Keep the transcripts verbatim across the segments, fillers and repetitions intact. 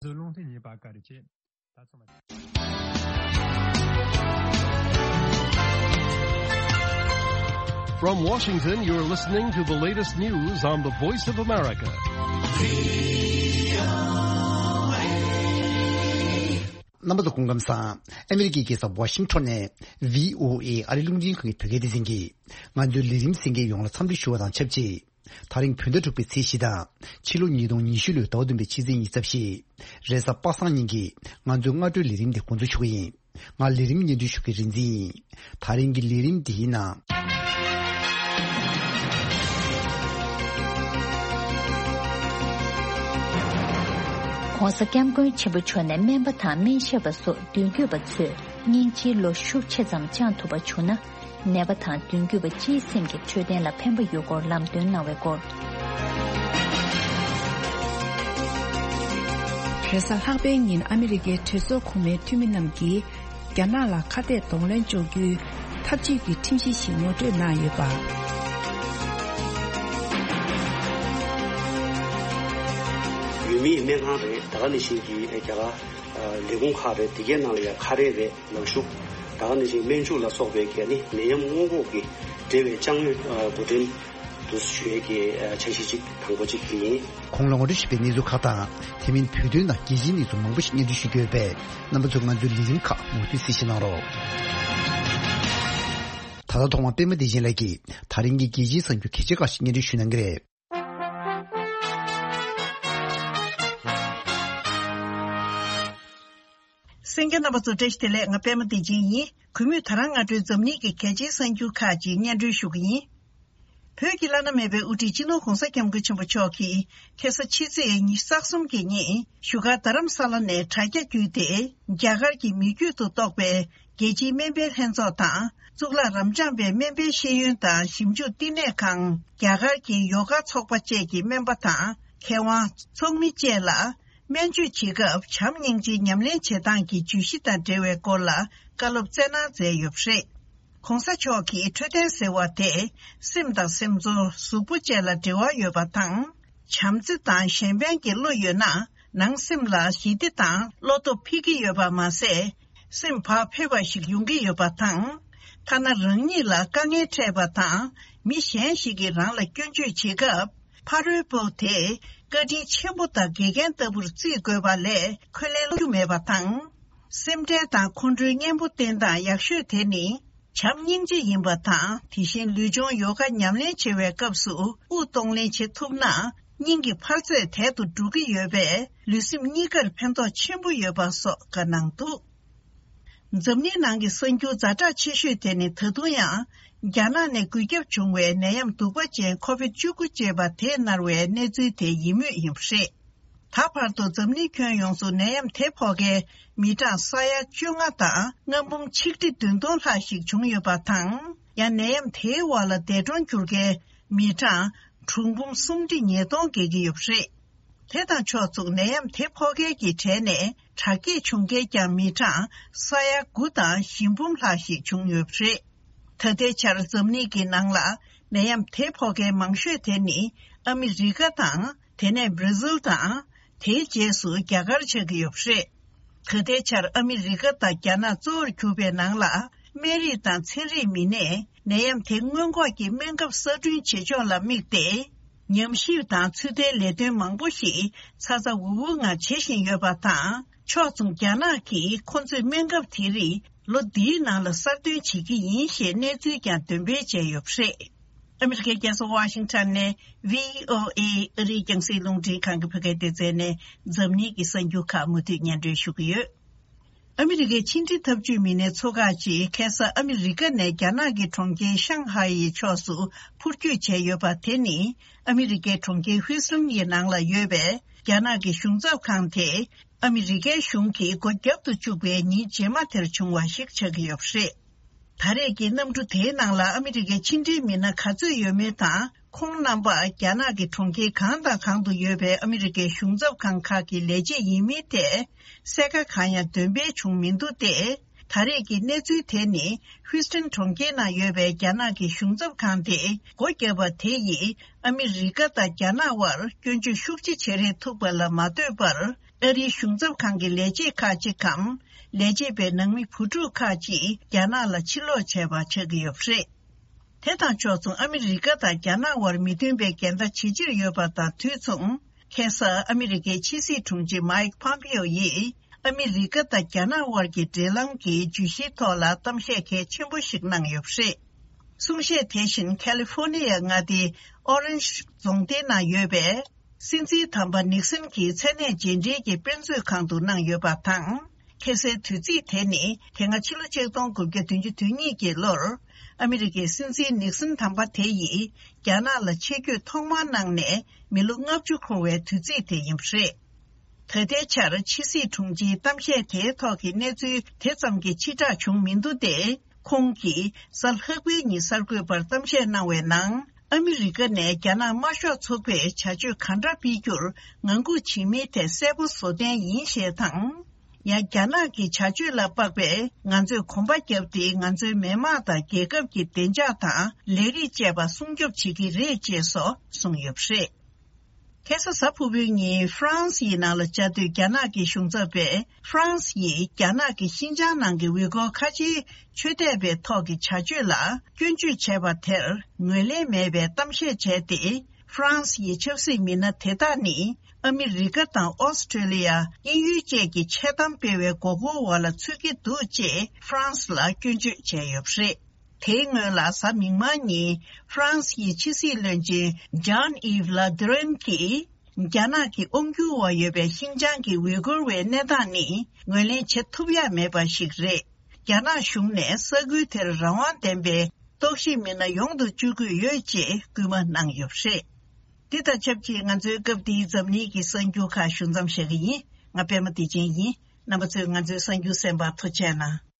བཟོ་ལུང་ཐིག་ཉེས་པ་བཀའ་དྲིན་ཆེ། ད་ཚང་མ། From Washington, you're listening to the latest news on the Voice of America. རྣམ་པ་ཚོ་སྐུ་ཁམས་བཟང་། ཨ་མི་རི་ཀའི་རྒྱལ་ས་ཝ་ཤིང་ཊོན་ནས་བྷི་ཨོ་ཨེ་ཨ་རི་རླུང་འཕྲིན་ཁང་གི་བོད་སྐད་སྡེ་ཚན་གྱིས་ང་ཚོའི་ལས་རིམ་གསན་མཁན་ཡོངས་ལ་འཚམས་འདྲི་ཞུ་བ་དང་ཆབས་ཅིག་ད་རིང་བོད་ཟླ་དྲུག་པའི་ཚེས་བཞི་དང་ཕྱི་ལོ་ཉིས་སྟོང་ཉི་ཤུ་ལོའི་ཟླ་བ་བདུན་པའི་ཕྱི་ཚེས་ཉི་ཤུ་རྩ་བཞི། རེས་གཟའ་པ་སངས་ཉིན་གྱི་ང་ཚོའི་སྔ་དྲོའི་ལས་རིམ་དེ་འགོ་འཛུགས་ཞུ་གི་ཡིན། ང་ལས་རིམ་སྙན་སྒྲོན་ཞུ་མཁན་རིག་འཛིན་ཡིན། ད་རིང་གི་ལས་རིམ་འདིའི་ནང་། ྋགོང་ས་ྋསྐྱབས་མགོན་ཆེན་པོ་མཆོག་ནས་སྨན་པ་དང་སྨན་ཞབས་པ་སོགས་མདུན་སྐྱོད་པ་ཚོས་སྙིང་རྗེའི་ལོ་ཤུགས་ཆེ་ཙམ་བཅངས་ཐུབ་པ་བྱུང་ན། ནད་པ་དང་མདུན་སྐྱོད་པ་སྤྱིའི་སེམས་ཀྱི་འཕྲོད་བསྟེན་ལ་ཕན་པ་ཡོད་སྐོར་ལམ་སྟོན་གནང་བའི་སྐོར། རེས་གཟའ་ལྷག་པའི་ཉིན་ཨ་མི་རི་ཀའི་གྲོས་ཚོགས་གོང་མའི་འཐུས་མི་རྣམས་ཀྱིས་རྒྱ་ནག་ལ་ཁ་གཏད་གདོང་ལེན་གཅོག་རྒྱུའི་འཐབ་ཇུས་ཀྱི་ཁྲིམས་གཞི་ཞིག་ངོ་སྤྲོད་གནང་ཡོད་པ། ཡུལ་མིའི་སྨན་ཁང་རེད། ད་ག་ནང་བཞིན་གྱི་རྒྱ་གར་ལས་ཁུངས་ཁག་རེད། དེ་གའི་ནང་ལ་ཡང་ཁ་རས་རེད། ལག་ཤུབས། ད་ག་ནང་བཞིན་སྨན་བཅོས་ལ་སོགས་པའི་གལ་ནི་ནད་ཡམས་སྔོན་འགོག་གི་འབྲེལ་བའི་དཔྱ་དངོས་འགོ་འདྲེན་དུ་ཞུ་ཡས་ཀྱི་འཆར་གཞི་གཅིག་དང་པོ་གཅིག་དེ་ཡིན། གོང་ལ་ངོ་སྤྲོད་ཞུས་པའི་གནས་ཚུལ་ཁག་དང་དེ་མིན་བོད་དོན་དང་རྒྱལ་སྤྱིའི་གནས་ཚུལ་མང་པོ་ཞིག་སྙན་སྒྲོན་ཞུ་རྒྱུ་ཡོད་པས་རྣམ་པ་ཚོས་ང་ཚོའི་ལས་རིམ་ཁག་མུ་མཐུད་གཟིགས་ཞིབ་གནང་རོགས། ད་ལྟ་ཐོག་མར་པད་མ་བདེ་ཆེན་ལགས་ཀྱིས་ད་རིང་གི་རྒྱལ་སྤྱིའི་གསར་འགྱུར་གལ་ཆེ་ཁག་ཞིག་སྙན་སྒྲོན་ཞུ་གནང་གི་རེད། གསན་མཁན་རྣམ་པ་ཚོ་བཀྲ་ཤིས་བདེ་ལེགས། ང་པད་མ་བདེ་ཆེན་ཡིན། གུས་མོས་ད་རང་སྔ་དྲོའི་འཛམ་གླིང་གི་གལ་ཆེའི་གསར་འགྱུར་ཁག་ཅིག་སྙན་སྒྲོན་ཞུ་གི་ཡིན། བོད་ཀྱི་བླ་ན་མེད་པའི་དབུ་ཁྲིད་སྤྱི་ནོར་༧གོང་ས་༧སྐྱབས་མགོན་ཆེན་པོ་མཆོག་གིས་ཁ་སང་ཕྱི་ཚེས་ཉི་ཤུ་རྩ་གསུམ་གྱི་ཉིན་བཞུགས་སྒར་རྡ་རམ་ས་ལ་ནས་དྲ་རྒྱ་བརྒྱུད་དེ་རྒྱ་གར་གྱི་མི་རྒྱུད་དུ་གཏོགས་པའི་རྒྱལ་སྤྱིའི་སྨན་པའི་ལྷན་ཚོགས་དང་གཙུག་ལག་རབ་འབྱམས་པའི་སྨན་པའི་ཤེས་ཡོན་དང་ཞིབ་འཇུག་བསྟི་གནས་ཁང་། རྒྱ་གར་གྱི་ཡོ་ག་ཚོགས་པ་བཅས་ཀྱི་སྨན་པ་དང་མཁས་དབང་། ཚོགས་མི་བཅས་ལ་སྨན་བཅོས་བྱེད་སྐབས་བྱམས་སྙིང་རྗེའི་ཉམས་ལེན་བྱེད་སྟངས་ཀྱི་བརྗོད་གཞི་དང་འབྲེལ་བའི་སྐོར་ལ་བཀའ་སློབ་སྩལ་གནང་མཛད་ཡོད་པ་རེད། ྋགོང་ས་མཆོག་གིས་འཕྲོད་བསྟེན་ཟེར་བ་དེ་སེམས་དང་སེམས་ཚོར་གཟུགས་པོ་བཅས་ལ་འབྲེལ་བ་ཡོད་པ་དང་། བྱམས་བརྩེ་དང་གཞན་ཕན་གྱི་བློ་ཡོད་ན་ནང་སེམས་ལ་ཞི་བདེ་དང་བློ་སྟོབས་འཕེལ་གྱི་ཡོད་པ་མ་ཟད། སེམས་བག་ཕེབས་པ་ཞིག་ཡོང་གི་ཡོད་པ་དང་། ཐ་ན་རང་ཉིད་ལ་དཀའ་ངལ་འཕྲད་པ་དང་མི་གཞན་ཞིག་གིས་རང་ལ་སྐྱོན་བརྗོད་བྱེད་སྐབས་ཕ་རོལ་པོ་དེ་བཀའ་དྲིན་ཆེན་པོ་དང་དགེ་རྒན་ལྟ་བུར་བརྩི་དགོས་པ་ལས་འཁོན་ལན་སློག་རྒྱུ་མེད་པ་དང་། སེམས་ཁྲལ་དང་ཁོང་ཁྲོའི་གཉེན་པོ་བསྟེན་སྟངས་ཡག་ཤོས་དེ་ནི་བྱམས་སྙིང་རྗེ་ཡིན་པ་དང་། དེ་བཞིན་ལུས་སྦྱོང་ཡོ་ག་ཉམས་ལེན་བྱེད་པའི་སྐབས་སུ་དབུགས་གཏོང་ལེན་བྱེད་ཐུབ་ན་སྙིང་གི་འཕར་ཚད་དལ་དུ་འགྲོ་གི་ཡོད་པས་ལུས་སེམས་གཉིས་ཀར་ཕན་ཐོགས་ཆེན་པོ་ཡོད་པ་སོགས་བཀའ་གནང་འདུག་འཛམ་གླིང་ནང་གི་གསར་འགྱུར་ཛ་དྲག་ཆེ་ཤོས་དེ་ནི་ད་དུང་ཡང་རྒྱ་ནག་ནས་འགོས་ཁྱབ་བྱུང་བའི་ནད་ཡམས་གདུག་པ་ཅན་ཁོ་བིད་བཅུ་དགུ་ཅེས་པ་དེས་མནར་བའི་གནས་ཚུལ་དེ་ཡིན་མུས་ཡིན་པ་རེད། ད་བར་དུ་འཛམ་གླིང་ཁྱོན་ཡོངས་སུ་ནད་ཡམས་དེ་ཕོག་མཁན་མི་གྲངས་ས་ཡ་བཅོ་ལྔ་དང་ལྔ་འབུམ་ཆིག་ཁྲི་བདུན་སྟོང་ལྷག་ཞིག་བྱུང་ཡོད་པ་དང་། ཡང་ནད་ཡམས་དེའི་འོག་ལ་འདས་གྲོངས་གྱུར་མཁན་མི་གྲངས་དྲུག་འབུམ་སུམ་ཁྲི་ཉིས་སྟོང་བརྒལ་གྱི་ཡོད་པ་རེད། དེ་དང་ཕྱོགས་མཚུངས་ནད་ཡམས་དེ་ཕོག་མཁན་གྱི་གྲས་ནས་དྲག་སྐྱེད་བྱུང་མཁན་ཀྱང་མི་གྲངས་ས་ཡ་དགུ་དང་བཞི་འབུམ་ལྷག་ཞིག་བྱུང་ཡོད་པ་རེད། ད་ལྟའི་ཆར་འཛམ་གླིང་གི་ནང་ལ་ནད་ཡམས་དེ་ཕོག་མཁན་མང་ཤོས་དེ་ནི་ཨ་མི་རི་ཀ་དང་། དེ་ནས་བྷར་ཛིལ་དང་། དེའི་རྗེས་སུ་རྒྱ་གར་ཆགས་ཀྱི་ཡོད་པ་རེད། ད་ལྟའི་ཆར་ཨ་མི་རི་ཀ་དང་རྒྱ་ནག་གཙོ་བོར་གྱུར་པའི་ནང་ལ་སྨན་རིགས་དང་ཚན་རིག་མི་སྣས་ནད་ཡམས་དེ་སྔོན་འགོག་གི་སྨན་ཁབ་གསར་སྐྲུན་བྱེད་ཕྱོགས་ལ་དམིགས་ཏེ། ཉམས་ཞིབ་དང་ཚོད་ལྟའི་ལས་དོན་མང་པོ་ཞིག་ཚ་ཚ་འུར་འུར་ངང་བྱེད་བཞིན་ཡོད་པ་དང་། ཕྱོགས་མཚུངས་རྒྱ་ནག་གིས་ཁོ་ཚོས་སྨན་ཁབ་དེ་རིགས་ལོ་འདིའི་ནང་ལ་གསར་གཏོད་བྱེད་ཀྱི་ཡིན་ཞེས་གནས་ཚུལ་ཀྱང་འདོན་སྤེལ་བྱས་ཡོད་པ་རེད། ཨ་མི་རི་ཀའི་རྒྱལ་ས་ཝ་ཤིང་ཊོན་ནས་བྷི་ཨོ་ཨེ་ཨ་རིའི་རྒྱང་སྲིང་རླུང་འཕྲིན་ཁང་གི་བོད་སྐད་སྡེ་ཚན་ནས་འཛམ་གླིང་གི་གསར་འགྱུར་ཁག་མུ་མཐུད་སྙན་སྒྲོན་ཞུ་གི་ཡོད། ཨ་མི་རི་ཀའི་ཕྱི་འབྲེལ་འཐབ་ཇུས་མི་སྣའི་ཚོགས་ཁག་ཅིག་ཁ་སང་ཨ་མི་རི་ཀ་ནས་རྒྱ་ནག་གི་གྲོང་ཁྱེར་ཤང་ཧའེ་ཡི་ཕྱོགས་སུ་འཕུར་སྐྱོད་བྱས་ཡོད་པ་དེ་ནི་ཨ་མི་རི་ཀའི་གྲོང་ཁྱེར་ཧུའུ་སི་ཊོན་ཡི་ནང་ལ་ཡོད་པའི་རྒྱ་ནག་གི་གཞུང་ཚབ་ཁང་དེ་ཨ་མི་རི་ཀའི་གཞུང་གིས་སྒོ་བརྒྱབ་ཏུ་བཅུག་པའི་ཉིན་རྗེས་མ་དེར་བྱུང་བ་ཞིག་ཆགས་ཀྱི་ཡོད་པ་རེད། ད་རེས་ཀྱི་གནམ་གྲུ་དེའི་ནང་ལ་ཨ་མི་རི་ཀའི་ཕྱི་འབྲེལ་མི་སྣ་ག་ཚོད་ཡོད་མེད་དང་། ཁོང་རྣམ་པ་རྒྱ་ནག་གི་གྲོང་ཁྱེར་གང་དང་གང་དུ་ཡོད་པའི་ཨ་མི་རི་ཀའི་གཞུང་ཚབ་ཁང་ཁག་གི་ལས་བྱེད་ཡིན་མིན་ཐད་གསལ་ཁ་གང་ཡང་འདོན་སྤེལ་བྱུང་མི་འདུག་སྟེ། ད་རེས་ཀྱི་གནས་ཚུལ་དེ་ནི་ཧུའུ་སི་ཊོན་གྲོང་ཁྱེར་ནང་ཡོད་པའི་རྒྱ་ནག་གི་གཞུང་ཚབ་ཁང་དེ་སྒོ་བརྒྱབ་པ་དེ་ཡིས་ཨ་མི་རི་ཀ་དང་རྒྱ་ནག་དབར་སྐྱོན་བརྗོད་ཤུགས་ཆེ་བྱེད་རེས་ཐུབ་པ་ལ་མ་ལྟོས་པར། ཨ་རིའི་གཞུང་ཚབ་ཁང་གི་ལས་བྱེད་ཁག་ཅིག་གམ། ལས་བྱེད་པའི་ནང་མི་བུ་ཕྲུག་ཁག་ཅིག་རྒྱ་ནག་ལ་ཕྱིར་ལོག་བྱས་པ་ཆགས་ཀྱི་ཡོད་པ་རེད། དེ་དང་ཕྱོགས་མཚུངས་ཨ་མི་རི་ཀ་དང་རྒྱ་ནག་དབར་མི་མཐུན་པའི་འགལ་ཟླ་ཇེ་ཆེར་ཡོད་པ་དང་དུས་མཚུངས། ཁ་སང་ཨ་མི་རི་ཀའི་ཕྱི་སྲིད་དྲུང་ཆེ་མའིག་ཕོམ་པེའོ་ཡིས་ཨ་མི་རི་ཀ་དང་རྒྱ་ནག་དབར་གྱི་འབྲེལ་ལམ་གྱི་བརྗོད་གཞིའི་ཐོག་ལ་གཏམ་བཤད་གལ་ཆེན་པོ་ཞིག་གནང་ཡོད་པ་རེད། གསུང་བཤད་དེ་བཞིན་ཁ་ལི་ཧྥོ་ནི་ཡ་མངའ་སྡེའི་ཨོ་རེན་ཇི་རྫོང་སྡེའི་ནང་ཡོད་པའི་སྲིད་འཛིན་དམ་པ་ནིག་སན་གྱི་མཚན་གནས་རྗེས་འབྲེལ་གྱི་དཔེ་མཛོད་ཁང་དུ་གནང་ཡོད་པ་དང་། ཁ་སའི་དུས་ཚིགས་དེ་ནི་དེ་སྔ་ཕྱི་ལོ་ཆིག་སྟོང་དགུ་བརྒྱ་བདུན་ཅུ་དོན་གཉིས་ཀྱི་ལོར་ཨ་མི་རི་ཀའི་སྲིད་འཛིན་ནིག་སན་དམ་པ་དེ་ཡིས་རྒྱ་ནག་ལ་ཆེད་བསྐྱོད་ཐོག་མར་གནང་ནས་མི་ལོ་ལྔ་བཅུ་འཁོར་བའི་དུས་ཚིགས་དེ་ཡིན་པ་རེད། ད་ལྟའི་ཆར་ཕྱི་སྲིད་དྲུང་ཆེའི་གཏམ་བཤད་དེའི་ཐོག་གི་གནས་ཚུལ་དེ་ཙམ་གྱིས་ཕྱིར་བསྒྲགས་བྱུང་མི་འདུག་སྟེ། ཁོང་གིས་གཟའ་ལྷག་པའི་ཉིན་གསར་འགོད་པར་གཏམ་བཤད་གནང་བའི་ནང་། ཨ་མི་རི་ཀ་ནས་རྒྱ་ནག་དམར་ཤོག་ཚོགས་པས་བྱ་སྤྱོད་ག་འདྲ་སྤེལ་རྒྱུར་ངང་སྒུག་བྱེད་མིན་ཐད་གསལ་པོ་བཟོ་གཏན་ཡིན་ཞེས་དང་། ཡང་རྒྱ་ནག་གི་བྱ་སྤྱོད་ལ་དཔག་པས་ང་ཚོས་གོམ་པ་བརྒྱབ་སྟེ་ང་ཚོའི་མི་དམངས་དང་རྒྱལ་ཁབ་ཀྱི་བདེ་འཇགས་དང་ལས་རིགས་བཅས་པ་སྲུང་སྐྱོབ་བྱེད་ཀྱི་རེད་ཅེས་སོགས་གསུངས་ཡོད་པ་རེད། ཁ་སང་གཟའ་ཕུར་བུའི་ཉིན་ཧྥ་རན་སི་ཡི་ནང་ལ་བཅའ་སྡོད་རྒྱ་ནག་གི་གཞུང་ཚབ་པས་ཧྥ་རན་སི་ཡིས་རྒྱ་ནག་གི་ཤིན་ཅང་ནང་གི་ཝི་གོར་ཁ་ཆེའི་ཆོས་དད་པའི་ཐོག་གི་བྱ་སྤྱོད་ལ་སྐྱོན་བརྗོད་བྱས་པ་དེར་ངོས་ལེན་མེད་པའི་གཏམ་བཤད་བྱས་ཏེ། ཧྥ་རན་སི་ཡི་ཆབ་སྲིད་མི་སྣ་དེ་དག་ནི་ཨ་མི་རི་ཀ་དང་ཨོ་སི་ཀྲེ་ལི་ཡ། དབྱིན་ཡུལ་བཅས་ཀྱི་འཆལ་གཏམ་སྤེལ་བའི་མགོ་སྐོར་འོག་ལ་ཚུད་ཀྱི་འདུག་ཅེས་ཧྥ་རན་སི་ལ་སྐྱོན་བརྗོད་བྱས་ཡོད་པ་རེད། དེའི་སྔོན་ལ་གཟའ་མིག་དམར་ཉིན་ཧྥ་རན་སི་ཡི་ཕྱི་སྲིད་བློན་ཆེན་ཇཱན་ཨིབ་ལ་དི་རན་གྱིས། རྒྱ་ནག་གི་དབང་སྒྱུར་འོག་ཡོད་པའི་ཤིན་ཅང་གི་ཝི་གུར་བའི་གནས་སྟངས་ནི་ངོས་ལེན་བྱེད་ཐུབ་ཡ་མེད་པ་ཞིག་རེད། རྒྱ་ནག་གཞུང་ནས་ས་ཁུལ་དེར་རང་དབང་ལྡན་པའི་རྟོག་ཞིབ་མི་སྣ་ཡོང་དུ་བཅུག་དགོས་ཡོད་ཅེས་སྐུལ་མ་གནང་ཡོད་པ་རེད། འདི་དང་ཆབས་ཅིག་ང་ཚོའི་སྐབས་འདིའི་འཛམ་གླིང་གི་གསར་འགྱུར་ཁག་ཞུ་མཚམས་བཞག་གི་ཡིན། ང་པད་མ་བདེ་ཆེན་ཡིན། རྣམ་པ་ཚོས་ང་ཚོའི་གསར་འགྱུར་གསན་པར་ཐུགས་རྗེ་གནང་།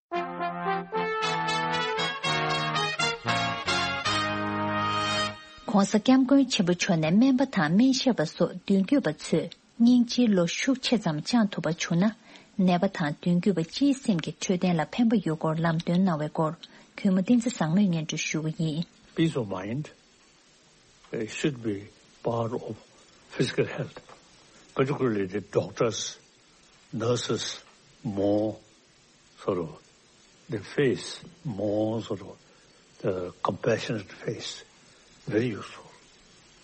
ྋགོང་ས་ྋསྐྱབས་མགོན་ཆེན་པོ་མཆོག་ནས་སྨན་པ་དང་སྨན་ཞབས་པ་སོགས་མདུན་སྐྱོད་པ་ཚོས་སྙིང་རྗེའི་བློ་ཤུགས་ཆེ་ཙམ་བཅངས་ཐུབ་པ་བྱུང་ན། ནད་པ་དང་མདུན་སྐྱོད་པ་སྤྱིའི་སེམས་ཀྱི་འཕྲོད་བསྟེན་ལ་ཕན་པ་ཡོད་སྐོར་ལམ་སྟོན་གནང་བའི་སྐོར། གུས་མོ་བསྟན་འཛིན་བཟང་མོས་སྙན་སྒྲོན་ཞུ་གི་ཡིན། Peace of mind, uh, should be part of physical health, particularly the doctors, nurses, more sort of the face, more sort of the compassionate face. Very useful.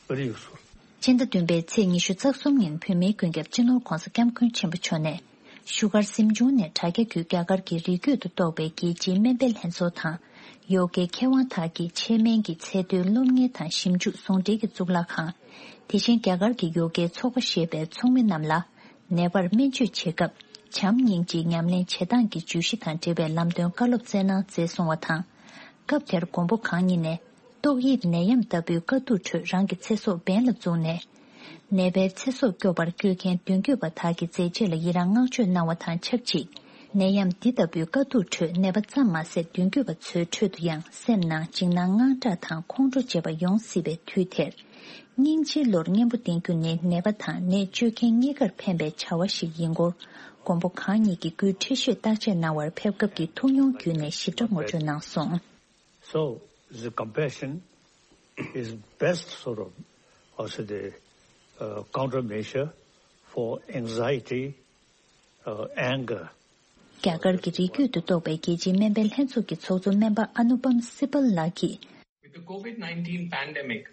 Very useful. སྤྱི་ཟླ་བདུན་པའི་ཚེས་ཉི་ཤུ་རྩ་གསུམ་ཉིན་བོད་མིའི་མགོན་སྐྱབས་སྤྱི་ནོར་༧གོང་ས་༧སྐྱབས་མགོན་ཆེན་པོ་མཆོག་ནས། བཞུགས་སྒར་གཟིམ་ཆུང་ནས་དྲ་རྒྱ་བརྒྱུད་རྒྱ་གར་གྱི་རིགས་རྒྱུད་དུ་གཏོགས་པའི་རྒྱལ་སྤྱིའི་སྨན་པའི་ལྷན་ཚོགས་དང་། ཡོ་གའི་མཁས་དབང་དག་གི་ཆེད་སྨན་གྱི་ཚད་མཐོའི་སློབ་གཉེར་དང་ཞིབ་འཇུག་ཟུང་འབྲེལ་གྱི་གཙུག་ལག་ཁང་། དེ་བཞིན་རྒྱ་གར་གྱི་ཡོ་གའི་ཚོགས་པ་ཞེས་པའི་ཚོགས་མི་རྣམས་ལ། ནད་པར་སྨན་བཅོས་བྱེད་སྐབས་བྱམས་སྙིང་རྗེའི་ཉམས་ལེན་བྱེད་སྟངས་ཀྱི་བརྗོད་གཞི་དང་འབྲེལ་བའི་ལམ་སྟོན་བཀའ་སློབ་སྩལ་གནང་མཛད་སོང་བ་དང་། སྐབས་དེར་མགོན་པོ་གང་ཉིད་ནས། ཏོག་དབྱིབས་ནད་ཡམས་ལྟ་བུའི་དཀའ་སྡུག་ཁྲོད་རང་གི་ཚེ་སྲོག་འབེན་ལ་བཙུགས་ནས། ནད་པའི་ཚེ་སྲོག་སྐྱོབ་པར་བསྐྱོད་མཁན་མདུན་སྐྱོད་པ་དག་གི་མཛད་རྗེས་ལ་ཡི་རངས་བསྔགས་བརྗོད་གནང་བ་དང་ཆབས་ཅིག་ནད་ཡམས་འདི་ལྟ་བུའི་དཀའ་སྡུག་ཁྲོད་ནད་པ་ཙམ་མ་ཟད་མདུན་སྐྱོད་པ་ཚོའི་ཁྲོད་དུ་ཡང་སེམས་ནང་འཇིགས་སྣང་དངངས་སྐྲག་དང་ཁོང་ཁྲོ་བྱེད་པ་ཡོང་སྲིད་པའི་དུས་དེར། སྙིང་རྗེའི་བློར་གཉེན་པོ་བསྟེན་རྒྱུ་ནི་ནད་པ་དང་ནད་བཅོས་མཁན་གཉིས་ཀར་ཕན་པའི་བྱ་བ་ཞིག་ཡིན་སྐོར། མགོན་པོ་གང་ཉིད་ཀྱིས་སྐུའི་ཁྲི་གཤོད་བརྟག་དཔྱད་གནང་བར་ཕེབས་སྐབས་ཀྱི་ཐུགས་མྱོང་བརྒྱུད་ནས་ཞིབ་ཕྲ་ངོ་སྤྲོད་གནང་སོང་། So, the compassion is best sort of, also the, uh, countermeasure for anxiety, uh, anger. རྒྱ་གར་གྱི་རིགས་རྒྱུད་དུ་གཏོགས་པའི་རྒྱལ་སྤྱིའི་སྨན་པའི་ལྷན་ཚོགས་ཀྱི་ཚོགས་གཙོ་སྨན་པ་ཨ་ནུ་པམ་སི་བལ་ལགས་ཀྱིས། With the COVID nineteen pandemic,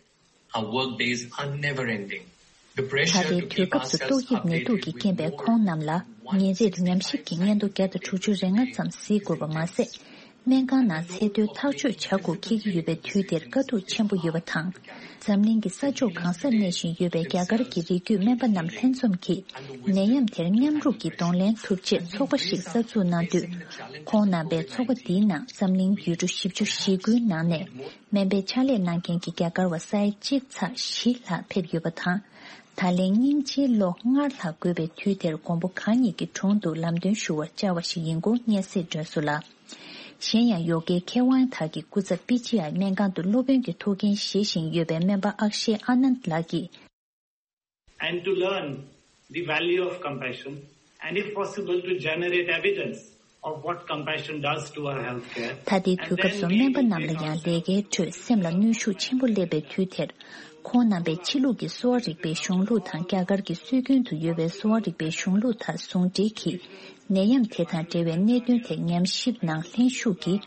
our work days are never ending. The ད་pressure ལྟའི་to དུས་keep སྐབས་སུ་ourselves ཏོག་དབྱིབས་ནད་དུག་updated གིས་with རྐྱེན་པས་more ཁོང་རྣམས་ལ་ཉིན་རེར་ཉམས་ཞིབ་ཀྱི་སྙན་ཐོ་བརྒྱ་དང་དྲུག་ཅུ་རེ་ལྔ་ཙམ་གཟིགས་དགོས་པ་མ་ཟད། སྨན་ཁང་ནང་ཚད་མཐོའི་ཐག་གཅོད་བྱ་དགོས་འཁེལ་གྱི་ཡོད་པའི་དུས་དེར་དཀའ་སྡུག་ཆེན་པོ་ཡོད་པ་དང་། འཛམ་གླིང་གི་ས་ཕྱོགས་གང་སར་གནས་བཞིན་ཡོད་པའི་རྒྱ་གར་གྱི་རིགས་རྒྱུད་སྨན་པ་རྣམས་ལྷན་འཛོམས་ཀྱིས་ནད་ཡམས་དེར་མཉམ་རུབ་ཀྱིས་གདོང་ལེན་ཐུབ་ཆེད་ཚོགས་པ་ཞིག་གསར་འཛུགས་གནང་དུས། ཁོང་རྣམ་པས་ཚོགས་པ་འདིའི་ནང་འཛམ་གླིང་ཡུལ་གྲུ་བཞི་བཅུ་ཞེ་དགུའི་ནང་ནས་སྨན་པའི་ཕྱག་ལས་གནང་མཁན་གྱི་རྒྱ་གར་བ་ས་ཡ་གཅིག་ཚེག་བཞི་ལྷག་ཕེབས་ཡོད་པ་དང་། ད་ལན་སྙིང་རྗེའི་བློ་སྔར་ལྷག་དགོས་པའི་དུས་དེར་མགོན་པོ་གང་ཉིད་ཀྱི་དྲུང་དུ་ལམ་སྟོན་ཞུ་བར་བཅར་བ་ཞིག་ཡིན་སྐོར་སྙན་སེང་སྒྲོན་སོང་ལ། གཞན་ཡང་ཡོ་གའི་མཁས་དབང་དག་གི་སྐུ་ཚབ་པི་ཇི་ཨའི་སྨན་ཁང་དུ་སློབ་དཔོན་གྱི་ཐུགས་འགན་བཞེས་བཞིན་ཡོད་པའི་སྨན་པ་ཨག་ཤེ་ཨ་ནནྡ་ལགས་ཀྱིས། And to learn the value of compassion and if possible to generate evidence of what compassion does to our healthcare. ད་ལྟའི་དུས་སྐབས་སུ་སྨན་པ་རྣམས་ལ་ཡང་ལས་ཀའི་ཁྲོད་སེམས་ལ་གནོན་ཤུགས་ཆེན་པོ་སླེབས་པའི་དུས་དེར། ཁོང་རྣམ་པས་ཕྱི་ལུགས་ཀྱི་གསོ་བ་རིག་པའི་གཞུང་ལུགས་དང་རྒྱ་གར་གྱི་སྲོལ་རྒྱུན་དུ་ཡོད་པའི་གསོ་བ་རིག་པའི་གཞུང་ལུགས་དང་ཟུང་འབྲེལ་གྱིས། ནད་ཡམས་དེ་དང་འབྲེལ་བའི་གནད་དོན་ཐད་ཉམས་ཞིབ་ནང་ལྷན་ཞུགས་ཀྱིས།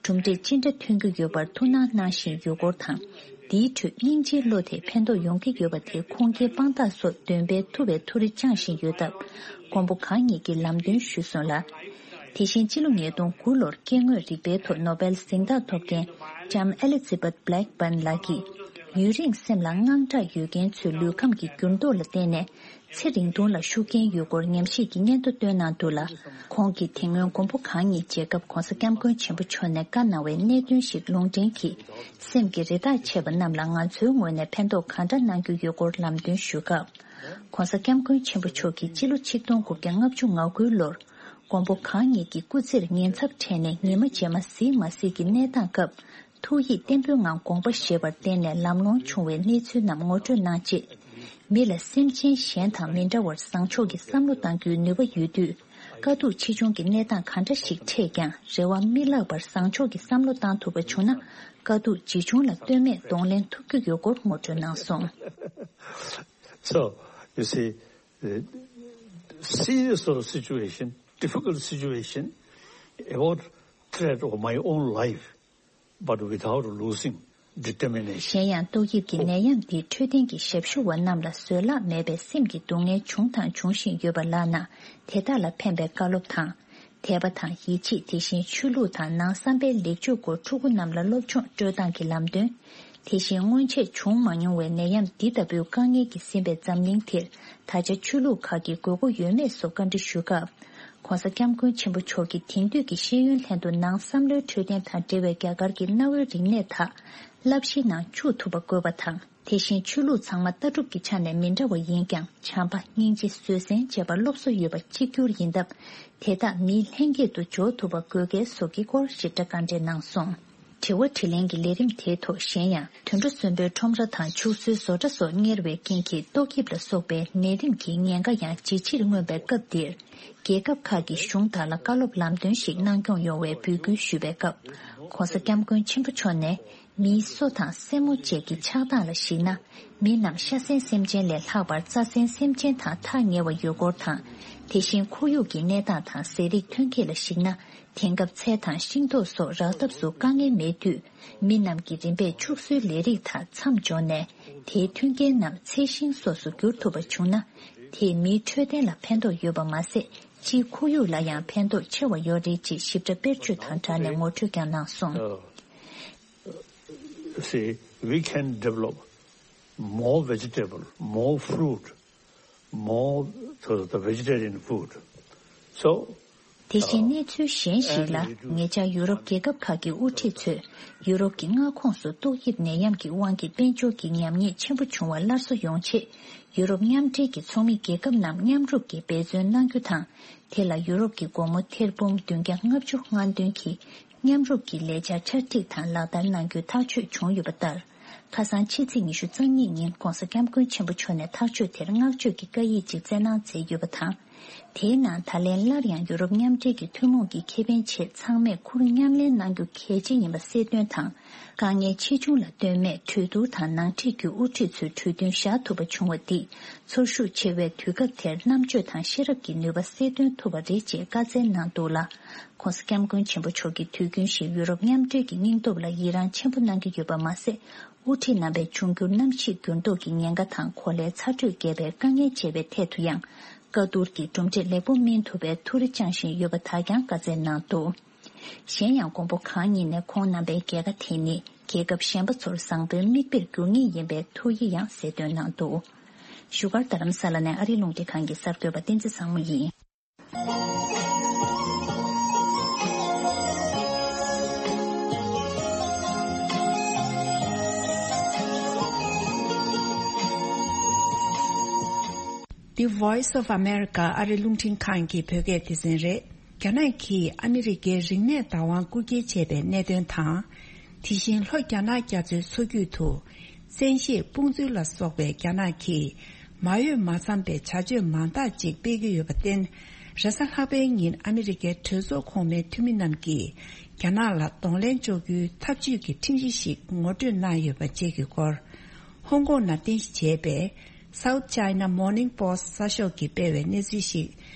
གྲུབ་འབྲས་ཅི་འདྲ་ཐོན་གྱི་ཡོད་པར་ཐུགས་སྣང་གནང་བཞིན་ཡོད་སྐོར་དང་། འདིའི་ཁྲོད་སྙིང་རྗེའི་བློ་དེ་ཕན་ཐོགས་ཡོང་གི་ཡོད་པ་དེ་ཁུངས་སྐྱེལ་དཔང་རྟགས་སོགས་འདོན་སྤེལ་ཐུབ་པའི་ཐུགས་རེ་བཅངས་བཞིན་ཡོད་སྟབས། མགོན་པོ་གང་ཉིད་ཀྱིས་ལམ་སྟོན་ཞུས་སོང་ལ། དེ་བཞིན་ཕྱི་ལོ་ཉིས་སྟོང་དགུ་ལོར་སྐྱེ་དངོས་རིག་པའི་ཐོག་ནོ་བེལ་གཟེངས་རྟགས་ཐོབ་མཁན་ལྕམ་ཨེ་ལི་ཛི་བེད་བྷི་ལེག་བྷརན་ལགས་ཀྱིས། ཡུན་རིང་སེམས་ལ་དངངས་སྐྲག་ཡོད་མཁན་ཚོའི་ལུས་ཁམས་ཀྱི་འགྱུར་ལྡོག་ལ་བརྟེན་ནས། ཚེ་རིང་ཐུང་ལ་ཤུགས་རྐྱེན་ཡོད་སྐོར་ཉམས་ཞིབ་ཀྱི་སྙན་ཐོ་བཏོན་གནང་འདུག་ལ། ཁོང་གིས་དེ་སྔོན་མགོན་པོ་གང་ཉིད་མཇལ་སྐབས་༧གོང་ས་༧སྐྱབས་མགོན་ཆེན་པོ་མཆོག་ནས་བཀའ་གནང་བའི་གནད་དོན་ཞིག་ལུང་འདྲེན་གྱིས། སེམས་ཀྱི་རེ་ཐག་ཆད་པ་རྣམས་ལ་ང་ཚོའི་ངོས་ནས་ཕན་ཐོགས་གང་འདྲ་གནང་རྒྱུ་ཡོད་སྐོར་ལམ་སྟོན་ཞུས་སྐབས། ༧གོང་ས་༧སྐྱབས་མགོན་ཆེན་པོ་མཆོག་གིས་སྤྱི་ལོ་ཆིག་སྟོང་དགུ་བརྒྱ་ལྔ་བཅུ་ང་དགུ་ལོར། མགོན་པོ་གང་ཉིད་ཀྱི་སྐུ་ཚེར་ཉེན་ཚབས་འཕྲད་ནས་ཉི་མ་རྗེས་མ་གཟིགས་མ་གཟིགས་ཀྱི་གནས་སྟངས་སྐབས། ཐུགས་ཡིད་བརྟན་པོའི་ངང་དགོངས་པ་བཞེས་པར་བརྟེན་ནས་ལམ་ལྷོང་བྱུང་བའི་གནས་ཚུལ་རྣམས་ངོ་སྤྲོད་གནང་རྗེས། མི་ལ་སེམས་ཅན་གཞན་དང་མི་འདྲ་བར་བཟང་ཕྱོགས་ཀྱི་བསམ་བློ་གཏང་རྒྱུའི་ནུས་པ་ཡོད་དུས། དཀའ་སྡུག་ཆེ་ཆུང་གི་གནས་སྟངས་གང་འདྲ་ཞིག་འཕྲད་ཀྱང་རེ་བ་མི་བརླག་པར་བཟང་ཕྱོགས་ཀྱི་བསམ་བློ་གཏང་ཐུབ་པ་བྱུང་ན། དཀའ་སྡུག་ཇི་བྱུང་ལ་ལྟོས་མེད་གདོང་ལེན་ཐུབ་རྒྱུ་ཡོད་སྐོར་ངོ་སྤྲོད་གནང་སོང་། So, you see, the serious sort of situation, difficult situation, about threat of my own life, but without losing determination. གཞན་ཡང་ཏོག་དབྱིབས་ཀྱི་ནད་ཡམས་འདིས་འཕྲོད་བསྟེན་གྱི་ཞབས་ཞུ་བ་རྣམས་ལ་བཟོད་གླགས་མེད་པའི་སེམས་ཀྱི་སྡུག་བསྔལ་བྱུང་དང་འབྱུང་བཞིན་ཡོད་པ་ལགས་ན། དེ་དག་ལ་ཕན་པའི་བཀའ་སློབ་དང་། དད་པ་དང་ཡིད་ཆེས། དེ་བཞིན་ཆོས་ལུགས་དང་ནང་བསམ་པའི་ལེགས་བཅོས་སྐོར་ཕྲུ་གུ་རྣམས་ལ་སློབ་སྦྱོང་སྤྲོད་སྟངས་ཀྱི་ལམ་སྟོན། དེ་བཞིན་སྔོན་ཆད་བྱུང་མ་མྱོང་བའི་ནད་ཡམས་འདི་ལྟ་བུའི་དཀའ་ངལ་གྱིས་ཟིན་པའི་འཛམ་གླིང་འདིར་ད་ཆ་ཆོས་ལུགས་ཁག་གི་དགོས་མཁོ་ཡོད་མེད་སོགས་བཀའ་འདྲི་ཞུས་སྐབས། ༧གོང་ས་༧སྐྱབས་མགོན་ཆེན་པོ་མཆོག་གིས་དེང་དུས་ཀྱི་ཤེས་ཡོན་ལྷན་དུ་ནང་བསམ་བློའི་འཕྲོད་བསྟེན་དང་འབྲེལ་བའི་རྒྱ་གར་གྱི་གནའ་བོའི་རིག་གནས་དག་བསླབ་གཞིའི་ནང་བཅུག་ཐུབ་པ་དགོས་པ་དང་། དེ་བཞིན་ཆོས་ལུགས་ཚང་མ་ལྟ་གྲུབ་ཀྱི་ཆ་ནས་མི་འདྲ་བ་ཡིན་ཀྱང་། བྱམས་པ། སྙིང་རྗེ། བཟོད་བསྲན་བཅས་པ་སློབ་གསོ་ཡོད་པ་གཅིག་གྱུར་ཡིན་སྟབས། དེ་དག་མིའི་ལྷན་སྐྱེས་སུ་འཇོག་ཐུབ་པ་དགོས་གལ་སོགས་ཀྱི་སྐོར་ཞིབ་ཕྲ་བཀའ་འདྲི་གནང་སོང་། དྲི་བ་དྲིས་ལན་གྱི་ལས་རིམ་དེའི་ཐོག་གཞན་ཡང་། དུད་འགྲོ་གསོན་པོའི་ཁྲོམ་ར་དང་ཕྱུགས་གསོའི་བཟོ་གྲྭ་སོགས་གཉེར་བའི་རྐྱེན་གྱིས་ཏོག་དབྱིབས་ལ་སོགས་པའི་ནད་རིམས་ཀྱི་ཉེན་ཁ་ཡང་ཇེ་ཆེར་མངོན་པའི་སྐབས་འདིར། རྒྱལ་ཁབ་ཁག་གི་གཞུང་དག་ལ་བཀའ་སློབ་ལམ་སྟོན་ཞིག་གནང་སྐྱོང་ཡོང་བའི་འབོད་སྐུལ་ཞུས་པའི་སྐབས། ྋགོང་ས་ྋསྐྱབས་མགོན་ཆེན་པོ་མཆོག་ནས། མིའི་སོ་དང་སེན་མོ་བཅས་ཀྱི་ཆགས་སྟངས་ལ་གཞིགས་ན། མི་རྣམས་ཤ་ཟན་སེམས་ཅན་ལས་ལྷག་པར་རྩྭ་ཟན་སེམས་ཅན་དང་ཐག་ཉེ་བ་ཡོད་སྐོར་དང་། དེ་བཞིན་ཁོར་ཡུག་གི་གནས་སྟངས་དང་ཟས་རིགས་ཐོན་སྐྱེད་ལ་གཞིགས་ན། དེང་སྐབས་ཚལ་དང་ཤིང་ཏོག་སོགས་རག་ཐབས་སུ་དཀའ་ངལ་མེད་དུས། མི་རྣམས་ཀྱིས་རིམ་པས་ཕྱུགས་གསོའི་ལས་རིགས་དག་མཚམས་འཇོག་ནས། དེའི་མཐུན་རྐྱེན་རྣམས་ཚལ་ཤིང་སོགས་སུ་བསྒྱུར་ཐུབ་པ་བྱུང་ན། དེས་མིའི་འཕྲོད་བསྟེན་ལ་ཕན་ཐོགས་ཡོད་པ་མ་ཟད། སྤྱིའི་ཁོར་ཡུག་ལ་ཡང་ཕན་ཐོགས་ཆེ་བ་ཡོད་རེད་ཅེས་ཞིབ་ཕྲ་དཔེར་བརྗོད་དང་སྦྲགས་ནས་ངོ་སྤྲོད་ཀྱང་གནང་སོང་། See, we can develop more vegetable, more fruit, more, so the vegetarian food. So, དེ་བཞིན་གནས་ཚུལ་གཞན་ཞིག་ལ། ཉེ་ཆར་ཡུ་རོབ་རྒྱལ་ཁབ་ཁག་གི་དབུ་ཁྲིད་ཚོས་ཡུ་རོབ་ཀྱི་མངའ་ཁོངས་སུ་ཏོག་དབྱིབས་ནད་ཡམས་ཀྱི་དབང་གིས་དཔལ་འབྱོར་གྱི་ཉམས་ཉེས་ཆེན་པོ་བྱུང་བ་སླར་གསོ་ཡོང་ཆེད། ཡུ་རོབ་མཉམ་འབྲེལ་གྱི་ཚོགས་མི་རྒྱལ་ཁབ་རྣམས་མཉམ་རུབ་ཀྱིས་འབད་བརྩོན་གནང་རྒྱུ་དང་། དེ་ལ་ཡུ་རོབ་ཀྱི་སྒོར་མོ་ཐེར་འབུམ་བདུན་བརྒྱ་ལྔ་བཅུ་ལྔ་བདུན་གྱིས། མཉམ་རུབ་ཀྱི་ལས་འཆར་ཆ་སྒྲིག་དང་ལག་བསྟར་གནང་རྒྱུའི་ཐག་གཅོད་བྱུང་ཡོད་པ་ལྟར། ཁ་སང་ཕྱི་ཚེས་ཉི་ཤུ་རྩ་གཉིས་ཉིན་༧གོང་ས་༧སྐྱབས་མགོན་ཆེན་པོ་མཆོག་ནས་ཐག་གཅོད་དེར་བསྔགས་བརྗོད་ཀྱི་བཀའ་ཡིག་ཅིག་བསྩལ་གནང་མཛད་ཡོད་པ་དང་། དེའི་ནང་ད་ལན་སླར་ཡང་ཡུ་རོབ་མཉམ་འབྲེལ་གྱི་ཐུན་མོང་གི་ཁེ་ཕན་ཆེད་ཚང་མས་ཁུར་མཉམ་ལེན་གནང་རྒྱུ་གལ་ཆེ་ཡིན་པ་གསལ་སྟོན་དང་། དཀའ་ངལ་ཆེ་ཆུང་ལ་ལྟོས་མེད་གྲོས་བསྡུར་དང་ནང་འཁྲིས་བརྒྱུད་དབུ་ཁྲིད་ཚོའི་གྲོས་མཐུན་བཞག་ཐུབ་པ་བྱུང་བ་འདིས། ཚོར་ཤུགས་ཆེ་བའི་དུས་སྐབས་དེར་རྣམ་དཔྱོད་དང་ཤེས་རབ་ཀྱི་ནུས་པ་གསལ་སྟོན་ཐུབ་པ་རེད་ཅེས་བཀའ་སྩལ་གནང་འདུག་ལ། ྋགོང་ས་ྋསྐྱབས་མགོན་ཆེན་པོ་མཆོག་གིས་དུས་རྒྱུན་བཞིན་ཡུ་རོབ་མཉམ་འབྲེལ་གྱི་སྙིང་སྟོབས་ལ་ཡི་རངས་ཆེན་པོ་གནང་གི་ཡོད་པ་མ་ཟད། དབུ་ཁྲིད་རྣམ་པས་འབྱུང་འགྱུར་གནམ་གཤིས་འགྱུར་ལྡོག་གི་ཉེན་ཁ་དང་གོ་ལའི་ཚ་དྲོད་རྒྱས་པའི་དཀའ་ངལ་འཕྱད་པའི་ཐད་དུ་ཡང་། བཀའ་བསྡུར་གྱིས་གྲུབ་འབྲས་ལེགས་པོ་སྨིན་ཐུབ་པའི་ཐུགས་རེ་བཅངས་བཞིན་ཡོད་པ་དག་ཀྱང་བཀའ་སྩལ་གནང་འདུག་གཞན་ཡང་། མགོན་པོ་གང་ཉིད་ནས་ཁོང་རྣམ་པའི་རྒྱལ་ཁ་དེ་ནི་རྒྱལ་ཁབ་གཞན་པ་ཚོར་བཟང་པོའི་མིག་དཔེར་འགྱུར་ངེས་ཡིན་པའི་ཐུགས་ཡིད་ཡང་གསལ་སྟོན་གནང་འདུག་བཞུགས་སྒར་རྡ་རམ་ས་ལ་ནས་ཨ་རིའི་རླུང་འཕྲིན་ཁང་གི་གསར་འགོད་པ་བསྟན་འཛིན་བཟང་མོ་ཡིན། The Voice of America ཨ་རི་རླུང་འཕྲིན་ཁང་གི་བོད་སྐད་སྡེ་ཚན་རེད། རྒྱ་ནག་གིས་ཨ་མི་རི་ཀའི་རིག་གནས་བདག་དབང་རྐུ་འཁྱེར་བྱས་པའི་གནད་དོན་དང་། དེ་བཞིན་ལྷོ་རྒྱ་ནག་རྒྱ་མཚོའི་མཚོ་རྒྱུད་དུ། བཙན་ཤེད་དཔུང་འཛུལ་ལ་སོགས་པའི་རྒྱ་ནག་གིས་མ་འོས་མ་འཚམས་པའི་བྱ་སྤྱོད་མང་དག་ཅིག་སྤེལ་གྱི་ཡོད་པར་བརྟེན། རེས་གཟའ་ལྷག་པའི་ཉིན་ཨ་མི་རི་ཀའི་གྲོས་ཚོགས་གོང་མའི་འཐུས་མི་རྣམས་ཀྱིས་རྒྱ་ནག་ལ་གདོང་ལེན་གཅོག་རྒྱུའི་ཐབས་ཇུས་ཀྱི་ཁྲིམས་གཞི་ཞིག་ངོ་སྤྲོད་གནང་ཡོད་པ་བཅས་ཀྱི་སྐོར། ཧོང་ཀོང་ནང་རྟེན་གཞི་བྱས་པའི་South China Morning Post་གསར་ཤོག་གིས་སྤེལ་བའི་གནས་ཚུལ་ཞིག་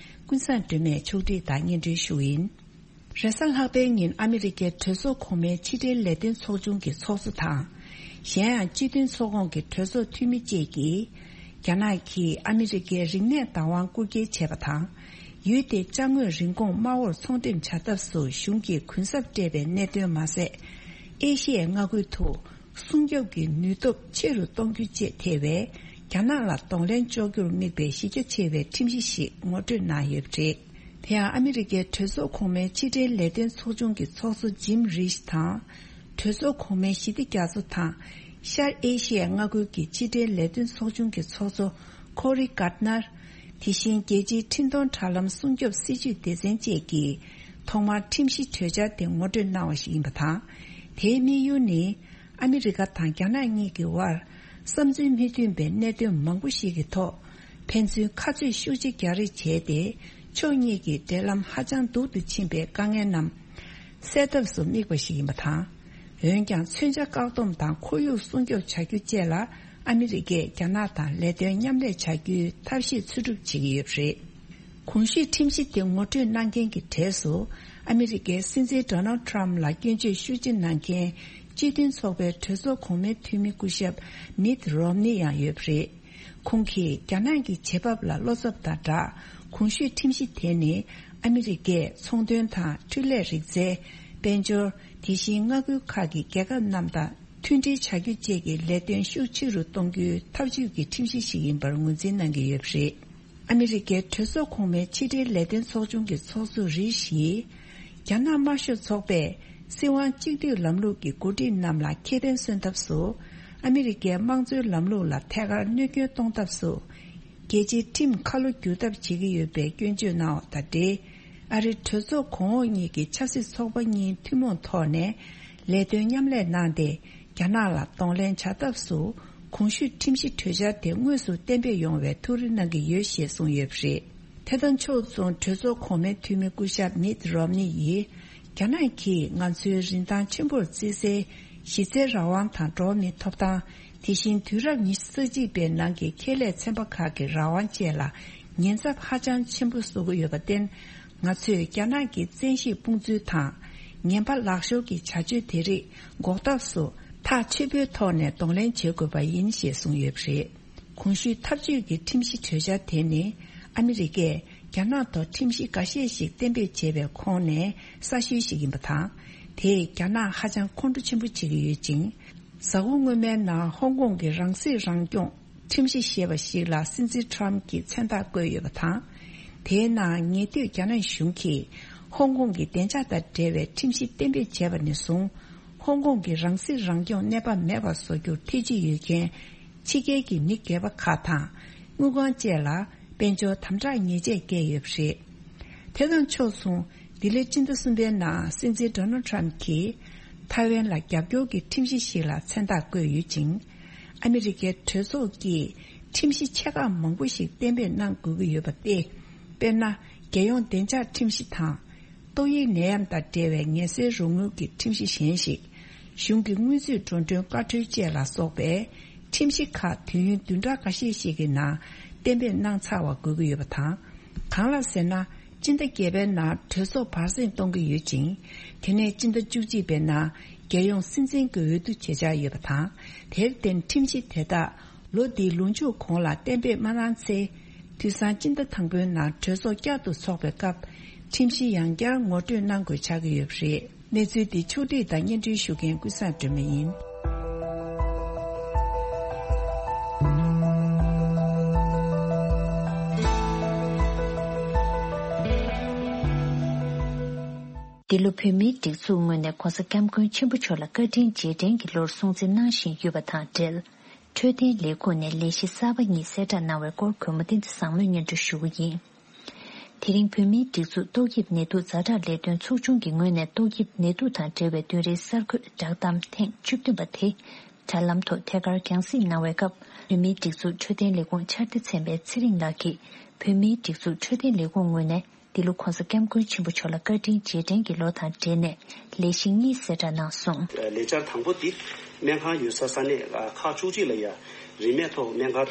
ཀུན་བཟང་སྒྲོལ་མས་ཕྱོགས་སྒྲིག་དང་སྙན་སྒྲོན་ཞུ་བ་ཡིན། རེས་གཟའ་ལྷག་པའི་ཉིན་ཨ་མི་རི་ཀའི་གྲོས་ཚོགས་གོང་མའི་ཕྱི་འབྲེལ་ལས་དོན་ཚོགས་ཆུང་གི་ཚོགས་གཙོ་དང་། གཞན་ཡང་སྤྱི་མཐུན་ཚོགས་ཁོངས་ཀྱི་གྲོས་ཚོགས་འཐུས་མི་བཅས་ཀྱིས། རྒྱ་ནག་གིས་ཨ་མི་རི་ཀའི་རིག་གནས་བདག་དབང་རྐུ་འཁྱེར་བྱས་པ་དང་། ཡུལ་དེའི་ཅ་དངོས་རིན་གོང་དམའ་བོར་ཚོང་འགྲེམས་བྱ་ཐབས་སུ་གཞུང་གིས་གུན་གསབ་སྤྲད་པའི་གནད་དོན་མ་ཟད། ཨེ་ཤི་ཡའི་མངའ་ཁུལ་དུ་སྲུང་སྐྱོབ་ཀྱི་ནུས་སྟོབས་ཆེ་རུ་གཏོང་རྒྱུ་བཅས་ཐེ་བའི་རྒྱ་ནག་ལ་གདོང་ལེན་གཅོག་རྒྱུར་དམིགས་པའི་གཞི་རྒྱ་ཆེ་བའི་ཁྲིམས་གཞི་ཞིག་ངོ་སྤྲོད་གནང་ཡོད་པ་རེད། དེ་ཡང་ཨ་མི་རི་ཀའི་གྲོས་ཚོགས་གོང་མའི་ཕྱི་འབྲེལ་ལས་དོན་ཚོགས་ཆུང་གི་ཚོགས་གཙོ་ཇིམ་རིཤ་དང་། གྲོས་ཚོགས་གོང་མའི་ཞི་བདེ་རྒྱ་མཚོ་དང་། ཤར་ཨེ་ཤི་ཡའི་མངའ་ཁུལ་གྱི་ཕྱི་འབྲེལ་ལས་དོན་ཚོགས་ཆུང་གི་ཚོགས་གཙོ་ཁོ་རི་གྷར་ནར། དེ་བཞིན་རྒྱལ་སྤྱིའི་འཕྲིན་གཏོང་དྲ་ལམ་སྲུང་སྐྱོབ་སྲིད་ཇུས་སྡེ་ཚན་བཅས་ཀྱིས་ཐོག་མར་ཁྲིམས་གཞི་གྲོས་འཆར་དེ་ངོ་སྤྲོད་གནང་བ་ཞིག་ཡིན་པ་དང་། དེའི་དམིགས་ཡུལ་ནི། ཨ་མི་རི་ཀ་དང་རྒྱ་ནག་གཉིས་ཀྱི་དབར་བསམ་ཚུལ་མི་མཐུན་པའི་གནད་དོན་མང་པོ་ཞིག་གི་ཐོག་ཕན་ཚུན་ཁ་རྩོད་ཤུགས་ཆེ་རྒྱག་རེས་བྱས་ཏེ། ཕྱོགས་གཉིས་ཀྱི་འབྲེལ་ལམ་ཧ་ཅང་སྡུག་ཏུ་ཕྱིན་པའི་དཀའ་ངལ་རྣམས་སེལ་ཐབས་སུ་དམིགས་པ་ཞིག་ཡིན་པ་དང་། འོན་ཀྱང་། མཚོན་ཆ་བཀག་སྡོམ་དང་ཁོར་ཡུག་སྲུང་སྐྱོབ་བྱ་རྒྱུ་བཅས་ལ་ཨ་མི་རི་ཀས་རྒྱ་ནག་དང་ལས་དོན་མཉམ་ལས་བྱ་རྒྱུའི་ཐབས་ཤེས་འཚོལ་སྒྲུབ་བྱེད་ཀྱི་ཡོད་པ་རེད། གོང་ཞུས་ཁྲིམས་གཞི་དེ་ངོ་སྤྲོད་གནང་མཁན་གྱི་གྲས་སུ། ཨ་མི་རི་ཀའི་སྲིད་འཛིན་ཌོ་ནལ་ཊམ་ལ་སྐྱོན་བརྗོད་ཤུགས་ཆེ་གནང་མཁན། སྤྱི་མཐུན་ཚོགས་པའི་གྲོས་ཚོགས་གོང་མའི་འཐུས་མི་སྐུ་ཞབས་མིད་རོམ་ནི་ཡང་ཡོད་པ་རེད། ཁོང་གིས་རྒྱ་ནག་གི་བྱེད་བབ་ལ་བློ་འཚབ་དང་སྦྲགས། གོང་ཞུས་ཁྲིམས་གཞི་དེ་ནི། ཨ་མི་རི་ཀས་ཚོང་དོན་དང་། འཕྲུལ་ལས་རིག་རྩལ། དཔལ་འབྱོར། དེ་བཞིན་མངའ་ཁུལ་ཁག་གི་རྒྱལ་ཁབ་རྣམས་དང་། མཐུན་སྒྲིལ་བྱ་རྒྱུ་བཅས་ཀྱི་ལས་དོན་ཤུགས་ཆེ་རུ་གཏོང་རྒྱུའི་ཐབས་ཇུས་ཀྱི་ཁྲིམས་གཞི་ཞིག་ཡིན་པར་ངོས་འཛིན་གནང་གི་ཡོད་པ་རེད། ཨ་མི་རི་ཀའི་གྲོས་ཚོགས་གོང་མའི་ཕྱི་འབྲེལ་ལས་དོན་ཚོགས་ཆུང་གི་ཚོགས་གཙོ་རིས་ཡིས། རྒྱ་ནག་དམར་ཤོག་ཚོགས་པས་སྲིད་དབང་གཅིག་སྡུད་ལམ་ལུགས་ཀྱི་འགོ་ཁྲིད་རྣམས་ལ་ཁེ་ཕན་སོན་ཐབས་སུ། ཨ་མི་རི་ཀའི་དམངས་གཙོའི་ལམ་ལུགས་ལ་ཐད་ཀར་གནོད་སྐྱོན་གཏོང་ཐབས་སུ། རྒྱལ་སྤྱིའི་ཁྲིམས་ཁ་ལོ་བསྒྱུར་ཐབས་བྱེད་ཀྱི་ཡོད་པའི་སྐྱོན་བརྗོད་གནང་བ་དང་འབྲེལ། ཨ་རིའི་གྲོས་ཚོགས་གོང་འོག་གཉིས་ཀྱི་ཆབ་སྲིད་ཚོགས་པ་གཉིས་ཐུན་མོང་ཐོག་ནས་ལས་དོན་མཉམ་ལས་གནང་སྟེ། རྒྱ་ནག་ལ་གདོང་ལེན་བྱ་ཐབས་སུ། གོང་ཞུས་ཁྲིམས་གཞི་གྲོས་འཆར་དེ་དངོས་སུ་གཏན་འབེབས་ཡོང་བའི་ཐུགས་རེ་གནང་གི་ཡོད་ཞེས་གསུངས་ཡོད་པ་རེད། ཐད་གཏོང་ཕྱོགས་མཚུངས་གྲོས་ཚོགས་གོང་མའི་འཐུས་མི་སྐུ་ཞབས་མིད་རོམ་ནི་ཡིས། རྒྱ་ནག་གིས་ང་ཚོའི་རིན་ཐང་ཆེན་པོར་བརྩི་སའི་གཞི་རྩའི་རང་དབང་དང་འགྲོ་བ་མིའི་ཐོབ་ཐང་། དེ་བཞིན་དུས་རབས་ཉི་ཤུ་རྩ་གཅིག་པའི་ནང་གི་ཁེ་ལས་ཚན་པ་ཁག་གི་རང་དབང་བཅས་ལ་ཉེན་ཚབས་ཧ་ཅང་ཆེན་པོ་བཟོ་གི་ཡོད་པར་བརྟེན། ང་ཚོས་རྒྱ་ནག་གི་བཙན་ཤེད་དཔུང་འཛུལ་དང་། ངན་པ་ལག་ཤོར་གྱི་བྱ་སྤྱོད་དེ་རིགས་འགོག་ཐབས་སུ་ཐག་ཆོད་པོའི་ཐོག་ནས་གདོང་ལེན་བྱེད་དགོས་པ་ཡིན་ཞེས་གསུངས་ཡོད་པ་རེད། གོང་ཞུས་ཐབས་ཇུས་ཀྱི་ཁྲིམས་གཞི་གྲོས་འཆར་དེ་ནི་ཨ་མི་རི་ཀས་རྒྱ་ནག་ཐོག་ཁྲིམས་གཞི་འགའ་ཤས་ཤིག་གཏན་འབེབས་བྱས་པའི་ཁོངས་ནས་གསར་ཤོས་ཤིག་ཡིན་པ་དང་། དེས་རྒྱ་ནག་ཧ་ཅང་ཁོང་ཁྲོ་ཆེན་པོ་བྱེད་ཀྱི་ཡོད་ཅིང་། གཟའ་འཁོར་སྔོན་མའི་ནང་ཧོང་ཀོང་གི་རང་སྲིད་རང་སྐྱོང་ཁྲིམས་གཞི་ཞེས་པ་ཞིག་ལ་སྲིད་འཛིན་ཊམ་གྱིས་མཚན་རྟགས་བཀོད་ཡོད་པ་དང་། དེའི་ནང་ཉེ་དུས་རྒྱ་ནག་གཞུང་གིས་ཧོང་ཀོང་གི་བདེ་འཇགས་དང་འབྲེལ་བའི་ཁྲིམས་གཞི་གཏན་འབེབས་བྱས་པ་ནས་བཟུང་། ཧོང་ཀོང་གི་རང་སྲིད་རང་སྐྱོང་གནས་བབ་མེད་པར་བཟོ་རྒྱུར་ཐེ་ཇུས་ཡོད་མཁན་ཕྱི་རྒྱལ་གྱི་མི་སྒེར་པ་ཁག་དང་། དངུལ་ཁང་བཅས་ལ་དཔལ་འབྱོར་དམ་དྲག་ཉེས་ཆད་བཀལ་ཡོད་པ་རེད། དེ་དང་ཕྱོགས་མཚུངས། ལྡི་ལི་སྤྱི་ཟླ་གསུམ་པའི་ནང་སྲིད་འཛིན་ཌོ་ནལ་ཊམ་གྱིས། ཐའེ་ཝན་ལ་རྒྱབ་སྐྱོར་གྱི་ཁྲིམས་གཞི་ཞིག་ལ་མཚན་རྟགས་བཀོད་ཡོད་ཅིང་། ཨ་མི་རི་ཀའི་གྲོས་ཚོགས་ཀྱིས་ཁྲིམས་གཞི་ཆེ་ཁག་མང་པོ་ཞིག་གཏན་འབེབས་གནང་དགོས་ཀྱི་ཡོད་པ་སྟེ། དཔེར་ན། རྒྱལ་ཡོངས་བདེ་འཇགས་ཁྲིམས་གཞི་དང་། ཏོག་དབྱིབས་ནད་ཡམས་དང་འབྲེལ་བའི་ངལ་སེལ་རོགས་དངུལ་གྱི་ཁྲིམས་གཞི་གཞན་ཞིག་གཞུང་གི་དངུལ་རྩིས་འགྲོ་གྲོན་བཀའ་འཁྲོལ་བཅས་ལ་སོགས་པའི་ཁྲིམས་གཞི་ཁག་དུས་ཡུན་བདུན་ཕྲག་འགའ་ཤས་ཤིག་གི་ནང་གཏན་འབེབས་གནང་ཚར་བ་དགོས་ཀྱི་ཡོད་པ་དང་། གང་ལགས་ཟེར་ན། སྤྱི་ཟླ་བརྒྱད་པའི་ནང་གྲོས་ཚོགས་བར་གསེང་གཏོང་གི་ཡོད་ཅིང་། དེ་ནས་སྤྱི་ཟླ་བཅུ་གཅིག་པའི་ནང་རྒྱལ་ཡོངས་སྲིད་འཛིན་གྱི་འོས་བསྡུ་བྱེད་འཆར་ཡོད་པ་དང་། དེར་བརྟེན་ཁྲིམས་གཞི་དེ་དག་ལོ་འདིའི་ལོ་མཇུག་གོང་ལ་གཏན་འབེབས་མ་གནང་ཚེ། དུས་སང་སྤྱི་ཟླ་དང་པོའི་ནང་གྲོས་ཚོགས་བསྐྱར་དུ་འཚོགས་པའི་སྐབས། ཁྲིམས་གཞི་ཡང་བསྐྱར་ངོ་སྤྲོད་གནང་དགོས་ཆགས་ཀྱི་ཡོད་པ་རེད། གནས་ཚུལ་འདི་ཕྱོགས་བསྒྲིགས་དང་སྙན་སྒྲོན་ཞུ་མཁན་ཀུན་བཟང་སྒྲོལ་མ་ཡིན། འདི་ལོ་བོད་མིའི་སྒྲིག་འཛུགས་ངོས་ནས་༧གོང་ས་༧སྐྱབས་མགོན་ཆེན་པོ་མཆོག་ལ་བཀའ་དྲིན་རྗེས་དྲན་གྱི་ལོར་སྲུང་བརྩི་གནང་བཞིན་ཡོད་པ་དང་འབྲེལ། འཕྲོད་བསྟེན་ལས་ཁུངས་ནས་ལས་གཞི་གསར་པ་གཉིས་གསལ་བསྒྲགས་གནང་བའི་སྐོར་གུས་མོ་བསྟན་འཛིན་བཟང་མོས་སྙན་སྒྲོན་ཞུ་གི་ཡིན། དེ་རིང་བོད་མིའི་སྒྲིག་འཛུགས་ཏོག་དབྱིབས་ནད་དུག་ཛ་དྲག་ལས་དོན་ཚོགས་ཆུང་གི་ངོས་ནས་ཏོག་དབྱིབས་ནད་དུག་དང་འབྲེལ་བའི་བདུན་རེའི་གསར་འགོད་བསྒྲགས་གཏམ་ཐེངས་བཅུ་བདུན་པ་དེ་དྲ་ལམ་ཐོག་ཐད་ཀར་རྒྱང་སྲིང་གནང་བའི་སྐབས། བོད་མིའི་སྒྲིག་འཛུགས་འཕྲོད་བསྟེན་ལས་ཁུངས་ཕྱག་སྡེ་ཚན་པའི་ཚེ་རིང་ལགས་ཀྱིས། བོད་མིའི་སྒྲིག་འཛུགས་འཕྲོད་བསྟེན་ལས་ཁུངས་ངོས་ནས་འདི་ལོ་༧གོང་ས་༧སྐྱབས་མགོན་ཆེན་པོ་མཆོག་ལ་བཀའ་དྲིན་རྗེས་དྲན་གྱི་ལོ་དང་འབྲེལ་ནས་ལས་གཞི་གཉིས་གསལ་བསྒྲགས་གནང་སོང་། ལས་འཆར་དང་པོ་འདི། སྨན་ཁང་ཡོད་ས་ས་གནས་ཁག་བཅུ་གཅིག་ལ་ཡ་རིན་མེད་ཐོག་སྨན་སྒར་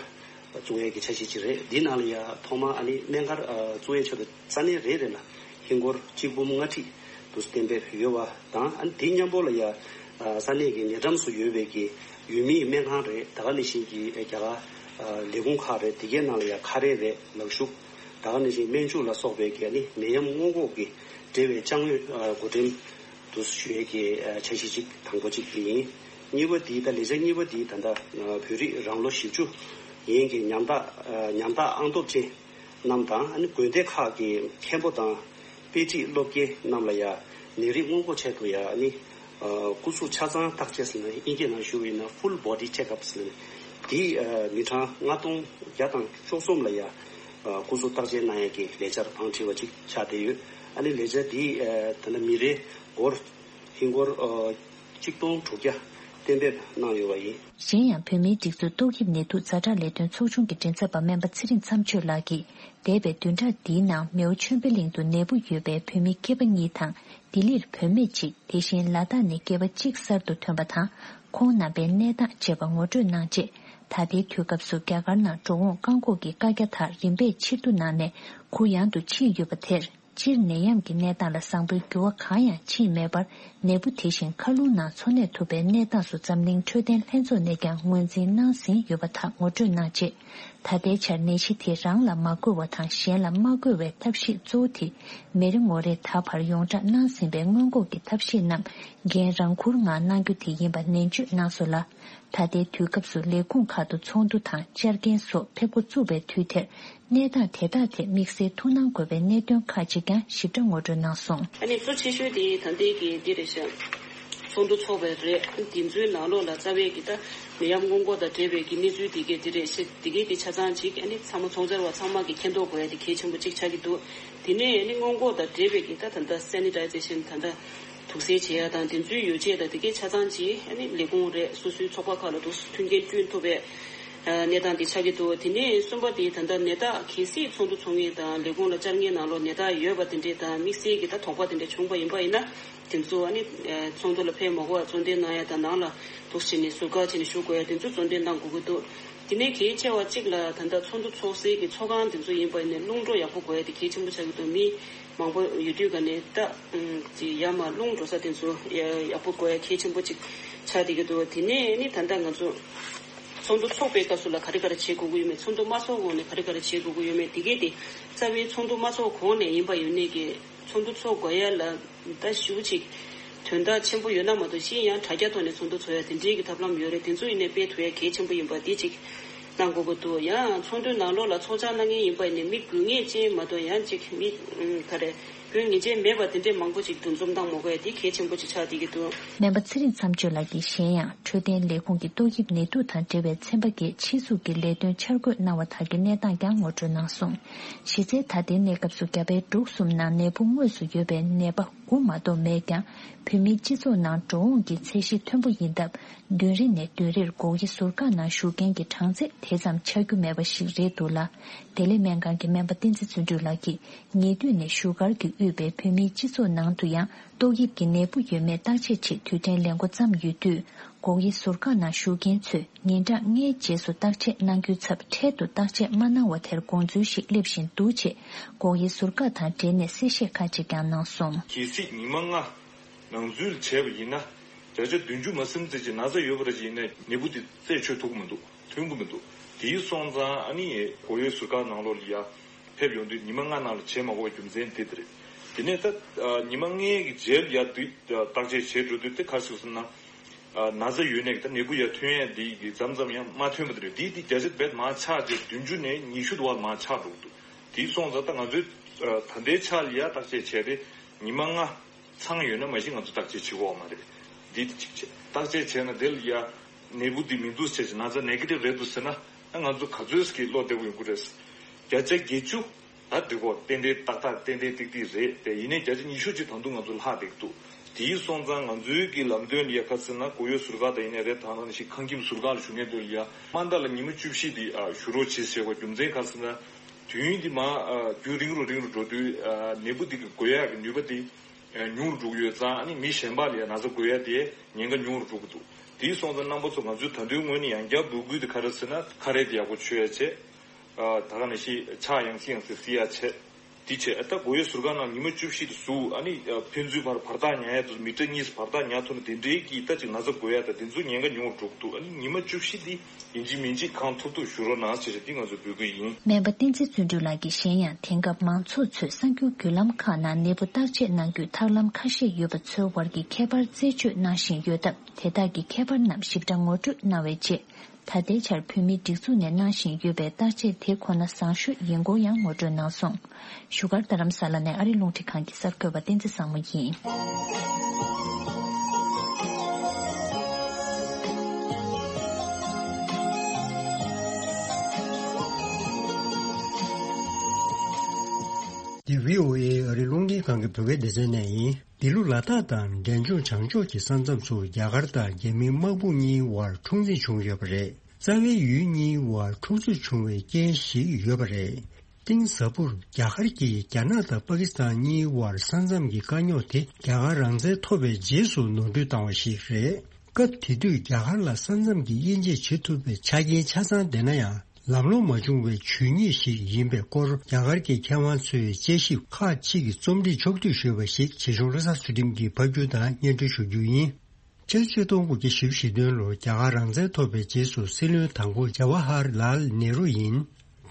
བཙུགས་ཡས་ཀྱི་འཆར་གཞི་ཅིག་རེད། འདི་ནང་ལ་ཡ་ཐོག་མ་ཨ་ནི་སྨན་སྒར་བཙུགས་ཡས་ཆེད་དུ་ས་གནས་རེ་རེ་ལ་ཧིན་སྒོར་གཅིག་འབུམ་ལྔ་ཁྲི་དུ་གཏན་འབེབས་ཡོད་པ་དང་། ཨ་ནི་དེ་མཉམ་པོ་ལ་ཡ་ས་གནས་ཀྱི་ཉེ་འགྲམ་སུ་ཡོད་པའི་གི་ཡུལ་མིའི་སྨན་ཁང་རེད། ད་ག་ནང་བཞིན་གྱི་རྒྱ་གར་ལས་ཁུངས་ཁག་རེད། དེ་གའི་ནང་ལ་ཡ་ཁ་རས་རེད། ལག་ཤུབས། ད་ག་ནང་བཞིན་སྨན་ཆུ་ལ་སོགས་པའི་གི་ཨ་ནི་ནད་ཡམས་སྔོན་འགོག་གི་འབྲེལ་བའི་ཅ་དངོས་བགོ་འགྲེམས་དུ་ཞུ་ཡས་ཀྱི་འཆར་གཞི་གཅིག་དང་པོ་གཅིག་དེ་ཡིན། གཉིས་པ་དེ་ད་ལས་འཆར་གཉིས་པ་དེ་ད་ལྟ་བོད་རིགས་རང་ལོ་བཞི་བཅུ་ཡན་གྱི་ཉམ་ཐག་ཉམ་ཐག་ཨང་སྟོབས་ཅན་རྣམས་དང་། ཨ་ནི་དགོན་སྡེ་ཁག་གི་མཁན་པོ་དང་དཔེ་ཁྲིད་སློབ་དགེ་རྣམས་ལ་ཡ་ནད་རིགས་སྔོན་འགོག་ཆེད་དུ་ཡ་ཨ་ནི་སྐུ་གཟུགས་ཆ་ཚང་བརྟག་དཔྱད་ཟེར་ན། དབྱིན་སྐད་ནང་ཞུ་བ་ཡིན་ན་Full Body Check Up ཟེར་ན། དེ་མི་གྲངས་ལྔ་སྟོང་བརྒྱ་དང་བཅུ་གསུམ་ལ་ཡ་སྐུ་གཟུགས་བརྟག་དཔྱད་གནང་ཡ་གི་ལས་འཆར་བང་བསྒྲིགས་པ་ཅིག་ཆགས་བསྡད་ཡོད། ཨ་ནི་ལས་འཆར་འདི་ད་ལྟ་མི་རེ་སྒོར་ཧིན་སྒོར་གཅིག་སྟོང་དྲུག་བརྒྱ་གཏན་འབེབས་གནང་ཡོད་པ་ཡིན། གཞན་ཡང་བོད་མིའི་སྒྲིག་འཛུགས་ཏོག་དབྱིབས་ནད་དུག་ཛ་དྲག་ལས་དོན་ཚོགས་ཆུང་གི་མགྲིན་ཚབ་པ་སྨན་པ་ཚེ་རིང་མཚམས་གཅོད་ལགས་ཀྱིས། འདས་པའི་བདུན་ཕྲག་འདིའི་ནང་མེའོ་ཆོས་འཕེལ་གླིང་དུ་ནད་འབུ་ཡོད་པའི་བོད་མི་སྐྱེས་པ་གཉིས་དང་། ལྡི་ལིར་བུད་མེད་གཅིག་དེ་བཞིན་ལ་དྭགས་ནས་སྐྱེས་པ་གཅིག་གསར་དུ་ཐོན་པ་དང་། ཁོང་རྣམ་པའི་གནས་སྟངས་བཅས་པ་ངོ་སྤྲོད་གནང་རྗེས། ད་ལྟའི་དུས་སྐབས་སུ་རྒྱ་གར་ནང་འགྲོ་འོང་བཀག་འགོག་གི་བཀའ་རྒྱ་དག་རིམ་པས་ཕྱིར་བསྡུ་གནང་ནས་གུ་ཡངས་དུ་ཕྱིན་ཡོད་པ་དེར། སྤྱིར་ནད་ཡམས་ཀྱི་གནས་སྟངས་ལ་བཟང་པོའི་འགྱུར་བ་གང་ཡང་ཕྱིན་མེད་པར། ནད་འབུ་དེ་བཞིན་མཁའ་རླུང་ནང་འཚོ་གནས་ཐུབ་པའི་གནས་སྟངས་སུ་འཛམ་གླིང་འཕྲོད་བསྟེན་ལྷན་ཚོགས་ནས་ཀྱང་ངོས་འཛིན་གནང་ཟིན་ཡོད་པ་དག་ངོ་སྤྲོད་གནང་རྗེས། ད་ལྟའི་ཆར་ནད་གཞི་དེ་རང་ལ་མ་འགོས་པ་དང་གཞན་ལ་མ་འགོས་པའི་ཐབས་ཤེས་གཙོ་བོ་དེ། མི་རེ་ངོ་རེ་ད་བར་ཡོངས་བསྒྲགས་གནང་ཟིན་པའི་སྔོན་འགོག་གི་ཐབས་ཤེས་རྣམས་འགན་རང་འཁུར་ངང་གནང་རྒྱུ་དེ་ཡིན་པ་ནན་བརྗོད་གནང་སོང་ལ། ད་ལྟའི་དུས་སྐབས་སུ་ལས་ཁུངས་ཁག་ཏུ་ཚོགས་འདུ་དང་བཅར་མཁན་སོགས་ཕེབས་འགོ་བཙུགས་པའི་དུས་དེར། གནས་སྟངས་དེ་དག་ཐད་དམིགས་བསལ་ཐུགས་སྣང་དགོས་པའི་གནད་དོན་ཁག་ཅིག་ཀྱང་ཞིབ་ཕྲ་ངོ་སྤྲོད་གནང་སོང་། ཨ་ནི་གཙོ་ཆེ་ཤོས་དེ་ད་ལྟའི་གི་འདི་རེད་ཤག་ཚོགས་འདུ་ཚོགས་པའི་རེད། དེ་ཚོའི་ནང་ལོགས་ལ་རྩ་བའི་གི་ད་ནད་ཡམས་སྔོན་འགོག་དང་འབྲེལ་བའི་གི་གནས་ཚུལ་དེ་གའི་དེ་རེད་ཤག་དེ་གའི་དེ་ཆ་ཚང་ཅིག་ཨ་ནི་ཚང་མ་ཚོགས་བཅར་བ་ཚང་མ་གི་མཁྱེན་རྟོགས་དགོས་ཡ་དེ་གལ་ཆེན་པོ་ཅིག་ཆགས་ཀྱི་འདུག་དེ་ནས་ཨ་ནི་སྔོན་འགོག་དང་འབྲེལ་བའི་གི་ད་ད་ལྟ་སེ་ནི་ཊའི་ཛེ་ཤན་ད་ལྟ་དུག་སེལ་བྱེད་ཡ་དང་དེ་ཚོའི་ཡོ་བྱད་དང་དེ་གའི་ཆ་ཚང་ཅིག་ཨ་ནི་ལས་ཁུངས་རེད། སོ་སོའི་ཚོགས་པ་ཁག་ལ་དུ་མཐུན་རྐྱེན་བསྐྲུན་ཐུབ་པའི་གནས་སྟངས་དེ་ཆགས་ཀྱི་འདུག་དེ་ནས་གསུམ་པ་དེ་ད་ལྟ་ནད་རྟགས་གལ་སྲིད་ཚོགས་འདུ་ཚོགས་མཁན་དང་ལས་ཁུངས་ལ་བཅར་མཁན་ནང་ལོགས་ནད་རྟགས་ཡོད་པ་དེ་འདྲས་དང་དམིགས་བསལ་གྱི་ད་དོགས་པ་དེ་འདྲས་བྱུང་པ་ཡིན་པ་ཡིན་ན། དེ་ཚོ་ཨ་ནི་ཚོགས་འདུ་ལ་ཕེབས་མ་དགོས་པར་གཙོ་འདོན་གནང་ཡ་དང་། ནང་ལ་འདུག་བྱས་ནས་ཟུར་བཀག་བྱས་ནས་བཞུགས་དགོས་ཡ་དེ་ཚོ་གཙོ་འདོན་གནང་དགོས་ཀྱི་འདུག་དེ་ནས་གལ་ཆེ་བ་གཅིག་ལ་ད་ལྟ་ཚོགས་འདུ་ཚོགས་སའི་གི་ཚོགས་ཁང་དེ་ཚོ་ཡིན་པ་ཡིན་ན་རླུང་འགྲོ་ཡག་པོ་དགོས་ཡ་དེ་གལ་ཆེན་པོ་ཆགས་ཀྱི་འདུག་མི་མང་པོ་ཡོད་དུས་ག་ནས་ད་ཅི་ཡར་མར་རླུང་འགྲོ་ས་དེ་ཚོ་ཡག་པོ་དགོས་ཡ་གལ་ཆེན་པོ་ཅིག་ཆགས་བསྡད་ཀྱི་འདུག་དེ་ནས་ནི་ད་ལྟ་ང་ཚོ་ཚོགས་འདུ་ཚོགས་པའི་སྐབས་སུ་ལ་ག་རེ་ག་རེ་བྱེད་དགོས་ཀྱི་ཡོད་མེད། ཚོགས་འདུ་མ་ཚོགས་གོང་ནས་ག་རེ་ག་རེ་བྱེད་དགོས་ཀྱི་ཡོད་མེད་དེ་གས་དེ་རྩ་བའི་ཚོགས་འདུ་མ་ཚོགས་གོང་ནས་ཡིན་པ་ཡིན་ནའི་གི་ཚོགས་འདུ་ཚོགས་དགོས་ཡ་ལ། ད་ཞུ་ཅིག་དོན་དག་ཆེན་པོ་ཡོད་ན་མ་གཏོགས་གཞན་ཡང་དྲ་རྒྱ་ཐོག་ནས་ཚོགས་འདུ་ཚོགས་ཡ་དེ་འདྲའི་གི་ཐབས་ལམ་ཡོད་རེད། དེ་ཚོ་ཡིན་ནའི་སྤེལ་ཐུབ་ཡ་གལ་ཆེན་པོ་ཡིན་པ་དེ་ཅིག་གནང་དགོས་ཀྱི་འདུག་ཡང་ཚོགས་འདུའི་ནང་ལོགས་ལ་ཚོགས་བཅར་གནང་མཁན་ཡིན་པ་ཡིན་ནའི་མི་དགོས་ངེས་ཅན་མ་གཏོགས་ཡང་ཅིག་མི་ག་རེ་དགོས་ངེས་ཅན་མེད་པ་དེ་འདྲའི་མང་པོ་ཅིག་འདུ་འཛོམས་གནང་མ་དགོས་ཡ་དེ་གལ་ཆེན་པོ་ཅིག་ཆགས་བསྡད་ཀྱི་འདུག་སྨན་པ་ཚེ་རིང་མཚམས་གཅོད་ལགས་ཀྱིས་གཞན་ཡང་འཕྲོད་བསྟེན་ལས་ཁུངས་ཀྱི་ཏོག་དབྱིབས་ནད་དུག་དང་འབྲེལ་བའི་ཚན་པ་འགས་ཕྱིས་སུ་གི་ལས་དོན་འཆར་འགོད་གནང་བ་དག་གི་གནས་སྟངས་ཀྱང་ངོ་སྤྲོད་གནང་སོང་། གཞི་རྩའི་ད་ལྟའི་གནས་སྐབས་སུ་རྒྱ་བལ་འབྲུག་གསུམ་ནང་ནད་འབུ་དངོས་སུ་ཡོད་པའི་ནད་པ་དགུ་མ་གཏོགས་མེད་ཀྱང་། བོད་མིའི་སྤྱི་ཚོགས་ནང་འགྲོ་འོང་གི་ཚད་གཞི་མཐོན་པོ་ཡིན་སྟབས། བདུན་རེ་ནས་བདུན་རེར་སྒོག་དབྱེ་ཟུར་བཀག་ནང་ཞུགས་མཁན་གྱི་གྲངས་ཚད་དེ་ཙམ་ཆགས་རྒྱུ་མེད་པ་ཞིག་རེད་འདུག་ལ། བདེ་ལེགས་སྨན་ཁང་གི་སྨན་པ་བསྟན་འཛིན་བརྩོན་འགྲུས་ལགས་ཀྱིས། ཉེ་དུས་ནས་བཞུགས་སྒར་གྱིས་དབུས་པའི་བོད་མིའི་སྤྱི་ཚོགས་ནང་དུ་ཡང་ཏོག་དབྱིབས་ཀྱི་ནད་འབུ་ཡོད་མེད་བརྟག་དཔྱད་ཆེད་དུས་དྲན་ལས་འགོ་བརྩམས་ཡོད་དུས། སྒོག་དབྱེ་ཟུར་བཀག་ནང་ཞུགས་མཁན་ཚོས་ཉིན་གྲངས་ལྔའི་རྗེས་སུ་བརྟག་དཔྱད་གནང་རྒྱུའི་ཚབ་འཕྲལ་དུ་བརྟག་དཔྱད་མ་གནང་བ་དེར་དགོངས་ཚུལ་ཞིག་སླེབས་བཞིན་འདུག་ཅེས་སྒོག་དབྱེ་ཟུར་བཀག་དང་འབྲེལ་ནས་གསལ་བཤད་ཁག་ཅིག་ཀྱང་གནང་སོང་། གལ་སྲིད་ཉི་མ་ལྔ་ནང་འཛུལ་བྱས་པ་ཡིན་ན། བརྒྱ་ཆ་བདུན་ཅུ་མ་ཟིན་ཙམ་གྱི་ན་ཚ་ཡོད་པ་རེད་ཅེས་ཡིན་ན་ནད་འབུ་དེ་རྩད་ཆོད་ཐུབ་ཀྱི་མི་འདུག་ཐོན་གྱི་མི་འདུག་དེའི་སོང་ཙང་ཨ་ནི་སྒོག་དབྱེ་ཟུར་བཀག་ནང་ལོགས་ལ་ཡ་ཕེབས་ཡོང་དུས་ཉི་མ་ལྔ་ནང་ལ་བྱེད་མ་དགོས་པའི་རྒྱུ་མཚན་དེ་དེ་རེད། དེ་ནས་ད་ཉི་མ་ལྔའི་རྗེས་ལ་ཡ་དུས་བརྟག་དཔྱད་བྱེད་འགྲོ་དུས་དེ་ག་རེ་ཟེར་ན། ན་ཚ་ཡོད་ནས་ད་ནད་འབུ་ཡ་ཐོན་ཡས་འདི་གི་མཚམས་མཚམས་ཡང་མ་ཐོན་པ་དེ་རེད། དེ་དེ་བརྒྱ་ཆ་རྦད་མར་ཆག་རྗེས་བདུན་ཅུ་ནས་ཉི་ཤུ་དུ་བ་མར་ཆག་འགྲོ་གི་འདུག་དེའི་སོང་ཙང་ད་ང་ཚོས་ད་ལྟའི་ཆ་ལ་ཡ་བརྟག་དཔྱད་བྱས་ཏེ་ཉི་མ་ལྔ། ཚང་ཡོད་ན་མ་གཞི་ང་ཚོ་བརྟག་དཔྱད་བྱེད་དགོས་མ་རེད། འདི་དེ་གཅིག་བྱས། བརྟག་དཔྱད་བྱས་ན་དེ་ལ་ཡ་ནད་འབུ་འདི་མི་འདུག་ཟེར་ཅིག་ན་ཚ་ནེ་གེ་ཊིབ་རེད་འདུག་ཟེར་ན་ཨ་ང་ཚོ་ག་ཚོད་ཀྱི་བློ་བདེ་པོ་ཡོང་གི་རེད། བརྒྱ་ཆ་བརྒྱད་ཅུ་ད་འགྲིག་གོ་ཏན་ཏན་ཏག་ཏག་ཏན་ཏན་ཏིག་ཏིག་རེད་དེ། ཡིན་ནའི་བརྒྱ་ཆ་ཉི་ཤུ་ཅིག་ད་དུང་ང་ཚོ་ལྷག་བསྡད་ཀྱི་འདུག་དེའི་སོང་ཙང་ང་ཚོའི་གི་ལམ་སྟོན་ལ་ཡ་ག་ཟེར་ན་སྒོག་དབྱེ་ཟུར་བཀག་དང་ཡིན་ནའི་རེད། ད་ནང་བཞིན་ཁང་ཁྱིམ་ཟུར་བཀག་ལ་བཞུགས་མཁན་དེ་ལ་ཡ་དམའ་མཐའ་ལ་ཉི་མ་བཅུ་བཞི་དེ་བཞུགས་རོགས་བྱེད་ཟེར་བ་རྒྱུ་མཚན་ག་ཟེར་ན། དུས་ཡུན་འདི་མར་རྒྱུན་རིང་རུ་རིང་རུ་འགྲོ་དུས་ནད་འབུ་འདི་གི་འགོས་ཡག་གི་ནུས་པ་འདི་ཉུང་རུ་འགྲོ་གི་ཡོད་ཙང་ཨ་ནི་མི་གཞན་པ་ལ་ཡང་ན་ཚ་འགོས་ཡག་དེ་ཉེན་ཁ་ཉུང་རུ་འགྲོ་གི་འདུག་དེ་སོང་ཙང་རྣམ་པ་ཚོ་ང་ཚོའི་ད་དུང་ངོས་ནས་ཡང་བསྐྱར་འབོད་སྐུལ་དེ་ག་རེ་ཟེར་ན། ཁ་རས་དེ་ཡག་པོ་མཆོད་ཡ་བྱས། ཨ་ད་ག་ནང་བཞིན་ཕྱག་ཡང་སེ་ཡང་སེ་བསིལ་ཡ་བྱས། དེ་བྱས། ཨ་ད་སྒོ་ཡའི་ཟུར་ཁ་ནང་ཉི་མ་བཅུ་བཞི་དེ་ཟུར། ཨ་ནི་ཕན་ཚུན་བར་བར་ཐག་ཉར་ཡ་དེ་ཚོ་མི་ཊར་གཉིས་བར་ཐག་ཉར་ཐུབ་ན། དེ་འདྲའི་གི་ད་ཅིག་ན་ཚ་འགོས་ཡ་ད་དེ་ཚོ་ཉེན་ཁ་ཉུང་བ་འགྲོ་གི་འདུག་ཨ་ནི་ཉི་མ་བཅུ་བཞི་དེ་ཡིན་གཅིག་མིན་གཅིག་གང་ཐུབ་ཐུབ་བཞུགས་རོགས་གནང་ཟེར་ཏེ་ང་ཚོས་འབོད་སྐུལ་ཡིན། སྨན་པ་བསྟན་འཛིན་བརྩོན་འགྲུས་ལགས་ཀྱིས་གཞན་ཡང་། དེང་སྐབས་མང་ཚོགས་ཚོས་གསར་འགྱུར་བརྒྱུད་ལམ་ཁག་ནང་ནད་འབུ་བརྟག་དཔྱད་གནང་རྒྱུའི་ཐབས་ལམ་ཁ་ཤས་ཡོད་པ་ཚོའི་བར་གྱི་ཁྱད་པར་རྩད་གཅོད་གནང་བཞིན་ཡོད་སྟབས། དེ་དག་གི་ཁྱད་པར་རྣམས་ཞིབ་ཕྲ་ངོ་སྤྲོད་གནང་བའི་རྗེས། ད་ལྟའི་ཆར་བོད་མིའི་སྒྲིག་འཛུགས་ནས་གནང་བཞིན་ཡོད་པའི་བརྟག་དཔྱད་དེ་ཁོ་ན་བཟང་ཤོས་ཡིན་སྐོར་ཡང་ངོ་སྤྲོད་གནང་སོང་། བཞུགས་སྒར་རྡ་རམ་ས་ལ་ནས་ཨ་རི་རླུང་འཕྲིན་ཁང་གི་གསར་འགོད་པ་བསྟན་འཛིན་བཟང་མོ་ཡིན། འདི་བྷི་ཨོ་ཨེ་ཨ་རི་རླུང་འཕྲིན་ཁང་གི་བོད་སྐད་སྡེ་ཚན་ནས་ཡིན། འདི་ལོ་ལ་དྭགས་དང་འབྲས་ལྗོངས་བྱང་ཕྱོགས་ཀྱི་ས་མཚམས་སུ་རྒྱ་གར་དང་རྒྱ་མིའི་དམག་དཔུང་གཉིས་དབར་འཁྲུག་འཛིང་བྱུང་ཡོད་པ་རེད། རྩ་བའི་ཡུལ་གཉིས་དབར་འཁྲུག་རྩོད་བྱུང་བའི་རྐྱེན་ཞིག་ཡོད་པ་རེད། གཏིང་ཟབ་པོར་རྒྱ་གར་གྱིས་རྒྱ་ནག་དང་པ་ཀི་སི་ཐན་གཉིས་དབར་ས་མཚམས་ཀྱི་དཀའ་རྙོག་དེ་རྒྱ་གར་རང་བཙན་ཐོབ་པའི་རྗེས་སུ་ནོར་འཁྲུལ་བཏང་བ་ཞིག་རེད། སྐབས་དེ་དུས་རྒྱ་གར་ལ་ས་མཚམས་ཀྱི་དབྱེ་འབྱེད་བྱེད་ཐུབ་པའི་ཆ་རྐྱེན་ཆ་ཚང་ལྡན་ན་ཡང་། ལམ་ལྷོང་མ་བྱུང་བའི་ཇུས་ཉེས་ཤིག་ཡིན་པའི་སྐོར་རྒྱ་གར་གྱི་མཁས་དབང་ཚོས་དཔྱད་ཞིབ་ཁག་ཅིག་གི་རྩོམ་སྒྲིག་ཕྱོགས་བསྡུས་ཞུས་པ་ཞིག་བྱེད་ཕྱོགས་བློ་བཟང་ཚུལ་ཁྲིམས་ཀྱིས་ཕབ་སྒྱུར་དང་སྙན་སྒྲོན་ཞུ་རྒྱུ་ཡིན། ཕྱི་ལོ་ཆིག་སྟོང་དགུ་བརྒྱ་བཞི་བཅུ་ཞེ་བདུན་ལོར་རྒྱ་གར་རང་བཙན་ཐོབ་པའི་རྗེས་སུ་སྲིད་བློན་དང་པོ་ཇ་ཝ་ཧར་ལཱལ་ནེ་རུ་ཡིན།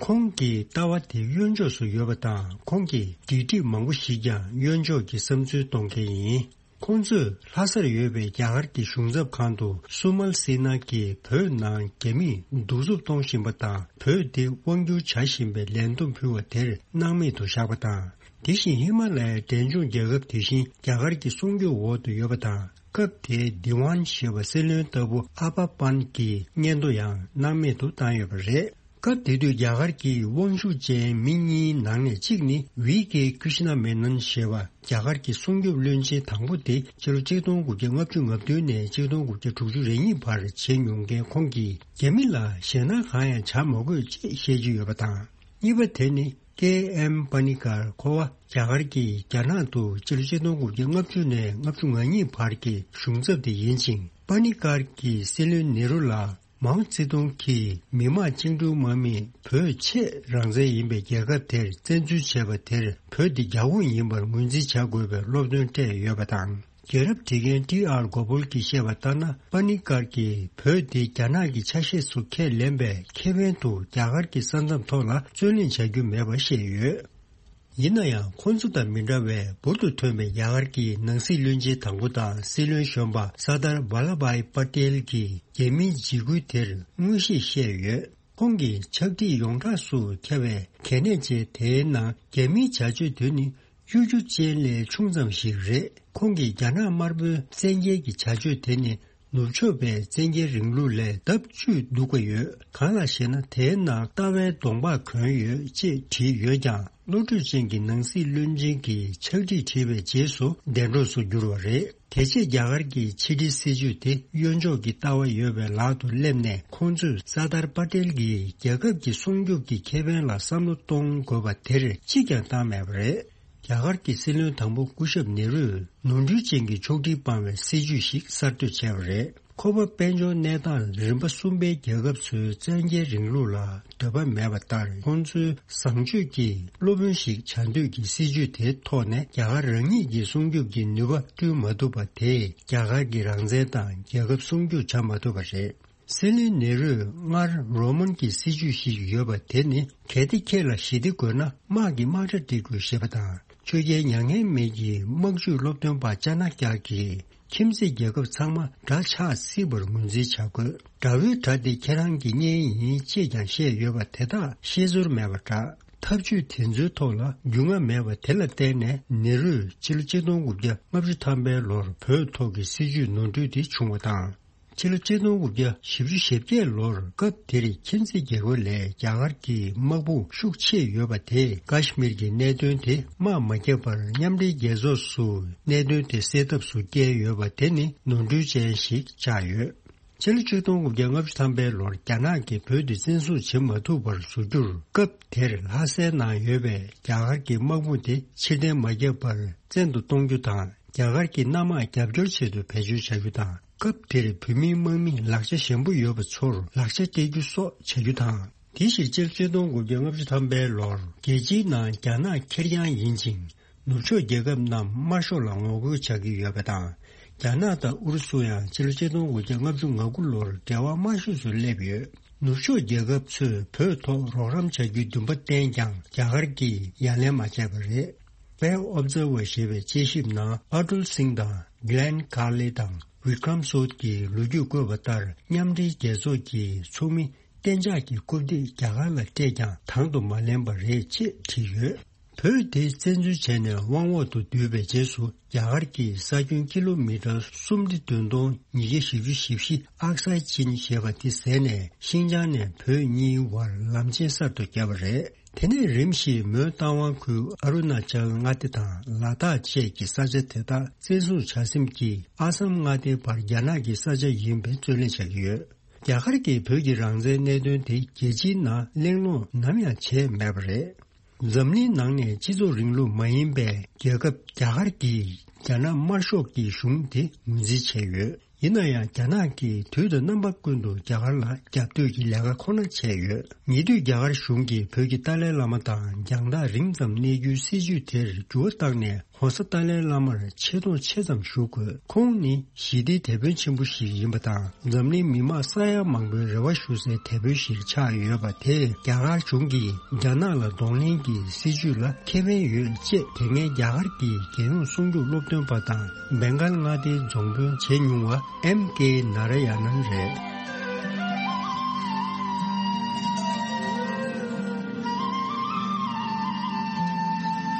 ཁོང་གི་ལྟ་བ་དེ་གཡོན་ཕྱོགས་སུ་ཡོད་པ་དང་། ཁོང་གིས་སྒྲིག་ཁྲིམས་མང་པོ་ཞིག་ཀྱང་གཡོན་ཕྱོགས་ཀྱི་བསམ་ཚུལ་གཏོང་མཁན་ཡིན། ཁོང་ཚོས་ལྷ་སར་ཡོད་པའི་རྒྱ་གར་གྱི་གཞུང་ཚབ་ཁང་དུ་སུ་མལ་སི་ན་གིས་བོད་ནང་རྒྱ་མིས་གདུག་རྩུབ་གཏོང་བཞིན་པ་དང་། བོད་དེ་དབང་བསྒྱུར་བྱ་བཞིན་པའི་ལད་འདེབས་ཕུལ་བ་དེར་སྣང་མེད་དུ་བཞག་པ་དང་། དེ་བཞིན་ཧི་མ་ལ་ཡའི་འབྲས་ལྗོངས་རྒྱལ་ཁབ་དེ་བཞིན་རྒྱ་གར་གྱི་སྲུང་སྐྱོབ་འོག་ཏུ་ཡོད་པ་དང་། སྐབས་དེའི་དི་ཝན་ཞེས་པ་སྲིད་བློན་ལྟ་བུ་ཨ་པ་པན་གྱི་སྙན་ཐོ་ཡང་སྣང་མེད་དུ་བཏང་ཡོད་པ་རེད། སྐབས་དེ་དུས་རྒྱ་གར་གྱི་དབང་ཤུགས་ཅན་མི་གཉིས་ནང་ནས་གཅིག་ནི་ཝི་ཀེ་ཀྲི་ཤི་ན་མེ་ནན་ཞེས་པ་རྒྱ་གར་གྱི་སྲུང་སྐྱོབ་བློན་ཆེན་དང་པོ་དེ་ཕྱི་ལོ་ཆིག་སྟོང་དགུ་བརྒྱ་ལྔ་བཅུ་ང་བདུན་ནས་ཆིག་སྟོང་དགུ་བརྒྱ་དྲུག་ཅུ་རེ་གཉིས་བར་བྱས་མྱོང་མཁན་ཁོང་གིས། རྒྱ་མི་ལ་ཞེད་སྣང་གང་ཡང་བྱ་མ་དགོས་ཅེས་བཤད་ཀྱི་ཡོད་པ་དང་། གཉིས་པ་དེ་ནི་ཀེ་ཨེམ་པ་ནི་ཀར། ཁོ་བ་རྒྱ་གར་གྱིས་རྒྱ་ནག་ཏུ་ཕྱི་ལོ་ཆིག་སྟོང་དགུ་བརྒྱ་ལྔ་བཅུ་ནས་ལྔ་བཅུ་ང་གཉིས་བར་གྱི་གཞུང་ཚབ་དེ་ཡིན་ཅིང་། པ་ནི་ཀར་གྱིས་སྲིད་བློན་ནེ་རུ་ལ། མའོ་ཙེ་ཏུང་གིས་མི་དམངས་བཅིངས་འགྲོལ་དམག་མིས་བོད་ཆེས་རང་བཙན་ཡིན་པའི་རྒྱལ་ཁབ་དེར་བཙན་འཛུལ་བྱས་པ་དེར་བོད་འདི་རྒྱ་ཁོངས་ཡིན་པར་ངོས་འཛིན་བྱ་དགོས་པའི་སློབ་སྟོན་སྤྲད་ཡོད་པ་དང་། རྒྱལ་རབས་བྲིས་མཁན་ཊི་ཨར་གོ་པོལ་གྱིས་བཤད་པ་ལྟར་ན། པ་ནི་ཀར་གྱིས་བོད་དེ་རྒྱ་ནག་གི་ཆ་ཤས་སུ་ཁས་ལེན་པའི་ཁེ་ཕན་དུ་རྒྱ་གར་གྱི་ས་མཚམས་ཐོག་ལ་རྩོད་གླེང་བྱ་རྒྱུ་མེད་པ་བཤད་ཡོད། ཡིན་ན་ཡང་། ཁོང་ཚོ་དང་མི་འདྲ་བའི་འབུར་དུ་ཐོན་པའི་རྒྱ་གར་གྱི་ནང་སྲིད་བློན་ཆེན་དང་པོ་དང་སྲིད་བློན་གཞོན་པ་སར་དར་ཝཱ་ལ་བྷའི་པ་ཏེལ་གྱིས་རྒྱ་མིའི་འཇིགས་སྐུལ་དེར་མངོན་ཤེས་བཤད་ཡོད། ཁོང་གིས་ཕྱག་བྲིས་ཡོངས་གྲགས་སུ་ཁྱབ་པའི་གལ་གནད་ཅན་དེའི་ནང་། རྒྱ་མིའི་བྱ་སྤྱོད་དེ་ནི་གཡོ་སྒྱུ་ཅན་ལས་ཆུང་ཙམ་ཞིག་རེད། ཁོང་གིས་རྒྱ་ནག་དམར་པོའི་བཙན་རྒྱལ་གྱི་བྱ་སྤྱོད་དེ་ནི། ནུབ་ཕྱོགས་པའི་བཙན་རྒྱལ་རིང་ལུགས་ལས་ལྡབ་བཅུས་སྡུག་པ་ཡོད། གང་ལགས་ཤེ་ན། དེའི་ནང་ལྟ་བའི་གདོང་པགས་གྱོན་ཡོད་ཅེས་བྲིས་ཡོད་ཀྱང་། བློ་གྲོས་ཅན་གྱི་ནང་སྲིད་བློན་ཆེན་གྱིས་ཕྱག་བྲིས་བྲིས་པའི་རྗེས་སུ་བདེན་གྲོགས་སུ་གྱུར་བ་རེད། དེ་རྗེས་རྒྱ་གར་གྱི་ཕྱི་འབྲེལ་སྲིད་ཇུས་དེ་གཡོན་ཕྱོགས་ཀྱི་ལྟ་བ་ཡོད་པའི་ལག་ཏུ་སླེབས་ནས། ཁོང་ཚོས་སར་དར་པ་ཏེལ་གྱིས་རྒྱལ་ཁབ་ཀྱི་སྲུང་སྐྱོབ་ཀྱི་ཁེ་ཕན་ལ་བསམ་བློ་གཏོང་དགོས་པ་དེར་གཅིག་ཀྱང་བཏང་མེད་པ་རེད། རྒྱ་གར་གྱི་སྲིད་བློན་དང་པོ་སྐུ་ཞབས་ནེ་རུས་ནོར་འཁྲུལ་ཅན་གྱི་ཕྱོགས་སྒྲིག་སྤང་བའི་སྲིད་ཇུས་ཤིག་གསར་གཏོད་བྱས་པ་རེད། ཁོ་པ་དཔལ་འབྱོར་གནས་སྟངས་རིམ་པ་གསུམ་པའི་རྒྱལ་ཁབ་ཚོའི་བཙན་རྒྱལ་རིང་ལུགས་ལ་འདོད་པ་མེད་པ་ལྟར། ཁོང་ཚོའི་བཟང་སྤྱོད་ཀྱི་སློབ་དཔོན་ཞིག་བྱ་འདོད་ཀྱི་སྲིད་ཇུས་དེའི་ཐོག་ནས། རྒྱ་གར་རང་ཉིད་ཀྱི་སྲུང་སྐྱོབ་ཀྱི་ནུས་པ་བསྐྲུན་མ་ཐུབ་པ་དེས། རྒྱ་གར་གྱི་རང་བཙན་དང་རྒྱལ་ཁབ་སྲུང་སྐྱོབ་བྱ་མ་ཐུབ་པ་རེད། སྲིད་བློན་ནེ་རུས་སྔར་རོ་མན་གྱི་སྲིད་ཇུས་ཤིག་ཡོད་པ་དེ་ནི། གལ་ཏེ་ཁྱེད་ལ་ཞི་བདེ་དགོས་ན། དམག་གི་དམག་གྲ་སྒྲིག་དགོས་ཞེས་པ་དང་། ཆོས་རྒྱལ་མྱ་ངན་མེད་ཀྱི་དམག་ཇུས་སློབ་སྟོན་པ་ཅ་ན་ཀྱ་གིས། ཁྱིམ་མཚེས་རྒྱལ་ཁབ་ཚང་མ་དགྲ་ཆགས་སྲིད་པར་ངོས་འཛིན་བྱ་དགོས། དགྲ་བོའི་དགྲ་དེ་ཁྱེད་རང་གི་གཉེན་ཡིན་ཅེས་ཀྱང་བཤད་ཡོད་པ་དེ་དག་ཤེས་ཚོར་མེད་པ་འདྲ། ཐབས་ཇུས་དེ་ཚོའི་ཐོག་ལ་རྒྱུས་མངའ་མེད་པ་དེ་ལ་བརྟེན་ནས། ནེ་རུས་ཕྱི་ལོ་ཆིག་སྟོང་དགུ་བརྒྱ་ལྔ་བཅུ་ཐམ་པའི་ལོར་བོད་ཐོག་གི་སྲིད་ཇུས་ནོར་འཁྲུལ་དེ་བྱུང་བ་དང་། ཕྱི་ལོ་ཆིག་སྟོང་དགུ་བརྒྱ་བཞི་བཅུ་ཞེ་བརྒྱད་ལོར། སྐབས་དེར་ཁྱིམ་མཚེས་རྒྱལ་ཁབ་ལས་རྒྱ་གར་གྱི་དམག་དཔུང་ཤུགས་ཆེ་ཡོད་པ་དེས། ཀཱ་ཤི་མིར་གྱི་གནད་དོན་དེ་དམག་མ་བརྒྱབ་པར། མཉམ་འབྲེལ་རྒྱལ་ཚོགས་སུ་གནད་དོན་དེ་སེལ་ཐབས་སུ་བསྐྱལ་ཡོད་པ་དེ་ནི་ནོར་འཁྲུལ་ཅན་ཞིག་ཆགས་ཡོད། ཕྱི་ལོ་ཆིག་སྟོང་དགུ་བརྒྱ་ལྔ་བཅུ་ཐམ་པའི་ལོར། རྒྱ་ནག་གིས་བོད་དེ་བཙན་བཟུང་བྱེད་མ་ཐུབ་པར་བཟོ་རྒྱུར། སྐབས་དེར་ལྷ་སའི་ནང་ཡོད་པའི་རྒྱ་གར་གྱི་དམག་དཔུང་དེ་ཕྱིར་འཐེན་མ་བརྒྱབ་པར་བཙན་དུ་གཏོང་རྒྱུ་དང་། རྒྱ་གར་གྱི་གནམ་དམག་རྒྱབ་སྐྱོར་ཆེད་དུ་བེད་སྤྱོད་བྱ་རྒྱུ་དང་། སྐབས་དེར་བོད་མིའི་དམག་མིས་ལག་ཆ་ཞན་པོ་ཡོད་པ་ཚོར་ལག་ཆ་སྟེར་རྒྱུ་སོགས་བྱ་རྒྱུ་དང་། དེ་བཞིན་སྤྱི་ལོ་ཆིག་སྟོང་དགུ་བརྒྱ་ལྔ་བཅུ་ཐམ་པའི་ལོར་རྒྱལ་སྤྱིའི་ནང་རྒྱ་ནག་ཁེར་རྐྱང་ཡིན་ཅིང་། ནུབ་ཕྱོགས་རྒྱལ་ཁབ་རྣམས་དམར་ཤོག་ལ་ངོ་རྒོལ་བྱ་གི་ཡོད་པ་དང་། རྒྱ་ནག་དང་ཨུ་རུ་སུ་ཡང་ཕྱི་ལོ་ཆིག་སྟོང་དགུ་བརྒྱ་ལྔ་བཅུ་ང་དགུ་ལོར་འབྲེལ་བ་དམའ་ཤོས་སུ་སླེབས་ཡོད། ནུབ་ཕྱོགས་རྒྱལ་ཁབ་ཚོས་བོད་ཐོག་རོགས་རམ་བྱ་རྒྱུའི་འདུན་པ་བསྟན་ཀྱང་རྒྱ་གར་གྱིས་ཡ་ལན་མ་བྱས་པ་རེད། Fair Observer ཞེས་པའི་དཔྱད་ཞིབ་ནང་ཨ་ཏུལ་སིང་དང་གྷི་ལན་ཁར་ལི་དང་བི་ཀྲམ་སོད་ཀྱིས་ལོ་རྒྱུས་བཀོད་པ་ལྟར། མཉམ་འབྲེལ་རྒྱལ་ཚོགས་ཀྱི་ཚོགས་མི་གཏན་འཇགས་ཀྱི་རྐུབ་སྟེགས་རྒྱ་གར་ལ་སྤྲད་ཀྱང་དང་དུ་མ་ལེན་པ་རེད་ཅེས་བྲིས་ཡོད། བོད་དེ་བཙན་འཛུལ་བྱས་ནས་དབང་འོག་ཏུ་བསྡུས་པའི་རྗེས་སུ། རྒྱ་གར་གྱིས་ས་ཁྱོན་ཀི་ལོ་མི་ཊར་སུམ་སྟེ་བདུན་སྟོང་ཉིས་བརྒྱ་བཞི་བཅུ་ཞེ་བཞི་ཨག་སའི་ཅིན་ཞེས་པ་དེ་བཟས་ནས། ཤིན་ཅང་ནས་བོད་གཉིས་བར་ལམ་ཆེན་གསར་དུ་བརྒྱབ་པ་རེད། དེ་ནས་རིམ་བཞིན་མོན་རྟ་དབང་ཁུལ་ཨ་རུ་ན་ཅལ་མངའ་སྡེ་དང་ལ་དྭགས་བཅས་ཀྱི་ས་ཆ་དེ་དག་བཙན་བཟུང་བྱ་སེམས་ཀྱིས་ཨ་སམ་མངའ་སྡེའི་བར་རྒྱ་ནག་གི་ས་ཆ་ཡིན་པའི་རྩོད་ལེན་བྱ་གི་ཡོད། རྒྱ་གར་གྱིས་བོད་ཀྱི་རང་བཙན་གནད་དོན་དེ་རྒྱལ་སྤྱིའི་ནང་གླེང་སློང་ནམ་ཡང་བྱས་མེད་པ་རེད། འཛམ་གླིང་ནང་ནས་སྤྱི་ཚོགས་རིང་ལུགས་མ་ཡིན་པའི་རྒྱལ་ཁབ་རྒྱ་གར་གྱིས་རྒྱ་ནག་དམར་ཤོག་གི་གཞུང་དེ་ངོས་འཛིན་བྱས་ཡོད། ཡིན་ན་ཡང་རྒྱ་ནག་གིས་དུས་དང་རྣམ་པ་ཀུན་ཏུ་རྒྱ་གར་ལ་རྒྱབ་གཏོད་ཀྱི་ལས་ཀ་ཁོ་ན་བྱས་ཡོད། ཉེ་དུས་རྒྱ་གར་གཞུང་གིས་བོད་ཀྱི་ཏཱ་ལའི་བླ་མ་དང་རྒྱང་ཐག་རིང་ཙམ་གནས་རྒྱུའི་སྲིད་བྱུས་དེར་འགྱུར་བ་བཏང་ནས། ྋགོང་ས་ཏཱ་ལའི་བླ་མར་ཆེ་མཐོང་ཆེ་ཙམ་ཞུ་དགོས། ཁོང་ནི་ཞི་བདེའི་དེད་དཔོན་ཆེན་པོ་ཞིག་ཡིན་པ་དང་། འཛམ་གླིང་མི་མང་ས་ཡ་མང་པོའི་རེ་བ་ཞུ་སའི་དེད་དཔོན་ཞིག་ཆགས་ཡོད་པ་དེས། རྒྱ་གར་གཞུང་གིས་རྒྱ་ནག་ལ་གདོང་ལེན་གྱི་སྲིད་བྱུས་ལ་ཁེ་ཕན་ཡོད་ཅེས་དེ་སྔའི་རྒྱ་གར་གྱི་རྒྱལ་ཡོངས་སྲུང་སྐྱོབ་སློབ་སྟོན་པ་དང་། བེང་གལ་མངའ་སྡེའི་རྫོང་དཔོན་བྱས་མྱོང་བ་ཨེམ་ཀེ་ནཱ་ར་ཡ་ནན་རེད།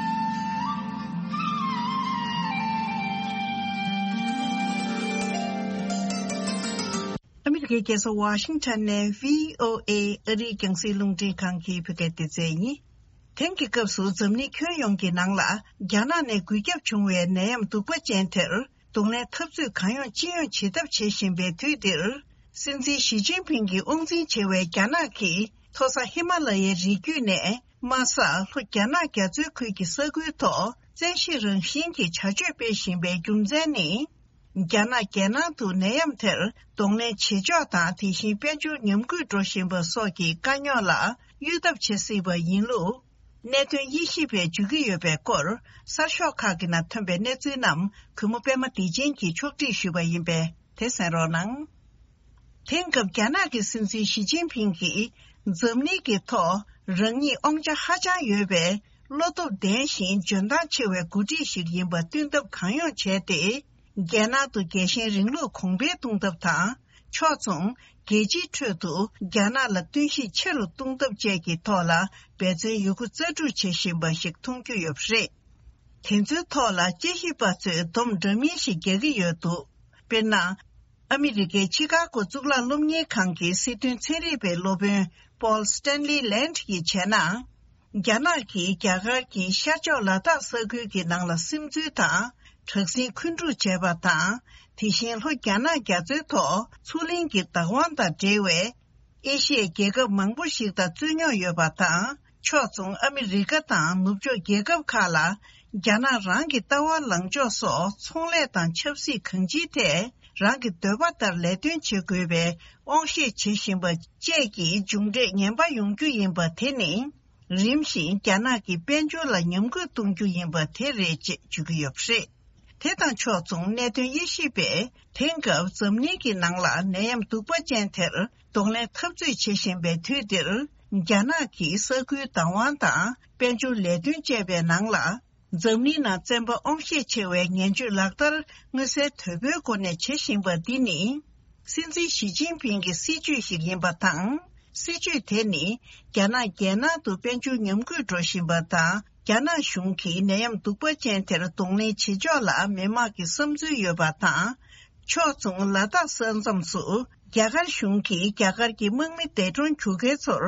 ཨ་མི་རི་ཀའི་རྒྱལ་ས་ཝ་ཤིང་ཊོན་ནས་བྷི་ཨོ་ཨེ་ཨ་རིའི་རྒྱང་སྲིང་རླུང་འཕྲིན་ཁང་གི་བོད་སྐད་སྡེ་ཚན་ཡིན། དེང་གི་སྐབས་སུ་འཛམ་གླིང་ཁྱོན་ཡོངས་ཀྱི་ནང་ལ། རྒྱ་ནག་ནས་འགོས་ཁྱབ་བྱུང་བའི་ནད་ཡམས་གདུག་པ་ཅན་དེར། གདོང་ལེན་འཐབ་རྩོད་གང་ཡོང་ཅི་ཡོང་བྱེད་ཐབས་བྱེད་བཞིན་པའི་དུས་འདིར། སྲིད་འཛིན་ཞི་ཅིན་ཕིང་གིས་དབང་འཛིན་བྱེད་པའི་རྒྱ་ནག་གིས། མཐོ་ས་ཧི་མ་ལ་ཡའི་རི་རྒྱུད་ནས། དམའ་ས་ལྷོ་རྒྱ་ནག་རྒྱ་མཚོའི་ཁུལ་གྱི་ས་ཁུལ་ཐོག་བཙན་ཤེད་རང་བཞིན་གྱི་བྱ་སྤྱོད་སྤེལ་བཞིན་པའི་རྒྱུ་མཚན་ནི། རྒྱ་ནག་རྒྱལ་ནང་དུ་ནད་ཡམས་དེར་གདོང་ལེན་བྱེད་ཕྱོགས་དང་། དེ་བཞིན་དཔལ་འབྱོར་ཉམས་རྒུད་འགྲོ་བཞིན་པ་སོགས་ཀྱི་དཀའ་རྙོག་ལ་གཡོལ་ཐབས་བྱེད་སྲིད་པ་ཡིན་ལུགས། གནད་དོན་དབྱེ་ཞིབ་པས་བརྗོད་ཀྱི་ཡོད་པའི་སྐོར། གསར་ཤོག་ཁག་གི་ནང་ཐོན་པའི་གནས་ཚུལ་རྣམས། གུས་མོ་པད་མ་བདེ་ཆེན་གྱིས་ཕྱོགས་སྒྲིག་ཞུས་པ་ཡིན་པས། དེ་གསན་རོགས་གནང་། དེང་སྐབས་རྒྱ་ནག་གི་སྲིད་འཛིན་ཞི་ཅིན་ཕིང་གིས། འཛམ་གླིང་གི་ཐོག་རང་ཉིད་དབང་ཆ་ཧ་ཅང་ཡོད་པའི། བློ་སྟོབས་ལྡན་ཞིང་འཇོན་ཐང་ཆེ་བའི་འགོ་ཁྲིད་ཞིག་ཡིན་པ་སྟོན་ཐབས་གང་ཡོང་བྱས་ཏེ། རྒྱལ་ནང་དུ་རྒྱལ་ཞེན་རིང་ལུགས་གོང་འཕེལ་གཏོང་ཐབས་དང་། ཕྱོགས་མཚུངས། རྒྱལ་སྤྱིའི་ཁྲོད་དུ་རྒྱ་ནག་ལ་བསྟུན་ཤུགས་ཆེ་རུ་གཏོང་ཐབས་བཅས་ཀྱི་ཐོག་ལ་འབད་བརྩོན་ཡོད་རྒུ་རྩལ་སྤྲུགས་བྱེད་བཞིན་པ་ཞིག་མཐོང་རྒྱུ་ཡོད་པ་རེད། དེ་ཚོའི་ཐོག་ལ་དཔྱད་ཞིབ་པ་ཚོས་སྡོམ་འདྲ་མིན་ཞིག་རྒྱག་གི་ཡོད་འདུག་དཔེར་ན། ཨ་མི་རི་ཀའི་ཆི་ཀ་གོ་གཙུག་ལག་སློབ་གཉེར་ཁང་གི་སྲིད་དོན་ཚན་རིག་པའི་སློབ་དཔོན་Paul Stanley Land ཡིས་བྱས་ན། རྒྱ་ནག་གིས་རྒྱ་གར་གྱི་ཤར་ཕྱོགས་ལ་དྭགས་ས་ཁུལ་གྱི་ནང་ལ་སིམ་འཛུལ་དང་། དྲག་ཟིང་འཁོན་སྒྲུག་བྱས་པ་དང་། དེ་བཞིན་ལྷོ་རྒྱ་ནག་རྒྱ་མཚོའི་ཐོག་མཚོ་གླིང་གི་བདག་དབང་དང་འབྲེལ་བའི་ཨེ་ཤི་ཡའི་རྒྱལ་ཁབ་མང་པོ་ཞིག་དང་རྩོད་རྙོག་ཡོད་པ་དང་། ཕྱོགས་མཚུངས་ཨ་མི་རི་ཀ་དང་ནུབ་ཕྱོགས་རྒྱལ་ཁབ་ཁག་ལ་རྒྱ་ནག་རང་གི་ལྟ་བ་ལངས་ཕྱོགས་སོགས་ཚོང་ལས་དང་ཆབ་སྲིད་གང་ཅིའི་ཐད་རང་གི་འདོད་པ་ལྟར་ལས་དོན་བྱེད་དགོས་པའི་དབང་ཤེད་བྱེད་བཞིན་པ་བཅས་ཀྱི་མཇུག་འབྲས་ངན་པ་ཡོང་རྒྱུ་ཡིན་པ་དེ་ནི། རིམ་བཞིན་རྒྱ་ནག་གི་དཔལ་འབྱོར་ལ་ཉམས་རྒུད་གཏོང་རྒྱུ་ཡིན་པ་དེ་རེད་ཅེས་བརྗོད་ཀྱི་ཡོད་པ་རེད། དེ་དང་ཕྱོགས་མཚུངས་གནད་དོན་དབྱེ་ཞིབ་པས་དེང་སྐབས་འཛམ་གླིང་གི་ནང་ལ་ནད་ཡམས་གདུག་པ་ཅན་དེར་གདོང་ལེན་འཐབ་རྩོད་བྱེད་བཞིན་པའི་དུས་འདིར། རྒྱ་ནག་གིས་ས་ཁུལ་བདག་དབང་དང་དཔལ་འབྱོར་ལས་དོན་བཅས་པའི་ནང་ལ། འཛམ་གླིང་ནང་བཙན་པ་དབང་ཤེད་ཆེ་བའི་ངན་སྤྱོད་ལག་བསྟར་མངོན་གསལ་དོད་པོའི་སྒོ་ནས་བྱེད་བཞིན་པ་འདི་ནི། སྲིད་འཛིན་ཞི་ཅིན་ཕིང་གི་སྲིད་བྱུས་ཤིག་ཡིན་པ་དང་། སྲིད་བྱུས་དེ་ནི་རྒྱ་ནག་རྒྱལ་ནང་དུ་དཔལ་འབྱོར་ཉམས་རྒུད་འགྲོ་བཞིན་པ་དང་། རྒྱ་ནག་གཞུང་གིས་ནད་ཡམས་གདུག་པ་ཅན་དེར་གདོང་ལེན་བྱེད་ཕྱོགས་ལ་མི་དམངས་ཀྱི་བསམ་ཚུལ་ཡོད་པ་དང་། ཕྱོགས་མཚུངས་ལ་དྭགས་ས་མཚམས་སུ་རྒྱ་གར་གཞུང་གིས་རྒྱ་གར་གྱི་དམག་མི་འདས་གྲོངས་གྱུར་མཁན་ཚོར་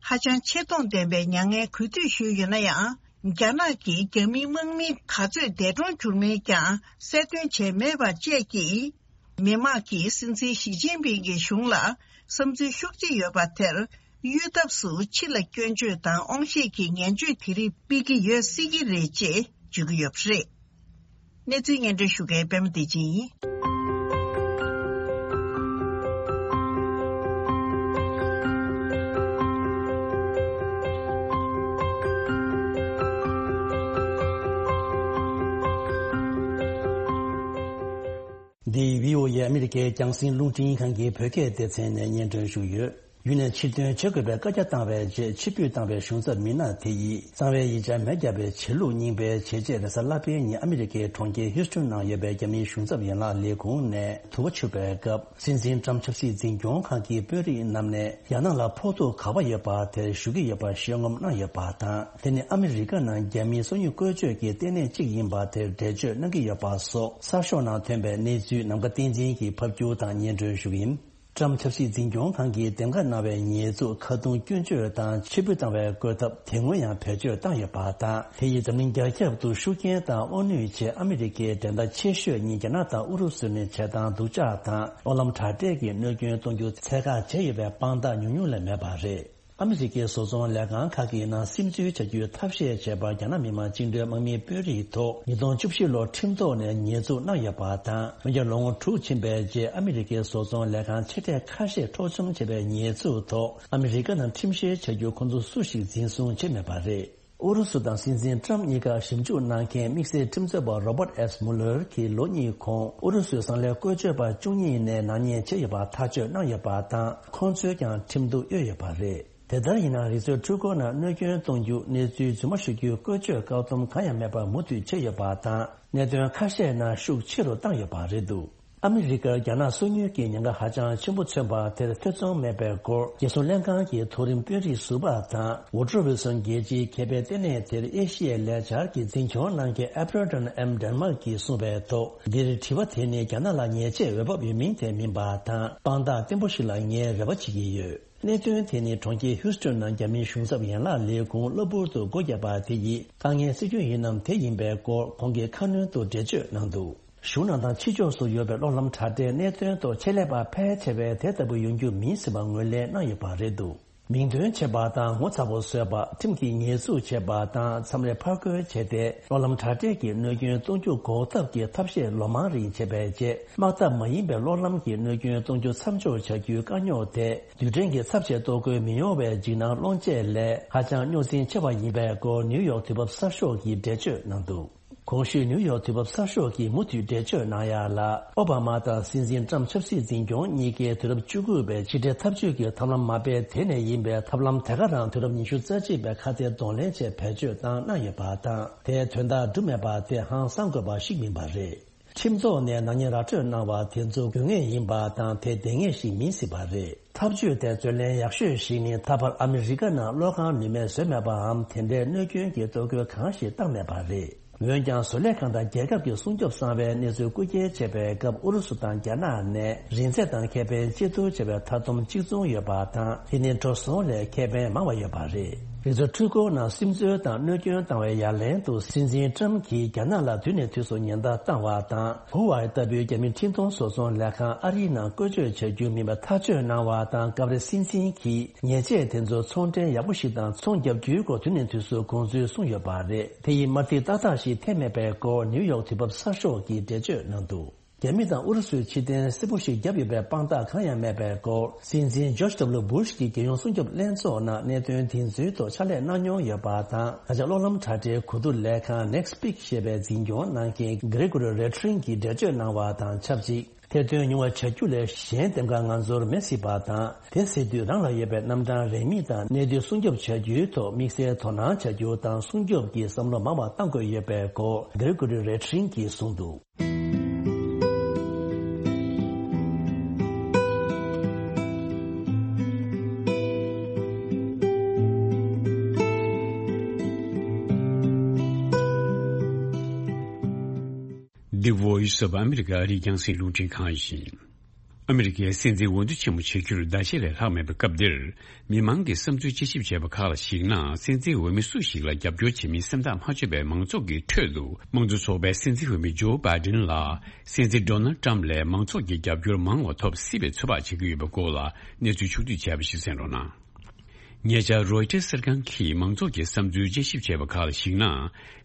ཧ་ཅང་ཆེ་མཐོང་ལྡན་པའི་མྱ་ངན་གུས་འདུད་ཞུས་ཡོད་ན་ཡང་། རྒྱ་ནག་གིས་རྒྱ་མིའི་དམག་མི་ག་ཚོད་འདས་གྲོངས་གྱུར་མིན་ཀྱང་གསལ་སྟོན་བྱས་མེད་པ་བཅས་ཀྱིས། མི་དམངས་ཀྱིས་སྲིད་འཛིན་ཞི་ཅིན་ཕིང་གི་གཞུང་ལ་བསམ་ཚུལ་ཤུགས་ཆེ་ཡོད་པ་དེར་གཡོལ་ཐབས་སུ་ཕྱི་ལ་སྐྱོན་བརྗོད་དང་དབང་ཤེད་ཀྱི་ངན་བརྗོད་དེ་རིགས་སྤེལ་གྱི་ཡོད་སྲིད་ཀྱི་རེད་ཅེས་བརྗོད་ཀྱི་ཡོད་པ་རེད། གནས་ཚུལ་སྙན་སྒྲོན་ཞུ་མཁན་པད་མ་བདེ་ཆེན་ཡིན། འདི་བྷི་ཨོ་ཨེ་ཨ་མི་རི་ཀའི་རྒྱང་སྲིང་རླུང་འཕྲིན་ཁང་གི་བོད་སྐད་སྡེ་ཚན་ནས་སྙན་སྒྲོན་ཞུས་ཡོད། ཡུན་ནས་ཕྱིར་ཐོན་བྱེད་དགོས་པའི་བཀའ་རྒྱ་བཏང་བའི་རྗེས་ཕྱིར་འབུད་བཏང་བའི་གཞུང་ཚབ་མི་སྣ་དེ་ཡིས་གཙང་བའི་ཡིག་ཆ་མེ་བརྒྱབ་པའི་བྱེད་ལུགས་རྙིང་པའི་བྱས་རྗེས། རེས་གཟའ་ལྷག་པའི་ཉིན་ཨ་མི་རི་ཀའི་གྲོང་ཁྱེར་ཧིའུ་སི་ཊོན་ནང་ཡོད་པའི་རྒྱ་མིའི་གཞུང་ཚབ་ཡན་ལག་ལས་ཁུངས་ནས་དུ་བ་འཕྱུར་བའི་སྐབས། སྲིད་འཛིན་ཊམ་ཆབ་སྲིད་འཛིན་སྐྱོང་ཁང་གི་དཔོན་རིགས་རྣམས་ནས་རྒྱ་ནག་ལ་ཕོག་ཐུག་ག་པར་ཡོད་པ་དེར་ཞུ་གི་ཡོད་པ་ཤོད་སྒོམ་གནང་ཡོད་པ་དང་། དེ་ནི་ཨ་མི་རི་ཀ་ནང་རྒྱ་མིའི་སོ་ཉུལ་བཀོལ་སྤྱོད་ཀྱི་ལྟེ་གནས་གཅིག་ཡིན་པ་དེར་འགྲེལ་བརྗོད་གནང་གི་ཡོད་པ་སོགས་གསར་ཤོག་ནང་ཐོན་པའི་གནས་ཚུལ་ནམ་མཁའ་བསྟན་འཛིན་གྱིས་ཕབ་སྒྱུར་དང་སྙན་སྒྲོན་ཞུ་གི་ཡིན། ཊམ་ཆབ་སྲིད་འཛིན་སྐྱོང་ཁང་གིས་འདེམས་ཀ་གནང་བའི་ཉེས་འཛུགས་ཁ་རྡུང་སྐྱོན་བརྗོད་དང་ཕྱིར་འབུད་བཏང་བའི་བཀོད་ཐབས་དེ་སྔོན་ཡང་བེད་སྤྱོད་བཏང་ཡོད་པ་དང་། དེ་ཡིས་འཛམ་གླིང་རྒྱ་ཁྱབ་ཏུ་ཤུགས་རྐྱེན་དང་དབང་ནུས་ཆེ་ཨ་མི་རི་ཀའི་འགྲན་ཟླ་ཆེ་ཤོས་གཉིས་རྒྱ་ནག་དང་ཨུ་རུ་སུ་ནི་བྱེད་སྟངས་སྡུག་ཅག་དང་གློག་ལམ་དྲ་སྦྲེལ་གྱི་གནོད་སྐྱོན་གཏོང་རྒྱུ་ཚད་བཀག་བྱས་ཡོད་པའི་དཔང་རྟགས་ཉུང་ཉུང་ལས་མེད་པ་རེད། ཨ་མི་རི་ཀའི་བཟོ་ཚོང་ལས་ཁང་ཁག་གི་ནང་སིམ་འཛུལ་བྱ་རྒྱུའི་ཐབས་ཤེས་བྱས་པར་རྒྱ་ནག་མི་དམངས་བཅིངས་འགྲོལ་དམག་མིའི་དཔོན་རིགས་ཐོག་ཉིས་སྟོང་བཅུ་བཞི་ལོར་ཁྲིམས་ཐོག་ནས་ཉེས་འཛུགས་གནང་ཡོད་པ་དང་། འོན་ཀྱང་ལོ་ངོ་དྲུག་ཕྱིན་པའི་རྗེས་ཨ་མི་རི་ཀའི་བཟོ་ཚོང་ལས་ཁང་ཆེ་གྲས་ཁ་ཤས་འཕྲོག་བཅོམ་བྱས་པའི་ཉེས་འཛུགས་ཐོག་ཨ་མི་རི་ཀ་ནང་ཁྲིམས་བཤེར་བྱ་རྒྱུ་ཁོང་ཚོ་སུ་ཞིག་འཛིན་བཟུང་བྱས་མེད་པ་རེད། ཨུ་རུ་སུ་དང་སྲིད་འཛིན་ཊམ་གཉིས་ཀར་ཞིབ་འཇུག་གནང་མཁན་དམིགས་བསལ་ཁྲིམས་རྩོད་པ་རོ་བར་ཨེས་མུ་ལར་གྱིས་ལོ་གཉིས་གོང་ཨུ་རུ་སུའི་གསང་ལས་བཀོལ་སྤྱོད་པ་བཅུ་གཉིས་ནས་ནག་ཉེས་བྱས་ཡོད་པ་ཐག་གཅོད་གནང་ཡོད་པ་དང་། ཁོང་ཚོས་ཀྱང་ཁྲིམས་གཏུག་གཡོལ་ཡོད་པ་རེད། དེ་ལྟར་ཡིན་ན། རི་སོལ་འཕྲུལ་འཁོར་ནང་གནོད་སྐྱོན་གཏོང་རྒྱུ། གནས་ཚུལ་རྫུན་མ་ཞུ་རྒྱུའི་བཀོལ་སྤྱོད་བཀག་སྡོམ་གང་ཡང་མེད་པར་མུ་མཐུད་བྱས་ཡོད་པ་དང་། གནད་དོན་ཁ་ཤས་ནང་ཤུགས་ཆེ་རུ་བཏང་ཡོད་པ་རེད་འདུག་ཨ་མི་རི་ཀར་རྒྱ་ནག་སོ་ཉུལ་གྱི་ཉེན་ཁ་ཧ་ཅང་ཆེན་པོ་མཚོན་པ་དེར་ཐེ་ཚོམ་མེད་པའི་སྐོར། རྒྱལ་སྲུང་ལྷན་ཁང་གི་མཐོ་རིམ་དཔོན་རིགས་ཟུར་པ་དང་། ཝུ་ཀྲོ་ཝི་སོན་རྒྱལ་སྤྱིའི་ཁེ་ཕན་ལྟེ་གནས་དེར་ཨེ་ཤི་ཡའི་ལས་འཆར་གྱི་འཛིན་སྐྱོང་གནང་མཁན་ཨེ་པར་ཊོན་ཨེམ་ཌེན་མཱག་གིས་གསུངས་པའི་ཐོག་འདིར་དྲི་བ་དེ་ནི་རྒྱ་ནག་ལ་ཉེས་ཆད་འོས་བབ་ཡོད་མིན་དེ་མིན་པ་དང་། དཔང་རྟགས་བརྟན་པོ་ཞིག་ལ་ངས་རེ་བ་བྱེད་ཀྱི་ཡོད། གནད་དོན་དེ་ནི་གྲོང་ཁྱེར་ཧིའུ་སི་ཀྲོན་ནང་རྒྱ་མིའི་གཞུང་ཚབ་ཡན་ལག་ལས་ཁུངས་གློ་བུར་དུ་སྒོ་བརྒྱབ་པ་དེ་ཡིས་དཀའ་ངལ་སེལ་རྒྱུ་ཡིན་ནམ་དེ་ཡིན་པའི་སྐོར་ཁོང་གིས་ཁ་སྣོན་དུ་འགྲེལ་བརྗོད་གནང་འདུག་གཞུང་ནང་དང་ཕྱི་ཕྱོགས་སུ་ཡོད་པའི་གློག་ལམ་དྲ་སྦྲེལ་གནད་དོན་ཐོག་ཆེད་ལས་པ་ཕལ་ཆེ་བས་དེ་ལྟ་བུ་ཡོང་རྒྱུ་མིན་ཟེར་བ་ངོས་ལེན་གནང་ཡོད་པ་རེད་འདུག་མིང་འདོན་བྱས་པ་དང་ངོ་ཚ་པོ་བཟོས་པ། ཁྲིམས་ཀྱི་ཉེས་འཛུགས་བྱས་པ་དང་མཚམས་རེ་ཕར་རྒོལ་བྱས་ཏེ། གློག་ལམ་དྲ་སྦྲེལ་གྱི་གནོད་སྐྱོན་གཏོང་རྒྱུ་འགོག་ཐབས་ཀྱི་ཐབས་ཤེས་ལོ་མང་རིང་བྱས་པའི་རྗེས། དམག་འཐབ་མ་ཡིན་པའི་གློག་ལམ་གྱི་གནོད་སྐྱོན་གཏོང་རྒྱུ་མཚམས་འཇོག་བྱ་རྒྱུའི་དཀའ་རྙོག་དེ། རྡུལ་ཕྲན་གྱི་ཚབས་ཆེ་གཏོར་རྒོལ་མི་ཡོང་བའི་འཇིགས་སྣང་སློང་ཆེད་ལས་ཧ་ཅང་རྙོག་འཛིང་ཆེ་བ་ཡིན་པའི་སྐོར་ནིའུ་ཡོག་དུས་བབ་གསར་ཤོག་གིས་འགྲེལ་བརྗོད་གནང་འདུག་གོང་ཞུས་ནིའུ་ཡོག་དུས་བབ་གསར་ཤོག་གིས་མུ་མཐུད་འགྲེལ་བརྗོད་གནང་ཡག་ལ། ཨོ་བྷ་མ་དང་སྲིད་འཛིན་ཊམ་ཆབ་སྲིད་འཛིན་སྐྱོང་གཉིས་ཀས་དུས་རབས་བཅུ་དགུ་པའི་ཕྱི་འབྲེལ་འཐབ་ཇུས་ཀྱི་ཐབས་ལམ་མ་སྤེལ་དེ་ནས་ཡིན་པའི་ཐབས་ལམ་དེ་ག་རང་དུས་རབས་ཉི་ཤུ་རྩ་གཅིག་པའི་ཁ་གཏད་གདོང་ལེན་ཆེད་བེད་སྤྱོད་བཏང་གནང་ཡོད་པ་དང་། དེའི་དོན་དག་འགྲུབ་མེད་པ་དེ་ཧང་སང་དགོས་པ་ཞིག་མིན་པ་རེད། ཁྲིམས་ཐོག་ནས་ནག་ཉེས་ར་སྤྲོད་གནང་བ་དེ་ཚོ་དགོས་ངེས་ཡིན་པ་དང་དེ་བདེན་ངེས་ཤིག་མིན་སྲིད་པ་རེད། ཐབས་ཇུས་དེ་རྩོད་ལེན་ཡག་ཤོས་ཤིག་ནི་ད་བར་ཨ་མི་རི་ཀ་ནང་གློག་ཁང་ནུས་མེད་བཟོས་མེད་པའམ་དེ་འདྲའི་གནོད་སྐྱོན་གྱི་གཏོར་རྒོལ་གང་ཞིག་བཏང་མེད་པ་རེད། འོན་ཀྱང་བཟོ་ལས་ཁང་དང་རྒྱལ་ཁབ་ཀྱི་སྲུང་སྐྱོབ་གསང་བའི་གནས་ཚུལ་རྐུ་འཁྱེར་བྱས་པའི་སྐབས་ཨུ་རུ་སུ་དང་རྒྱ་ནག་ནས་རིན་ཚད་དང་ཁེ་ཕན་གཅིག་བསྡུར་བྱས་པའི་མཐའ་སྡོམ་གཅིག་མཚུངས་ཡོད་པ་དང་། དེ་ནི་འགྲོ་སོང་ལས་ཁེ་ཕན་མང་བ་ཡོད་པ་རེད། རི་མཚོ་འཕྲུལ་འཁོར་ནང་སིམ་འཛུལ་དང་གནོད་སྐྱོན་བཏང་བའི་ཡ་ལན་དུ་སྲིད་འཛིན་ཊམ་གྱིས་རྒྱ་ནག་ལ་དུས་ནས་དུས་སུ་ཉེན་བརྡ་བཏང་བ་དང་། ཧུ་ཝའེ་ལྟ་བུའི་རྒྱ་མི་འཕྲིན་གཏོང་བཟོ་ཚོང་ལས་ཁང་ཨ་རིའི་ནང་བཀོལ་སྤྱོད་བྱ་རྒྱུ་མིན་པ་ཐག་གཅོད་གནང་བ་དང་། སྐབས་རེ་སྲིད་འཛིན་གྱིས་ཉེས་ཆད་དེ་ཚོ་ཚོང་འབྲེལ་ཡག་པོ་ཞིག་དང་ཚོང་རྒྱག་རྒྱུའི་སྐོར་དུས་ནས་དུས་སུ་དགོངས་ཚུལ་གསུངས་ཡོད་པ་རེད། དེ་ཡིས་དམར་ཐིག་ཏག་ཏག་ཞིག་འཐེན་མེད་པའི་སྐོར་ནིའུ་ཡོག་དུས་བབ་གསར་ཤོག་གིས་འགྲེལ་བརྗོད་གནང་འདུག་རྒྱ་མི་དང་ཨུ་རུ་སུས་ཕྱིར་འཐེན་གསལ་པོ་ཞིག་བརྒྱབ་ཡོད་པའི་དཔང་རྟགས་གང་ཡང་མེད་པའི་སྐོར། སྲིད་འཛིན་ཇོརྗ་ཌབ་ལུ་སྦུ་ཤ་གི་རྒྱལ་ཡོངས་སྲུང་སྐྱོབ་ལྷན་ཚོགས་ནང་གནད་དོན་འདི་ཚོའི་ཐོག་ཕྱག་ལས་གནང་མྱོང་ཡོད་པ་དང་། ད་ཆ་གློག་ལམ་དྲ་སྦྲེལ་གོ་བསྡུར་ལས་ཁང་Nextpeak་ཞེས་པའི་འཛིན་སྐྱོང་གནང་མཁན་Gregory Ratring་གིས་འགྲེལ་བརྗོད་གནང་བ་དང་ཆབས་ཅིག་ཐེར་འདོན་ཉུང་བ་བྱ་རྒྱུ་ལས་གཞན་འདེམས་ཀ་ང་ཚོར་མེད་སྲིད་པ་དང་། དེ་ཟེར་དུས་རང་ལ་ཡོད་པའི་རྣམ་གྲངས་རེའུ་མིག་དང་གནས་དུས་སྲུང་སྐྱོབ་བྱ་རྒྱུའི་ཐོག་དམིགས་བསལ་དོ་སྣང་བྱ་རྒྱུ་དང་སྲུང་སྐྱོབ་ཀྱི་བསམ་བློ་མང་བ་གཏང་དགོས་ཡོད་པའི་སྐོར་Gregory Ratring་གིས་གསུངས་འདུག The Voice of America ཨ་རིའི་རྒྱང་སྲིང་རླུང་འཕྲིན་ཁང་ཡིན། ཨ་མི་རི་ཀའི་སྲིད་འཛིན་འོས་བསྡུ་ཆེན་མོ་བྱེད་རྒྱུར་ཟླ་ཕྱེད་ལས་ལྷག་མེད་པའི་སྐབས་འདིར། མི་མང་གི་བསམ་ཚུལ་དཔྱད་ཞིབ་བྱས་པ་ཁག་ལ་གཞིགས་ན། སྲིད་འཛིན་འོས་མི་སུ་ཞིག་ལ་རྒྱབ་སྐྱོར་བྱེད་མིན་སེམས་ཐག་མ་ཆོད་པའི་མང་ཚོགས་ཀྱི་ཁྲོད་དུ། དམངས་གཙོ་ཚོགས་པའི་སྲིད་འཛིན་འོས་མི་ཇོ་བྷའི་ཌེན་ལ། སྲིད་འཛིན་ཌོ་ནལ་ཊམ་ལས་མང་ཚོགས་ཀྱི་རྒྱབ་སྐྱོར་མང་བ་ཐོབ་སྲིད་པའི་ཚོད་དཔག་བྱེད་ཀྱི་ཡོད་པའི་སྐོར་ལ་གནས་ཚུལ་ཕྱོགས་བསྡུས་བྱས་པ་ཞིག་གསན་རོགས་གནང་། ཉེ་ཆར་རོའི་ཊར་གསར་ཁང་གིས་མང་ཚོགས་ཀྱི་བསམ་ཚུལ་དཔྱད་ཞིབ་བྱས་པ་ཁག་ལ་གཞིགས་ན།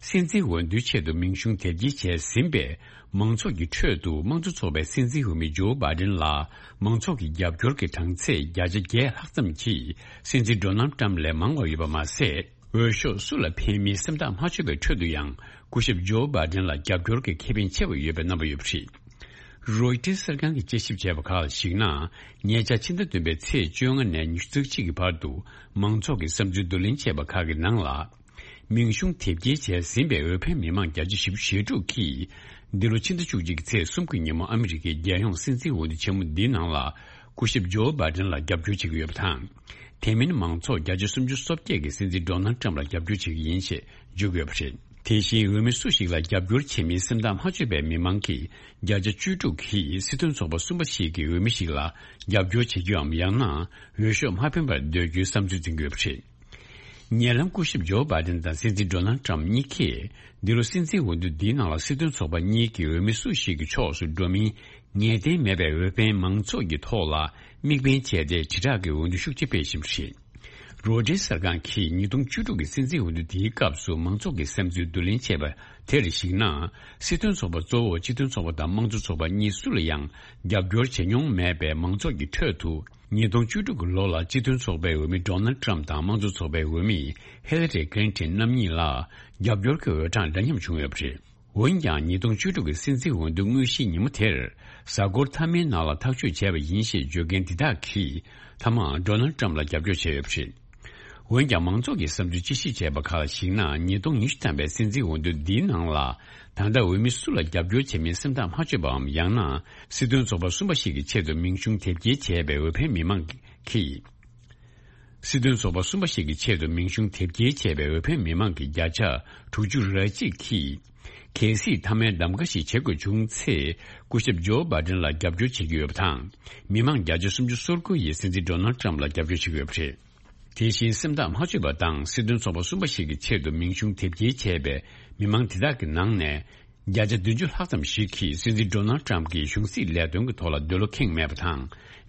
སྲིད་འཛིན་འོས་བསྡུའི་ཆེད་དུ་མིང་གཞུང་དེབ་སྐྱེལ་བྱས་ཟིན་པའི་མང་ཚོགས་ཀྱི་ཁྲོད་དུ། དམངས་གཙོ་ཚོགས་པའི་སྲིད་འཛིན་འོས་མི་ཇོ་བྷའི་ཌེན་ལ་མང་ཚོགས་ཀྱི་རྒྱབ་སྐྱོར་གྱི་གྲངས་ཚད་བརྒྱ་ཆ་བརྒྱད་ལྷག་ཙམ་གྱིས་སྲིད་འཛིན་ཌོ་ནལ་ཊམ་ལས་མང་བ་ཡོད་པ་མ་ཟད། འོས་ཤོག་སུ་ལ་འཕེན་མིན་སེམས་ཐག་མ་ཆོད་པའི་ཁྲོད་དུ་ཡང་། སྐུ་ཞབས་ཇོ་བྷའི་ཌེན་ལ་རྒྱབ་སྐྱོར་གྱི་ཁེ་ཕན་ཆེ་བ་ཡོད་པའི་རྣམ་པ་ཡོད་པ་རེད། རོའི་ཊར་གསར་ཁང་གིས་དཔྱད་ཞིབ་བྱས་པ་ཁག་ལ་གཞིགས་ན། ཉེ་ཆར་ཕྱི་ཟླ་བདུན་པའི་ཚེས་བཅོ་ལྔ་ནས་ཉི་ཤུ་རྩ་གཅིག་གི་བར་དུ་མང་ཚོགས་ཀྱི་བསམ་ཚུལ་བསྡུ་ལེན་བྱས་པ་ཁག་གི་ནང་ལ། མིང་གཞུང་དེབ་སྐྱེལ་བྱས་ཟིན་པའི་འོས་འཕེན་མི་མང་བརྒྱ་ཆ་བཞི་བཅུ་ཞེ་དྲུག་གིས། འདི་ལོ་ཕྱི་ཟླ་བཅུ་གཅིག་གི་ཚེས་གསུམ་གྱི་ཉིན་མོ་ཨ་མི་རི་ཀའི་རྒྱལ་ཡོངས་སྲིད་འཛིན་འོས་བསྡུ་ཆེན་མོ་འདིའི་ནང་ལ། སྐུ་ཞབས་ཇོ་བྷའི་ཌེན་ལ་རྒྱབ་སྐྱོར་བྱེད་ཀྱི་ཡོད་པ་དང་། དེ་མིན་མང་ཚོགས་བརྒྱ་ཆ་སུམ་ཅུ་སོ་བརྒྱད་ཀྱིས་སྲིད་འཛིན་ཌོ་ནལ་ཊམ་ལ་རྒྱབ་སྐྱོར་བྱེད་ཀྱི་ཡིན་ཞེས་བརྗོད་ཀྱི་ཡོད་པ་རེད། དེ་བཞིན་འོས་མི་སུ་ཞིག་ལ་རྒྱབ་སྐྱོར་བྱེད་མིན་སེམས་ཐག་མ་ཆོད་པའི་མི་མང་གིས་བརྒྱ་ཆ་བཅུ་དྲུག་གིས་སྲིད་དོན་ཚོགས་པ་གསུམ་པ་ཞིག་གི་འོས་མི་ཞིག་ལ་རྒྱབ་སྐྱོར་བྱེད་རྒྱུའམ། ཡང་ན་འོས་ཤོག་མ་འཕེན་པར་སྡོད་རྒྱུའི་བསམ་ཚུལ་འཛིན་གྱི་ཡོད་པ་རེད། ཉེ་ལམ་སྐུ་ཞབས་ཇོ་བྷའི་ཌེན་དང་སྲིད་འཛིན་ཌོ་ནལ་ཊམ་གཉིས་ཀས། འདི་ལོ་སྲིད་འཛིན་འོས་བསྡུ་འདིའི་ནང་ལ་སྲིད་དོན་ཚོགས་པ་གཉིས་ཀྱི་འོས་མི་སུ་ཞིག་གི་ཕྱོགས་སུ་འགྲོ་མིན་ངེས་གཏན་མེད་པའི་འོས་འཕེན་མང་ཚོགས་ཀྱི་ཐོག་ལ་དམིགས་འབེན་བྱས་ཏེ། དྲིལ་བསྒྲགས་ཀྱི་འོས་བསྡུ་ཤུགས་ཆེ་སྤེལ་བཞིན་པ་རེད། རོའི་ཊར་གསར་ཁང་གིས་ཉིས་སྟོང་བཅུ་དྲུག་གི་སྲིད་འཛིན་འོས་བསྡུ་དེའི་སྐབས་སུ་མང་ཚོགས་ཀྱི་བསམ་ཚུལ་བསྡུ་ལེན་བྱས་པ་དེར་གཞིགས་ན། སྲིད་དོན་ཚོགས་པ་གཙོ་བོ་སྤྱི་མཐུན་ཚོགས་པ་དང་དམངས་གཙོ་ཚོགས་པ་གཉིས་སུ་ལ་ཡང་རྒྱབ་སྐྱོར་བྱེད་མྱོང་མེད་པའི་མང་ཚོགས་ཀྱི་ཁྲོད་དུ། ཉིས་སྟོང་བཅུ་དྲུག་གི་ལོ་ལ་སྤྱི་མཐུན་ཚོགས་པའི་འོས་མི་ཌོ་ནལ་ཊམ་དང་དམངས་གཙོ་ཚོགས་པའི་འོས་མི་ཧི་ལ་རི་ཀླིན་ཊོན་རྣམ་གཉིས་ལ་རྒྱབ་སྐྱོར་གྱི་འོས་གྲངས་འདྲ་མཉམ་བྱུང་ཡོད་པ་རེད། འོན་ཀྱང་ཉིས་སྟོང་བཅུ་དྲུག་གི་སྲིད་འཛིན་འོས་བསྡུ་དངོས་གཞིའི་ཉིན་མོ་དེར། གཟའ་འཁོར་མཐའ་མའི་ནང་ལ་ཐག་གཅོད་བྱས་པ་ཡིན་ཞེས་བརྗོད་མཁན་འདི་དག་གིས། མཐའ་མར་ཌོ་ནལ་ཊམ་ལ་རྒྱབ་སྐྱོར་བྱས་ཡོད་པ་རེད། འོན་ཀྱང་མང་ཚོགས་ཀྱི་བསམ་ཚུལ་དཔྱད་ཞིབ་བྱས་པ་ཁག་ལ་གཞིགས་ན། ཉིས་སྟོང་ཉི་ཤུ་ཐམ་པའི་སྲིད་འཛིན་འོས་བསྡུ་འདིའི་ནང་ལ། ད་ལྟ་འོས་མི་སུ་ལ་རྒྱབ་སྐྱོར་བྱེད་མིན་སེམས་ཐག་མ་ཆོད་པའམ། ཡང་ན་སྲིད་དོན་ཚོགས་པ་གསུམ་པ་ཞིག་གི་ཆེད་དུ་མིང་གཞུང་དེབ་སྐྱེལ་བྱས་པའི་འོས་འཕེན་མི་མང་གིས། སྲིད་དོན་ཚོགས་པ་གསུམ་པ་ཞིག་གི་ཆེད་དུ་མིང་གཞུང་དེབ་སྐྱེལ་བྱས་པའི་འོས་འཕེན་མི་མང་གི་བརྒྱ་ཆ་དྲུག་ཅུ་རེ་གཅིག་གིས། གལ་སྲིད་མཐའ་མའི་གདམ་ག་ཞིག་བྱེད་དགོས་བྱུང་ཚེ། སྐུ་ཞབས་ཇོ་བྷའི་ཌེན་ལ་རྒྱབ་སྐྱོར་བྱེད་ཀྱི་ཡོད་པ་དང་། མི་མང་བརྒྱ་ཆ་སུམ་ཅུ་སོ་དགུ་ཡིས་སྲིད་འཛིན་ཌོ་ནལ་ཊམ་ལ་རྒྱབ་སྐྱོར་བྱེད་ཀྱི་ཡོད་པ་རེད། དེ་བཞིན་སེམས་ཐག་མ་ཆོད་པ་དང་། སྲིད་དོན་ཚོགས་པ་གསུམ་པ་ཞིག་གི་ཆེད་དུ་མིང་གཞུང་དེབ་སྐྱེལ་བྱས་པའི་མི་མང་དེ་དག་གི་ནང་ནས། བརྒྱ་ཆ་བདུན་ཅུ་ལྷག་ཙམ་ཞིག་གིས་སྲིད་འཛིན་ཌོ་ནལ་ཊམ་གྱི་གཞུང་སྲིད་ལས་དོན་གྱི་ཐོག་ལ་འདོད་བློ་ཁེངས་མེད་པ་དང་།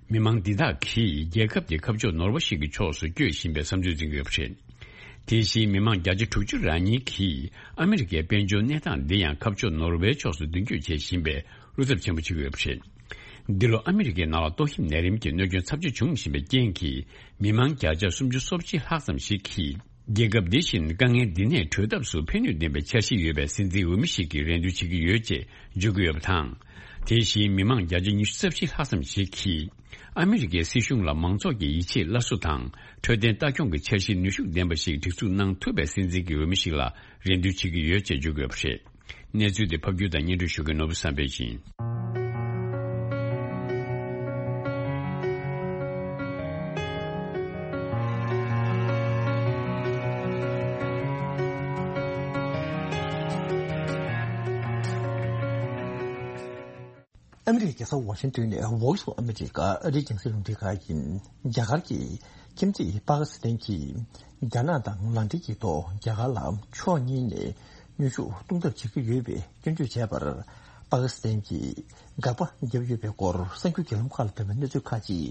མི་མང་འདི་དག་གིས་རྒྱལ་ཁབ་དེ་ཁ་ཕྱོགས་ནོར་བ་ཞིག་གི་ཕྱོགས་སུ་བསྐྱོད་བཞིན་པའི་བསམ་ཚུལ་འཛིན་གྱི་ཡོད་པ་རེད། དེ་བཞིན་མི་མང་བརྒྱ་ཆ་དྲུག་ཅུ་རེ་གཉིས་ཀྱིས་ཨ་མི་རི་ཀའི་དཔལ་འབྱོར་གནས་སྟངས་འདི་ཡང་ཁ་ཕྱོགས་ནོར་བའི་ཕྱོགས་སུ་མདུན་སྐྱོད་བྱེད་བཞིན་པའི་བློ་འཚབ་ཆེན་པོ་བྱེད་ཀྱི་ཡོད་པ་རེད། འདི་ལོ་ཨ་མི་རི་ཀའི་ནང་ལ་ཏོག་དབྱིབས་ནད་རིམས་ཀྱི་གནོད་སྐྱོན་ཚབས་ཆེ་བྱུང་བཞིན་པའི་རྐྱེན་གྱིས། མི་མང་བརྒྱ་ཆ་སུམ་ཅུ་སོ་གཅིག་ལྷག་ཙམ་ཞིག་གིས། རྒྱལ་ཁབ་འདི་བཞིན་དཀའ་ངལ་འདི་ནས་གྲོལ་ཐབས་སུ་ཕན་ནུས་ལྡན་པའི་འཆར་གཞི་ཡོད་པའི་སྲིད་འཛིན་འོས་མི་ཞིག་གི་རེ་འདུན་བྱེད་ཀྱི་ཡོད་ཅེས་བརྗོད་ཀྱི་ཡོད་པ་དང་། དེ་བཞིན་མི་མང་བརྒྱ་ཆ་ཉི་ཤུ་རྩ་བཞི་ལྷག་ཙམ་ཞིག་གིས། ཨ་མི་རི་ཀའི་སྲིད་གཞུང་ལ་མང་ཚོགས་ཀྱི་ཡིད་ཆེས་སླར་གསོ་དང་། འཕྲོད་བསྟེན་ལྟ་སྐྱོང་གི་འཆར་གཞི་ནུས་ཤུགས་ལྡན་པ་ཞིག་སྒྲིག་འཛུགས་གནང་ཐུབ་པའི་སྲིད་འཛིན་གྱི་འོས་མི་ཞིག་ལ་རེ་འདུན་བྱེད་ཀྱི་ཡོད་ཅེས་བརྗོད་ཀྱི་ཡོད་པ་རེད། གནས་ཚུལ་དེ་ཕབ་སྒྱུར་དང་སྙན་སྒྲོན་ཞུ་མཁན་ནོར་བུ་བསམ་འཕེལ་ཡིན། ཨ་མི་རི་ཀའི་རྒྱལ་ས་ཝ་ཤིང་ཏོན་ནས་Voice of America ཨ་རིའི་རྒྱང་སྲིང་རླུང་འཕྲིན་ཁང་ཡིན། རྒྱ་གར་གྱི་ཁྱིམ་མཚེས་པ་ཀི་སི་ཐན་གྱིས་རྒྱ་ནག་དང་ལག་འབྲེལ་གྱི་ཐོག་རྒྱ་གར་ལ་ཕྱོགས་གཉིས་ནས་གནོན་ཤུགས་གཏོང་ཐབས་བྱེད་ཀྱི་ཡོད་པའི་སྐྱོན་བརྗོད་བྱས་པར། པ་ཀི་སི་ཐན་གྱིས་དགག་པ་བརྒྱབ་ཡོད་པའི་སྐོར་གསར་འགྱུར་བརྒྱུད་ལམ་ཁག་ལ་ཐོན་པའི་གནས་ཚུལ་ཁག་ཅིག་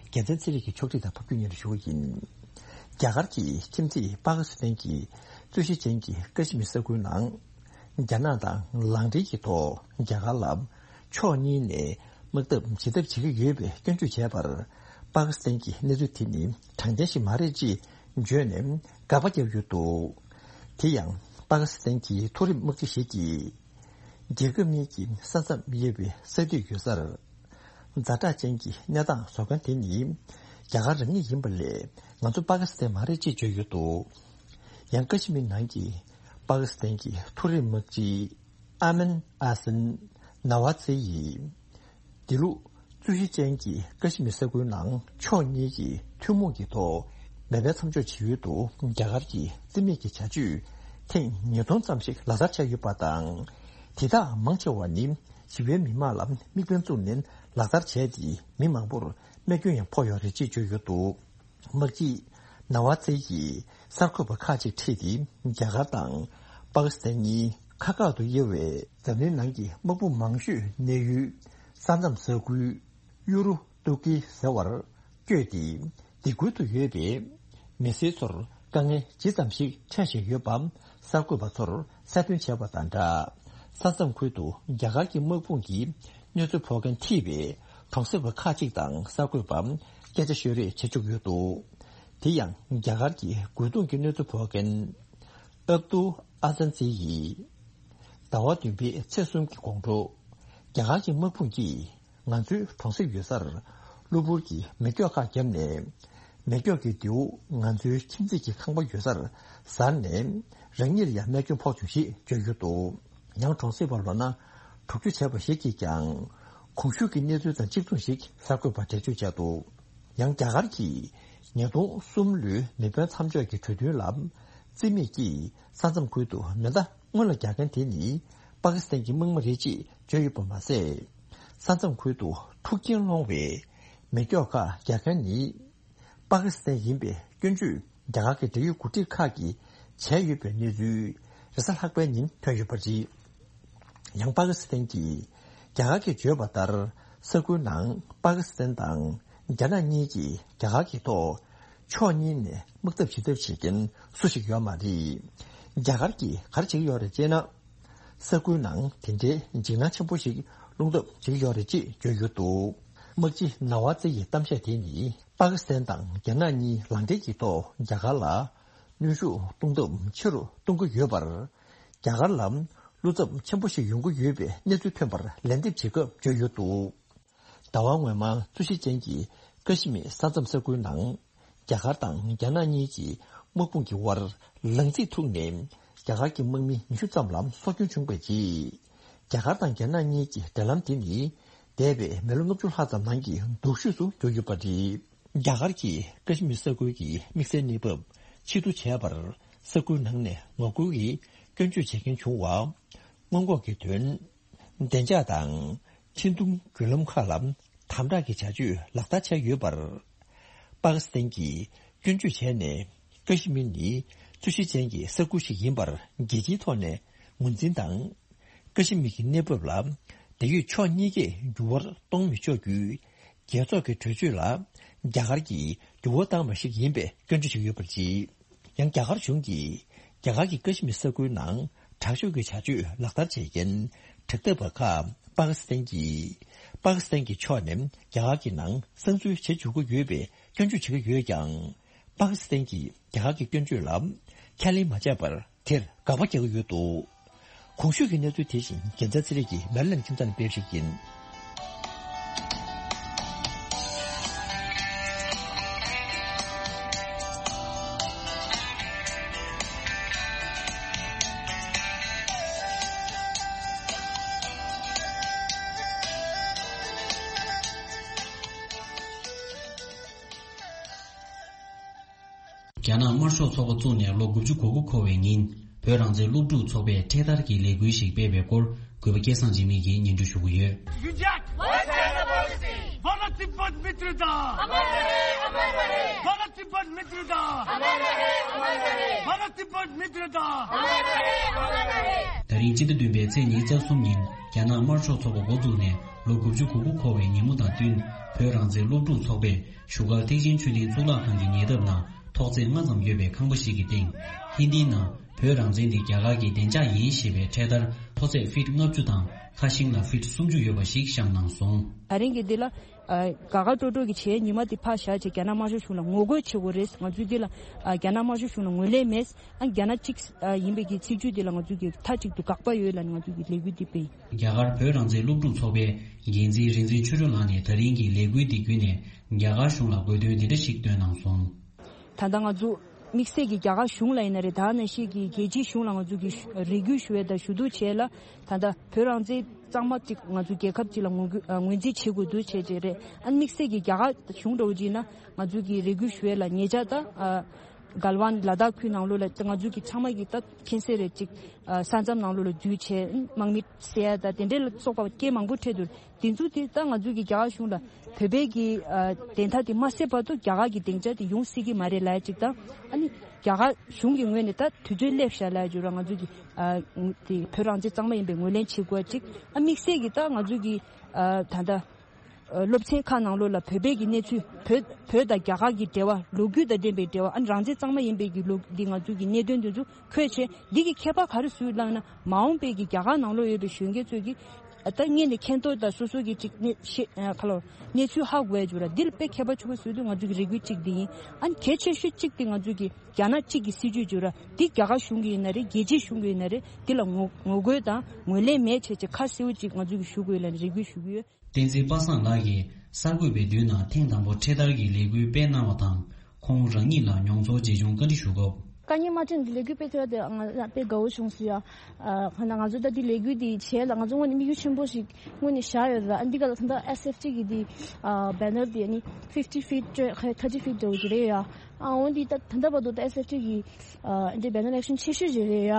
རྒྱལ་མཚན་ཚེ་རིང་གིས་ཕྱོགས་སྒྲིག་དང་ཕབ་སྒྱུར་སྙན་སྒྲོན་ཞུ་བ་ཡིན། རྒྱ་གར་གྱི་ཁྱིམ་མཚེས་པ་ཀི་སི་ཐན་གྱི་རྩོད་གཞི་ཅན་གྱི་ཀ་ཤི་མིར་ས་ཁུལ་ནང་། རྒྱ་ནག་དང་ལག་འབྲེལ་གྱི་ཐོག་རྒྱ་གར་ལ་ཕྱོགས་གཉིས་ནས་དམག་འཐབ་བྱེད་ཐབས་བྱེད་ཀྱི་ཡོད་པའི་སྐྱོན་བརྗོད་བྱས་པར། པ་ཀི་སི་ཐན་གྱིས་གནས་ཚུལ་དེ་ནི་དྲང་བདེན་ཞིག་མ་རེད་ཅེས་བརྗོད་ནས་དགག་པ་བརྒྱབ་ཡོད་འདུག་དེ་ཡང་པ་ཀི་སི་ཐན་གྱི་མཐོ་རིམ་དམག་སྤྱི་ཞིག་གིས། རྒྱལ་ཁབ་གཉིས་ཀྱི་ས་མཚམས་དབྱེ་བའི་ས་མཐོ་ཡོད་སར། ཛ་དྲག་ཅན་གྱི་གནས་སྟངས་བཟོ་མཁན་དེ་ནི་རྒྱ་གར་རང་ཉིད་ཡིན་པ་ལས་ང་ཚོ་པ་ཀི་སི་ཐན་མ་རེད་ཅེས་བརྗོད་ཡོད་འདུག་ཡང་ཀ་ཤི་མིར་ནང་གི་པ་ཀི་སི་ཐན་གྱི་མཐོ་རིམ་དམག་སྤྱི་ཨ་མན་ཨ་སན་ན་ཝ་ཛེ་ཡིས། དེ་ལུགས་རྩོད་གཞི་ཅན་གྱི་ཀ་ཤི་མིར་ས་ཁུལ་ནང་ཕྱོགས་གཉིས་ཀྱིས་ཐུན་མོང་གི་ཐོག་མེ་འཕེན་མཚམས་འཇོག་བྱེད་ཡུལ་དུ་རྒྱ་གར་གྱི་རྩིས་མེད་ཀྱི་བྱ་སྤྱོད་ཐེངས་ཉིས་སྟོང་ཙམ་ཞིག་ལག་བསྟར་བྱས་ཡོད་པ་དང་། དེ་དག་མང་ཆེ་བ་ནི་ཞི་བའི་མི་མང་ལ་དམིགས་འབེན་བཙུགས་ནས་ལག་བསྟར་བྱས་ཏེ་མི་མང་པོར་རྨས་སྐྱོན་ཡང་ཕོག་ཡོད་རེད་ཅེས་བརྗོད་ཡོད་འདུག་དམག་སྤྱི་ན་ཝ་ཙེ་ཡིས་གསར་འགོད་པ་ཁག་ཅིག་ཁྲིད་དེ་རྒྱ་གར་དང་པ་ཀི་སི་ཐན་གཉིས་ཁ་ཁག་ཏུ་དབྱེ་བའི་འཛམ་གླིང་ནང་གི་དམག་དཔུང་མང་ཤོས་གནས་ཡུལ་ས་མཚམས་ས་ཁུལ་ཡུ་རུ་ཏུར་ཀི་ཟེར་བར་བསྐྱོད་དེ་སྡིགས་སྐུལ་དུ་ཡོད་པའི་མི་སེར་ཚོར་དཀའ་ངལ་ཇི་ཙམ་ཞིག་འཕྲད་བཞིན་ཡོད་པའང་གསར་འགོད་པ་ཚོར་གསལ་སྟོན་བྱས་པ་དང་སྦྲགས། ས་མཚམས་ཁུལ་དུ་རྒྱ་གར་གྱི་དམག་དཔུང་གིས་གནོད་འཚེ་ཕོག་མཁན་ཁྲིད་པའི་གྲོང་གསེབ་པ་ཁག་ཅིག་དང་གསར་འགོད་པ་སྐད་ཆ་ཤོད་རེས་བྱེད་བཅུག་ཡོད་འདུག་དེ་ཡང་རྒྱ་གར་གྱི་རྒོལ་རྡུང་གི་གནོད་འཚེ་ཕོག་མཁན་ཨབ་ཏུ་ཨ་ཛན་ཛི་ཡིས་ཟླ་བ་བདུན་པའི་ཚེས་གསུམ་གྱི་དགོང་དྲོ། རྒྱ་ རྒྱ་གར་གྱི་དམག་དཔུང་གིས་ང་ཚོའི་གྲོང་གསེབ་ཡོད་སར་གློ་བུར་གྱི་མེ་སྒྱོགས་ཁག་བརྒྱབ་ནས། མེ་སྒྱོགས་ཀྱི་མདེའུ་ང་ཚོའི་ཁྱིམ་མཚེས་ཀྱི་ཁང་པ་ཡོད་སར་གཟར་ནས། རང་ཉིད་ལ་ཡང་རྨས་སྐྱོན་ཕོག་བྱུང་ཞེས་བརྗོད་ཡོད་འདུག་ཡང་གྲོང་གསེབ་པ་ལོ་ན་དྲུག་ཅུ་བྱས་པ་ཞིག་གིས་ཀྱང་། གོང་ཞུས་ཀྱི་གནས་ཚུལ་དང་གཅིག་མཚུངས་ཤིག་གསར་འགོད་པར་འགྲེལ་བརྗོད་བྱས་འདུག་ཡང་རྒྱ་གར་གྱིས་ཉིས་སྟོང་གསུམ་ལོའི་མེ་འཕེན་མཚམས་འཇོག་གི་གྲོས་མཐུན་ལ་རྩིས་མེད་ཀྱིས་ས་མཚམས་ཁུལ་དུ་མེ་མདའ་སྔོན་ལ་རྒྱག་མཁན་དེ་ནི་པ་ཀི་སི་ཐན་གྱི་དམག་མི་རེད་ཅེས་བརྗོད་ཡོད་པ་མ་ཟད། ས་མཚམས་ཁུལ་དུ་འཁྲུག་རྐྱེན་སློང་བའི་མེ་སྒྱོགས་ཁག་རྒྱག་མཁན་ནི་པ་ཀི་སི་ཐན་ཡིན་པའི་སྐྱོན་བརྗོད་རྒྱ་གར་གྱི་འབྲེལ་ཡོད་འགོ་ཁྲིད་ཁག་གིས་བྱས་ཡོད་པའི་གནས་ཚུལ་རེས་གཟའ་ལྷག་པའི་ཉིན་ཐོན་ཡོད་པ་རེད། ཡང་པ་ཀི་སི་ཐན་གྱིས་རྒྱ་གར་གྱིས་བརྗོད་པ་ལྟར། ས་ཁུལ་ནང་པ་ཀི་སི་ཐན་དང་རྒྱ་ནག་གཉིས་ཀྱིས་རྒྱ་གར་གྱི་ཐོག་ཕྱོགས་གཉིས་ནས་དམག་འཐབ་བྱེད་ཐབས་བྱེད་མཁན་སུ་ཞིག་ཡོད་མ་རེད། རྒྱ་གར་གྱིས་ག་རེ་བྱེད་ཀྱི་ཡོད་རེད་ཅེ་ན། ས་ཁུལ་ནང་དེ་འདྲའི་འཇིགས་སྣང་ཆེན་པོ་ཞིག་སློང་ཐབས་བྱེད་ཀྱི་ཡོད་རེད་ཅེས་བརྗོད་ཡོད་འདུག་དམག་སྤྱི་ནཱ་ཝ་ཙེ་ཡི་གཏམ་བཤད་དེ་ནི་པ་ཀི་སི་ཐན་དང་རྒྱ་ནག་གཉིས་ལག་འབྲེལ་གྱི་ཐོག་རྒྱ་གར་ལ་གནོན་ཤུགས་གཏོང་ཐབས་ཆེ་རུ་གཏོང་གི་ཡོད་པར། རྒྱ་གར་ལ་བློ་འཚབ་ཆེན་པོ་ཞིག་ཡོང་གི་ཡོད་པའི་གནས་ཚུལ་ཐོན་པར་ལན་འདེབས་བྱེད་སྐབས་བརྗོད་ཡོད་འདུག་ཟླ་བ་སྔོན་མ་རྩོད་གཞི་ཅན་གྱི་ཀ་ཤི་མིར་ས་མཚམས་ས་ཁུལ་ནང་རྒྱ་གར་དང་རྒྱ་ནག་གཉིས་ཀྱི་དམག་དཔུང་གི་དབར་ལངས་གཟིགས་ཐུག་ནས་རྒྱ་གར་གྱི་དམག་མི་ཉི་ཤུ་ཙམ་ལ་སྲོག་སྐྱོན་བྱུང་བའི་རྗེས། རྒྱ་གར་དང་རྒྱ་ནག་གཉིས་ཀྱི་འབྲེལ་ལམ་དེ་ནི་འདས་པའི་མི་ལོ་ལྔ་བཅུ་ལྷག་ཙམ་ནང་གི་སྡུག་ཤོས་སུ་གྱུར་ཡོད་པ་རེད། རྒྱ་གར་གྱིས་ཀ་ཤི་མིར་ས་ཁུལ་གྱི་དམིགས་བསལ་གནས་བབ་ཕྱིར་བསྡུ་བྱས་པར་ས་ཁུལ་ནང་ནས་ངོ་རྒོལ་གྱི་སྐྱོན་བརྗོད་བྱེད་མཁན་བྱུང་བ། སྔོན་འགོག་གི་དོན། བདེ་འཇགས་དང་འཕྲིན་ཐུང་བརྒྱུད་ལམ་ཁག་ལ་དམ་དྲག་གི་བྱ་སྤྱོད་ལག་བསྟར་བྱས་ཡོད་པར། པ་ཀི་སི་ཐན་གྱིས་སྐྱོན་བརྗོད་བྱས་ནས། ཀ་ཤི་མིར་ནི་རྩོད་གཞི་ཅན་གྱི་ས་ཁུལ་ཞིག་ཡིན་པར་རྒྱལ་སྤྱིའི་ཐོག་ནས་ངོས་འཛིན་དང་། ཀ་ཤི་མིར་གྱི་གནས་བབ་ལ་འབྲེལ་ཡོད་ཕྱོགས་གཉིས་ཀས་འགྱུར་བ་གཏོང་མི་ཆོག་རྒྱུའི་རྒྱལ་ཚོགས་ཀྱི་གྲོས་ཆོད་ལ་རྒྱ་གར་གྱིས་འགྱུར་བ་བཏང་བ་ཞིག་ཡིན་པའི་སྐྱོན་བརྗོད་བྱས་ཡོད་པ་རེད། ཡང་རྒྱ་གར་གཞུང་གིས་རྒྱ་གར་གྱི་ཀ་ཤི་མིར་ས་ཁུལ་ནང་དྲག་སྤྱོད་ཀྱི་བྱ་སྤྱོད་ལག་བསྟར་བྱེད་མཁན་དྲག་འཐབ་པ་ཁག་པ་ཀི་སི་ཐན་གྱིས། པ་ཀི་སི་ཐན་གྱི་ཕྱོགས་ནས་རྒྱ་གར་གྱི་ནང་གསང་འཛུལ་བྱེད་འཇུག་གི་ཡོད་པའི་སྐྱོན་བརྗོད་བྱེད་ཀྱི་ཡོད་ཀྱང་། པ་ཀི་སི་ཐན་གྱིས་རྒྱ་གར་གྱི་སྐྱོན་བརྗོད་ལ་ཁས་ལེན་མ་བྱས་པར་དེར་དགག་པ་རྒྱག་གི་ཡོད་འདུག་གོང་ཞུས་ཀྱི་གནས་ཚུལ་དེ་བཞིན་རྒྱལ་མཚན་ཚེ་རིང་གིས་མེ་རི་ལེན་ཁྱིམ་ཚང་ནས་སྤེལ་བ་ཞིག་ཡིན། རྒྱ་ནག་དམར་ཤོག་ཚོགས་པ་བཙུགས་ནས་ལོ་དགུ་བཅུ་གོ་དགུ་འཁོར་བའི་ཉིན། བོད་རང་བཙན་སློབ་ཕྲུག་ཚོགས་པས་འཕྲེད་དར་གྱི་ལས་འགུལ་ཞིག་སྤེལ་བའི་སྐོར། གུས་པ་སྐལ་བཟང་འཇིགས་མེད་ཀྱིས་སྙན་སྒྲོན་ཞུ་གི་ཡོད། What kind of policy? Bharat तिब्बत मित्रता। अमर रहे, अमर रहे। भारत तिब्बत मित्रता। अमर रहे, अमर रहे। भारत तिब्बत मित्रता। अमर रहे, अमर रहे। ད་རིང་སྤྱི་ཟླ་བདུན་པའི་ཚེས་ཉི་ཤུ་རྩ་གསུམ་ཉིན། རྒྱ་ནག་དམར་ཤོག་ཚོགས་པ་འགོ་བཙུགས་ནས་ལོ་དགུ་བཅུ་གོ་དགུ་འཁོར་བའི་ཉིན་མོ་དང་བསྟུན། བོད་རང་བཙན་སློབ་ཕྲུག་ཚོགས་པས་བཞུགས་སྒར་ཐེག་ཆེན་མཆོད་རྟེན་གཙུག་ལག་ཁང་གི་ཉེ་འདབས་ན་ཐོག་ཚད་ལྔ་ཙམ་ཡོད་པའི་ཁང་པ་ཞིག་གི་སྟེང་། ཧིན་དིའི་ནང་བོད་རང་བཙན་དེ་རྒྱ་གར་གྱི་བདེ་འཇགས་ཡིན་ཞེས་པའི་འཕྲེད་དར་མཐོ་ཚད་ཕིཊ་ལྔ་བཅུ་དང་ཁ་ཤིང་ལ་ཕིཊ་སུམ་ཅུ་ཡོད་པ་ཞིག་བཞེངས་གནང་སོང་། ད་རིང་གི་འདི་ལ། ཨ། དགའ་དགའ་སྤྲོ་སྤྲོ་གི་བྱས་ཉི་མ་འདི་ཕར་བཞག་བྱས་རྒྱ་ནག་དམར་ཤོག་གཞུང་ལ་ངོ་རྒོལ་བྱེད་དགོས་རེད། ང་ཚོས་འདི་ལ། ཨ། རྒྱ་ནག་དམར་ཤོག་གཞུང་ལ་ངོས་ལེན་མེད། ཨ། རྒྱ་ནག་གཅིག་ཨ། ཡིན་པའི་གི་ཚིག་བརྗོད་འདི་ལ་ང་ཚོས་གི་མཐའ་གཅིག་ཏུ་དགག་པ་ཡོད་ལབ་ནས་ང་ཚོས་གི་ལས་འགུལ་འདི་སྤེལ། རྒྱ་གར་བོད་རང་བཙན་སློབ་ཕྲུག་ཚོགས་པའི་འགན་འཛིན་རིག་འཛིན་ཆོས་སྒྲོན་ལགས་ནས་ད་རིང་གི་ལས་འགུལ་འདི་བརྒྱུད་ནས་རྒྱ་གར་གཞུང་ལ་དགོས་འདུན་འདི་འདྲ་ཞིག་བཏོན་གནང་སོང་། ད་ལྟ་ང་ཚོ་དམིགས་བསལ་གྱི་རྒྱ་གར་གཞུང་ལ་ཡིན་ན་རེད། ད་ནང་བཞིན་གྱི་རྒྱལ་སྤྱིའི་གཞུང་ལ་ང་ཚོ་གི་རེ་སྐུལ་ཞུ་ཡས་དང་ཞུ་གཏུག་བྱས་ལ། ད་ལྟ་བོད་རང་བཙན་གཙང་མ་ཅིག་ང་ཚོ་རྒྱལ་ཁབ་ཅིག་ལ་ངོས་འགུལ་ཨ། ངོས་འཛིན་བྱེད་དགོས་འདུག་བྱས་བྱས་རེད། ཨ་ནི་དམིགས་བསལ་གྱི་རྒྱ་གར་གཞུང་འདྲ་བོ་ཅིག་ཡིན་ན་ང་ཚོ་གི་རེ་སྐུལ་ཞུ་ཡས་ལ་ཉེ་ཆར་ད་ཨ། གལ་ཝན་ལ་དྭགས་ཁུལ་ནང་ལོགས་ལ་ང་ཚོ་གི་ཚང་མ་གི་ད་མཁྱེན་གསལ་རེད་ཅིག་ཨ། ས་མཚམས་ནང་ལོགས་ལ་འཛུལ་བྱས་དམག་མི་བསད་ཡ་ད་དེ་འདྲའི་ལ་སོགས་པ་རྐྱེན་མང་པོ་འཕྲད་འདུག་དེ་ཚོ་དེ་ད་ང་ཚོ་གི་རྒྱ་གར་གཞུང་ལ་བོད་པའི་གི་ཨ། བདེན་མཐའ་དེ་མ་གསལ་བར་དུ་རྒྱ་གར་གི་སྡིངས་ཆ་དེ་ཡོང་སྲིད་ཀྱི་མ་རེད་ལབ་ཡ་ཅིག་དང་། ཨ་ནི་རྒྱ་གར་གཞུང་གི་ངོས་ནས་ད་དུས་ཚོད་སླེབས་ཤག་ལབ་ཡ་ཅིག་ར་ང་ཚོ་གི་ཨ། དེ་བོད་རང་བཙན་གཙང་མ་ཡིན་པའི་ངོས་ལེན་བྱེད་དགོས་ཅིག་ཨ། དམིགས་བསལ་གྱི་ད་ང་ཚོ་གི་ཨ། ད་ལྟ་ཨ། སློབ་ཚན་ཁག་ནང་ལོགས་ལ་བོད་པའི་གི་གནས་ཚུལ། བོད་བོད་དང་རྒྱ་གར་གྱི་འབྲེལ་བ། ལོ་རྒྱུས་དང་ལྡན་པའི་འབྲེལ་བ། ཨ་ནི་རང་བཙན་གཙང་མ་ཡིན་པའི་གི་ལོ་འདི་ང་ཚོ་གི་གནད་དོན་འདི་ཚོ་འཁོད་བྱས། འདི་གི་ཁྱད་པར་ག་རེ་བཟོས་ལབ་ན། མ་འོངས་པའི་གི་རྒྱ་གར་ནང་ལོགས་ཡོད་པའི་གཞོན་སྐྱེས་ཚོས་ཀྱི་ ད་ངས་ནི་མཁྱེན་རྟོགས་དང་སོ་སོ་གི་ཅིག་གནས་ཤེས་ཁ་ལོ་གནས་ཚུལ་ཧ་གོ་ཡ་བྱུང་ར། འདི་ལ་དཔེ་ཁྱད་པར་ཆེན་པོ་བཟོས་དུས་ང་ཚོ་གི་རེ་སྐུལ་གཅིག་འདི་ཡིན། ཨ་ནི་གལ་ཆེ་ཤོས་གཅིག་དེ་ང་ཚོ་གི་རྒྱ་ནག་གཅིག་གི་སྲིད་ཇུས་བརྗོད་ར། འདི་རྒྱ་གར་གཞུང་གི་ཡིན་ན་རེད། རྒྱལ་སྤྱིའི་གཞུང་གི་ཡིན་ན་རེད། འདི་ལ་ངོ་ངོ་རྒོལ་དང་ངོས་ལེན་མེད་བྱས་ཅིག་ཁ་གསལ་པོ་ཅིག་ང་ཚོ་གི་ཞུ་དགོས་ལབ་ནས་རེ་སྐུལ་ཞུ་གི་ཡོད། བསྟན་འཛིན་པ་སངས་ལགས་ཀྱིས་གསར་འགོད་པའི་མདུན་ནང་ཐེངས་དང་པོ་འཕྲེད་དར་གྱི་ལས་འགུལ་སྤེལ་གནང་བ་དང་། ཁོང་རང་ཉིད་ལ་མྱོང་ཚོར་ཇི་བྱུང་བཀའ་འདྲི་ཞུ་སྐབས། དཀའ་ངལ་མ་འཕྲད་ནས་ལས་འགུལ་སྤེལ་ཐུབ་ཡ་དེ་ང་ལ་དཔེ་དགའ་བོ་བྱུང་སོང་ཡ། ཨ་ཁོ་ན་ང་ཚོ་ད་འདི་ལས་འགུལ་འདི་བྱས་ལ་ང་ཚོ་དངོས་གནས་དམིགས་ཡུལ་ཆེན་པོ་ཞིག་དངོས་གནས་བཞག་ཡོད་ར། ཨ་འདི་ག་ལ་ད་ལྟ་ཨེས་ཨེཕ་ཊི་གི་འདི་ཨ་བེ་ནར་འདི་ཨ་ནི་ཕིབ་ཊི་ཕིཊ་ཐར་ཊི་ཕིཊ་འདྲ་བོ་ཅིག་རེད་ཡ། ཨ་འོན་ཏེ་ད་ད་ལྟ་བར་དུ་ད་ཨེས་ཨེཕ་ཊི་གི་ཨ་འདི་བེ་ནར་ཨེག་ཤན་ཆེ་ཤོས་ཅིག་རེད་ཡ།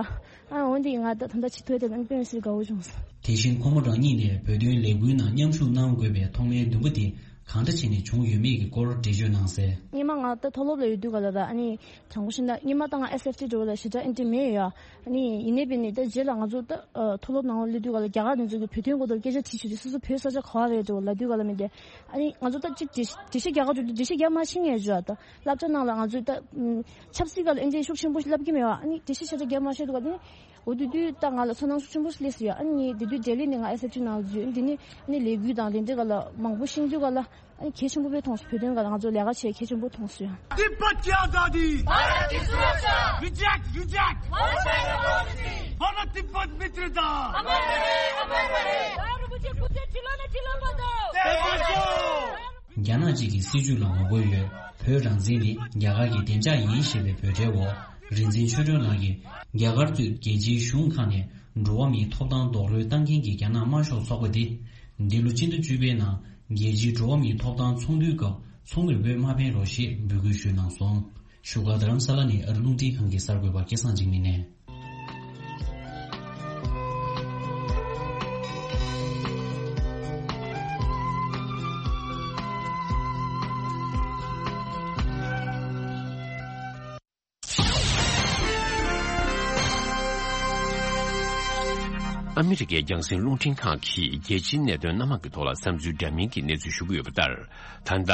ཨ་འོན་ཏེ་ང་ད་ད་ལྟ་ཆེ་མཐོའི་དེ་ནང་དཔེ་མི་སྲིད་དགའ་བོ་བྱུང་སོང་། དེ་བཞིན་ཁོང་མོ་རང་ཉིད་ནས་བོད་དོན་ལས་འགུལ་ནང་མཉམ་ཞུགས་གནང་དགོས་པའི་ཐོག་མའི་འདུན་པ་དེ་གང་འདྲ་བྱས་ནས་བྱུང་ཡོད་མེད་ཀྱི་སྐོར་འགྲེལ་བརྗོད་གནང་གསལ། སྔོན་མ་ང་ད་མཐོ་སློབ་ལ་ཡོད་དུས་ག་ལ་ད་ཨ་ནི་དྲང་པོ་བཤད་ན་སྔོན་མ་ད་ང་ཨེས་ཨེཕ་ཊི་འདྲ་བོ་ལ་ཞེ་དྲག་ཨེ་འདྲ་མེད་ཡ། ཨ་ནི་ཡིན་ནའི་བས་ནི་ད་རྗེས་ལ་ང་ཚོ་ད་མཐོ་སློབ་ནང་སླེབས་དུས་ག་ལ་རྒྱ་གར་ནས་ཚོ་གི་བོད་དོན་སྐོར་དུ་སྐད་ཆ་དྲིས་བྱུང་དུས་སོ་སོ་བོད་ས་ཆ་ག་བ་རེད་འདྲ་བོ་ལབ་དུས་ག་ལ་མི་འདྲ། ཨ་ནི་ང་ཚོ་ད་ཅིག་འགྲེལ་འགྲེལ་བཤད་རྒྱག་ག་འགྲོ་དུས་འགྲེལ་བཤད་རྒྱག་མ་ཤེས་ངེས་བརྗོད་ད། སློབ་གྲྭ་ནང་ལ་ང་ཚོས་ད་ཨུམ་ཆབ་སྲིད་སྒང་ལ་ཨེ་འདྲའི་ཤུགས་ཆེན་པོ་ཞིག་བསླབ་ཀྱི་མེད་པ། ཨ་ནི་འགྲེལ་བཤད་ཤ་སྟག་རྒྱབ་མ་ཤེས་འདུག་ག་དེ་ནི་འོ་དེ་དུས་ད་ང་ལ་ཚོར་སྣང་ཤུགས་ཆེན་པོ་ཞིག་སླེབས་སོང་ཡ། ཨ་ནི་ངས་དེ་དུས་ལྡི་ལི་ནས་ང་ཨེས་ཨེཕ་ཊི་ནང་ལ་འཛུལ། ཨ་ནི་དེ་ནི་ཨ་ནི་ལས་འགུལ་དང་དེ་འདྲའི་སྒང་ལ་མང་པོ་ཤེས་དུས་ག་ལ་ཨ་ནི་གལ་ཆེན་པོ་དཔེ་མཐོང་སོང་། བོད་དོན་སྒང་ལ་ང་ཚོ་ལས་ཀ་བྱེད་གལ་ཆེན་པོ་མཐོང་སོང་ཡ། तिब्बत की आजादी, भारत की सुरक्षा, रिजेक्ट, रिजेक्ट, भारत का मौत नहीं, भारत का मौत नहीं, अमर रहे, अमर रहे। दारू मुझे कुत्ते चिल्लाने चिल्ला मत दो। རྒྱ་ནག་གཅིག་གི་སྲིད་ཇུས་ལ་ངོ་རྒོལ་ཡོད། བོད་རང་བཙན་ནི་རྒྱ་གར་གྱི་བདེ་འཇགས་ཡིན་ཞེས་པའི་འབོད་སྒྲའི་འོག་རིག་འཛིན་ཆོས་སྒྲོན་ལགས་ཀྱིས་རྒྱ་གར་གཙོས་རྒྱལ་སྤྱིའི་གཞུང་ཁག་ནས་འགྲོ་བ་མིའི་ཐོབ་ཐང་རྡོག་རོལ་བཏང་མཁན་གྱི་རྒྱ་ནག་དམར་ཤོག་ཚོགས་པ་འདི། འདི་ལོ་སྤྱི་ཟླ་བཅུ་པའི་ནང་རྒྱལ་སྤྱིའི་འགྲོ་བ་མིའི་ཐོབ་ཐང་ཚོགས་འདུའི་སྐབས་ཚོགས་མིར་འབོད་མ་ཕན་རོགས་ཞེས་འབོད་སྐུལ་ཞུས་གནང་སོང་། བཞུགས་སྒར་རྡ་རམ་ས་ལ་ནས་ཨ་རི་རླུང་འཕྲིན་ཁང་གི་གསར་འགོད་པ་སྐལ་བཟང་འཇིགས་མེད་ནས། ཨ་མི་རི་ཀའི་རྒྱང་སྲིང་རླུང་འཕྲིན་ཁང་གིས་རྒྱལ་སྤྱིའི་གནད་དོན་སྣ་མང་གི་ཐོག་ལ་བསམ་ཚུལ་འདྲ་མིན་གྱི་གནས་ཚུལ་ཞུ་གི་ཡོད་པ་ལྟར། ད་ལྟ་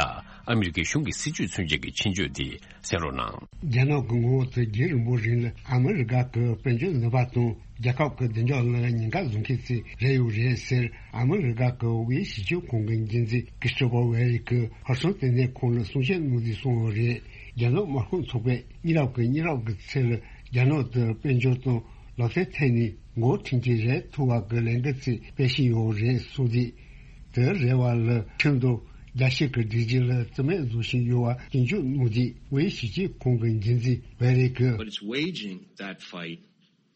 ཨ་མི་རི་ཀའི་གཞུང་གི་སྲིད་ཇུས་མཚོན་བྱེད་ཀྱི་ཆེད་བརྗོད་དེ་གསན་རོགས་གནང་། རྒྱ་ནག་གི་ངོ་བོ་དེ་རྒྱུན་རིང་པོ་རིང་ལ་ཨ་མི་རི་ཀ་གི་དཔལ་འབྱོར་ནུས་པ་དང་རྒྱལ་ཁབ་ཀྱི་བདེ་འཇགས་ལ་ཉེན་ཁ་བཟོ་མཁན་ཞིག་རེད་ཡོད་རེད་ཟེར། ཨ་མི་རི་ཀ་གི་དབུས་གཞི་ཁྱོན་ཁང་གི་འགན་འཛིན་ཀི་སི་ཊོ་ཕར་ཝེ་རི་གིས་ཧ་སོང་ལྟེ་གནས་ཁང་ལ་གསུང་བཤད་གནང་དུས་གསུངས་ཡོད་རེད། རྒྱ་ནག་དམར་ཤོག་ཚོགས་པས་མི་རབས་ཀྱི་མི་རབས་ཀྱི་ཚད་ལ་རྒྱ་ནག་དེ་དཔལ་འབྱོར་དང་ལག་རྩལ་ཐད་ནས་འགོ་ཁྲིད་ཀྱི་རེད་ཐུབ་པ་གི་ལས་འགུལ་ཅིག་སྤེལ་བཞིན་ཡོད་རེད་གསུངས་དུས། དེ་རེ་བ་ལ་ཁྲིམས་དང་རྒྱལ་སྤྱི་གི་སྒྲིག་གཞི་ལ་བརྩི་མེད་བཟོ་བཞིན་ཡོད་པ་སྐྱོན་བརྗོད་གནང་དུས། དབུས་གཞི་ཁྱོན་ཁང་གི་འགན་འཛིན་ཝེ་རི་གིས། But it's waging that fight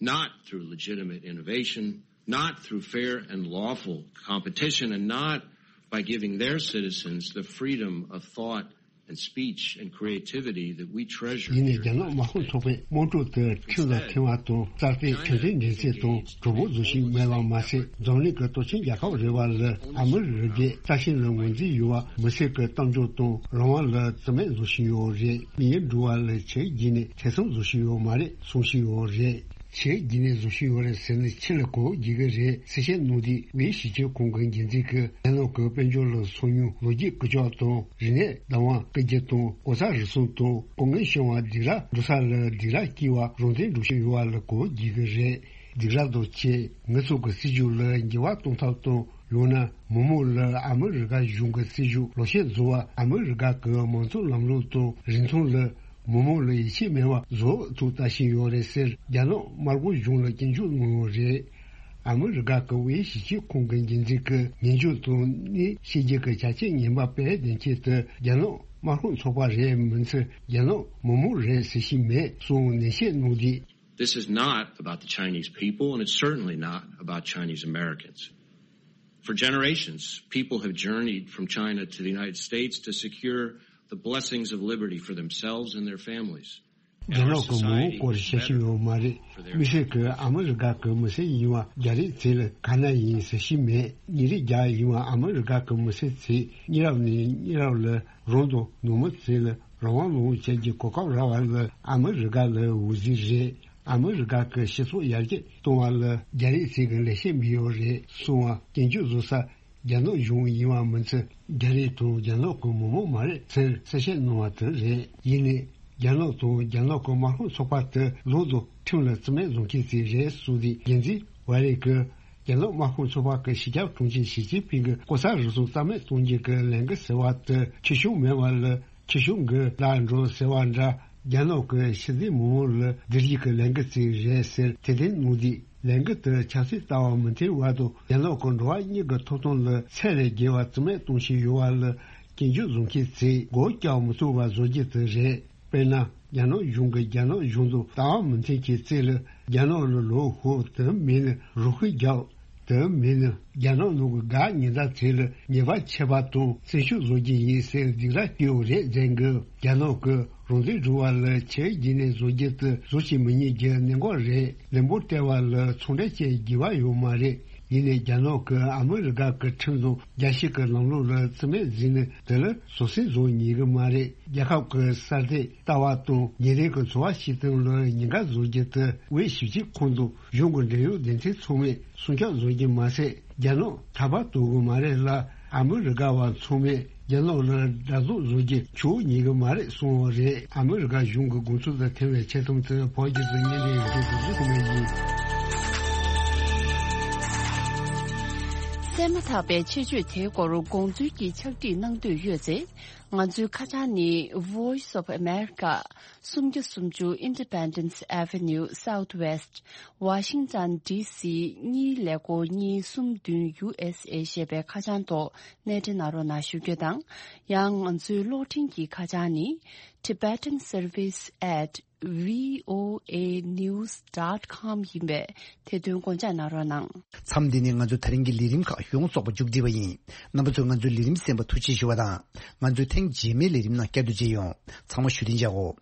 not through legitimate innovation, not through fair and lawful competition, and not by giving their citizens the freedom of thought and speech and creativity that we treasure ཡིན་ནའི་རྒྱ་ནག་དམར་ཤོག་ཚོགས་པས་དམངས་ཁྲོད་དུ་ཁྲིམས་ལ་འཐེན་པ་དང་རྩ་གཏོར་ཁྲིམས་མཐུན་འགྲན་ཚད་དང་གྲོས་འབོར་བཟོ་བཞིན་མེད་པ་མ་ཟད། འཛམ་གླིང་གི་སྟོབས་ཆེན་རྒྱལ་ཁབ་རེ་བ་ལ་ཨ་མི་རི་ཀས་རྩ་ཆེན་ལ་ངོས་འཛིན་ཡོད་པ་མི་སེར་གྱི་གཏམ་བརྗོད་དང་རང་དབང་ལ་བརྩི་མེད་བཟོ་བཞིན་ཡོད་རེད། མི་ཡུལ་འགྲོ་བ་ལ་ཆེས་བརྒྱུད་ནས་ཐེ་ཚོམ་བཟོ་བཞིན་ཡོད་མ་རེད་གསུང་བཞིན་ཡོད་རེད། ཆེས་བརྒྱུད་ནས་བཟོ་བཞིན་ཡོད་རེད་ཟེར་ནས་ཕྱི་ལ་གོ་བརྗེ་གི་རེད་གསལ་བཤད་གནང་དུས། དབུས་གཞི་ཁྱོན་ཁང་གི་འགན་འཛིན་གྱིས་རྒྱ་ནག་གི་དཔལ་འབྱོར་ལ་ཚོང་ཉུང་ལོ་རྒྱུས་ཀྱི་ལྕགས་དང་རིག་གནས་བདག་དབང་སྐུལ་རྒྱུ་དང་གོ་ས་རུལ་སུངས་དང་སྐུ་ངལ་བྱུང་བ་སྡིགས་ར་འགྲོ་ས་ལ་སྡིགས་ར་སྐྱེལ་བ་རང་བཙན་འགྲོ་བཞིན་ཡོད་པ་ལ་གོ་བརྗེ་གི་རེད། སྡིགས་ར་དང་བཅས་ངལ་རྩོལ་གྱི་སྲིད་ཇུས་ལ་འགྱུར་བ་གཏོང་ཐབས་དང་། ཡང་ན་མི་མང་ལ་ཨ་མི་རི་ཀ་གཞུང་གི་སྲིད་ཇུས་ལག་ཁྱེར་བཟོ་བ། ཨ་མི་རི་ཀ་གི་མང་གཙོ་ལམ་ལུགས་དང་རིན་ཐང་ལ་མི་མང་ལ་ཡིད་ཆེས་མེད་པ་བཟོ་ཐུབ་ལྟ་བཞིན་ཡོད་རེད་ཟེར། རྒྱ་ནག་དམར་པོ་གཞུང་ལ་སྐྱོན་བརྗོད་གནང་ཡོད་རེད། ཨ་མི་རི་ཀ་གི་དབུས་གཞི་ཁྱོན་ཁང་གི་འགན་འཛིན་གྱིས་ཉེས་འགྱུར་དང་གནས་ཤེས་རྒྱུ་གི་ཆ་རྐྱེན་ངན་པ་སྤེལ་བདེན་ཆེད་དུ་རྒྱ་ནག་དམར་ཤོག་ཚོགས་པ་རེད་མིན་ཚེ་རྒྱ་ནག་མི་མང་རེད་ཟེར་བཞིན་མེད་གསུངས་ནན་བཤད་གནང་དུས། This is not about the Chinese people, and it's certainly not about Chinese Americans. For generations, people have journeyed from China to the United States to secure the blessings of liberty for themselves and their families. རྒྱ་ནག་གི་མི་དབང་སྐོར་བཤད་ཤེས་ཡོད་མ་རེད། མི་སེར་གྱིས་ཨ་མི་རི་ཀ་གི་མི་སེར་ཡིན་པ་རྒྱ་རིགས་ཚོ་ལ་ག་ན་ཡིན་ཟེར་ཤེས་མེད། ཉིན་རེ་རྒྱ་ཡིན་པ་ཨ་མི་རི་ཀ་གི་མི་སེར་ཚོས་མི་རབས་ནས་མི་རབས་ལ་རང་དང་ནང་མི་ཚོ་ལ་རང་དབང་ལོངས་སྤྱད་ཀྱི་གོ་སྐབས་རག་པ་ལ་ཨ་མི་རི་ཀ་ལ་འོད་ཟེར་རེད། ཨ་མི་རི་ཀ་གི་སྤྱི་ཚོགས་ཡར་རྒྱས་གཏོང་བ་ལ་རྒྱ་རིགས་ཚོས་ཀྱི་ལེགས་བཤད་འབུལ་ཡོད་རེད་གསུངས་པ་སྐྱོན་བརྗོད་བཟོ་ས་རྒྱ་ནག་གཞུང་ཡིན་པ་མིན་ཚེ་རྒྱ་རིགས་དང་རྒྱ་ནག་གི་མི་མང་མ་རེད་ཟེར་གསལ་བཤད་གནང་བ་དེ་རེད། ཡིན་ནའི་རྒྱ་ནག་དང་རྒྱ་ནག་གི་དམར་ཤོག་ཚོགས་པ་དེ་ལོག་ཏུ་ཁྲིམས་ལ་བརྩི་མེད་བཟོ་མཁན་ཞིག་རེད་གསུངས་ཏེ། འགན་འཛིན་ཝ་རེ་གིས་ རྒྱ་ནག་དམག་དཔུང་ཚོགས་པ་གི་སྤྱི་ཁྱབ་དྲུང་ཆེ་ཞི་ཅིན་ཕིང་གིས་ལྐོག་ཟ་རུལ་སུངས་རྩ་མེད་གཏོང་རྒྱུ་གི་ལས་འགུལ་ཟེར་བ་དེ་ཁྱི་ཤུག་མེད་པ་ལ་ཁྱི་ཤུག་གི་ལ་འགྲོ་ཟེར་བ་འདྲ། རྒྱ་ནག་གི་ཕྱི་འབྲེལ་མང་པོ་ལ་སྒེར་གྱི་ལས་འགུལ་ཅིག་རེད་ཟེར་དེ་དེ་ནོ་དི་ལས་འགུལ་དེ་ཆབ་སྲིད་ལྟ་བ་མི་མཐུན་བར་དུ་རྒྱ་ནག་གི་འགྲོ་བ་མིའི་ཐོབ་ཐང་ལ་ཚད་ལས་བརྒལ་བ་རྩ་མེད་གཏོང་བཞིན་ཡོད་པ་ལ་སྐྱོན་བརྗོད་བཟོ་མཁན་ཚོས་མགོ་བཀྱག་མི་ཐུབ་པ་བཟོ་རྒྱུ་དེ་རེད། དཔེར་ན། རྒྱ་ནག་གཞུང་གིས་རྒྱ་ནག་གཞུང་དུ་ལྟ་བ་མི་མཐུན་གྱི་རྩིས་ལ་རྒྱ་ནག་ལ་ལོག་ཤོག་དེ་མིན་ན་རུ་ཁག་རྒྱག་དེ་མིན་ན་རྒྱ་ནག་ནང་གི་འགག་ཉེན་བརྡ་ཚོ་ལ་ཉེས་པ་ཆད་པ་དང་བཙན་ཤུགས་བཟོ་རྒྱུ་ཡིན་ཟེར་སྡིགས་ར་སྐྱོན་རེད་ཟེར་གི། རྒྱ་ནག་གིས་རང་བཙན་སྒྲུབ་པ་ལ་ཆེས་རྗེས་ནས་བཟོ་རྒྱུ་དེ་བཟོ་བྱེད་མི་ཉན་རྒྱུ་གནད་འགག་རེད། ལན་འབོར་སྤྲད་པ་ལ་ཚོང་འབྲེལ་བཅས་དགེ་བ་ཡོད་མ་རེད། ཡིན་ནའི་རྒྱ་ནག་གིས་ཨ་མི་རི་ཀ་གི་ཁྲིམས་དང་རྒྱལ་སྤྱི་གི་ལམ་ལུགས་ལ་རྩིས་མེད་བཟོས་ནས་དེ་ལ་བཟོད་བསྲན་བཟོ་ཉན་གི་མ་རེད། རྒྱལ་ཁབ་ཀྱི་གསར་གཏོད་ལྟ་བ་དང་ཉིན་རེ་གི་འཚོ་བ་སྐྱེལ་སྟངས་ལ་ཉེན་ཁ་བཟོ་རྒྱུ་དེ་དབྱེ་ཞིབ་བྱེད་ཁུངས་དང་གཞུང་གི་འབྲེལ་ཡོད་སྡེ་ཚན་ཚང་མས་སྲུང་སྐྱོབ་བཟོ་རྒྱུ་མ་ཟད་རྒྱ་ནག་ཐར་པ་དོར་གི་མ་རེད་ལ། ཨ་མི་རི་ཀ་བ་ཚང་མས་རྒྱ་ནག་ལ་དགྲ་བཟུང་བཟོ་རྒྱུ་ཆོག་ཉན་གི་མ་རེད་གསུངས་པ་རེད། ཨ་མི་རི་ཀ་གཞུང་གི་དགོངས་ཚུལ་དང་མཐུན་པའི་ཆེད་དུ་དེ་བོད་བརྒྱུད་དུ་བརྙན་འཕྲིན་ཡིག་ཚོགས་འཛུགས་ཐུབ་མེད་ཡིན། གསན་མ་ཐག་པའི་ཆེད་བརྗོད་དེའི་སྐོར་དགོངས་ཚུལ་གྱི་ཕྱག་བྲིས་གནང་འདོད་ཡོད་ཚེ། ང་ཚོའི་ཁ་བྱང་ནི་Voice of America། སུམ་བརྒྱ་སུམ་ཅུ་Independence Avenue Southwest Washington D C གཉིས་ཀླད་ཀོར་གཉིས་གསུམ་བདུན་U S A ཞེས་པའི་ཁ་བྱང་ཐོག་གནས་འབྲེལ་གནང་རོགས་གནང་ཞུ་རྒྱུ་དང་། ཡང་ང་ཚོའི་གློག་འཕྲིན་གྱི་ཁ་བྱང་ནི། Tibetan Service at V O A news dot com ཡིན་པས་དེ་དོན་དགོངས་འཇགས་གནང་རོགས་གནང་། མཚམས་འདི་ནས་ང་ཚོའི་ད་རིང་གི་ལས་རིམ་ཁག་ཡོངས་རྫོགས་པ་མཇུག་སྒྲིལ་བ་ཡིན། རྣམ་པ་ཚོས་ང་ཚོའི་ལས་རིམ་གསན་པར་ཐུགས་རྗེ་ཞུ་བ་དང་། ང་ཚོའི་ཐེངས་རྗེས་མའི་ལས་རིམ་ནང་བསྐྱར་དུ་མཇལ་ཡོང་། ཚང་མ་བཞུགས་གདན་འཇགས་གོ།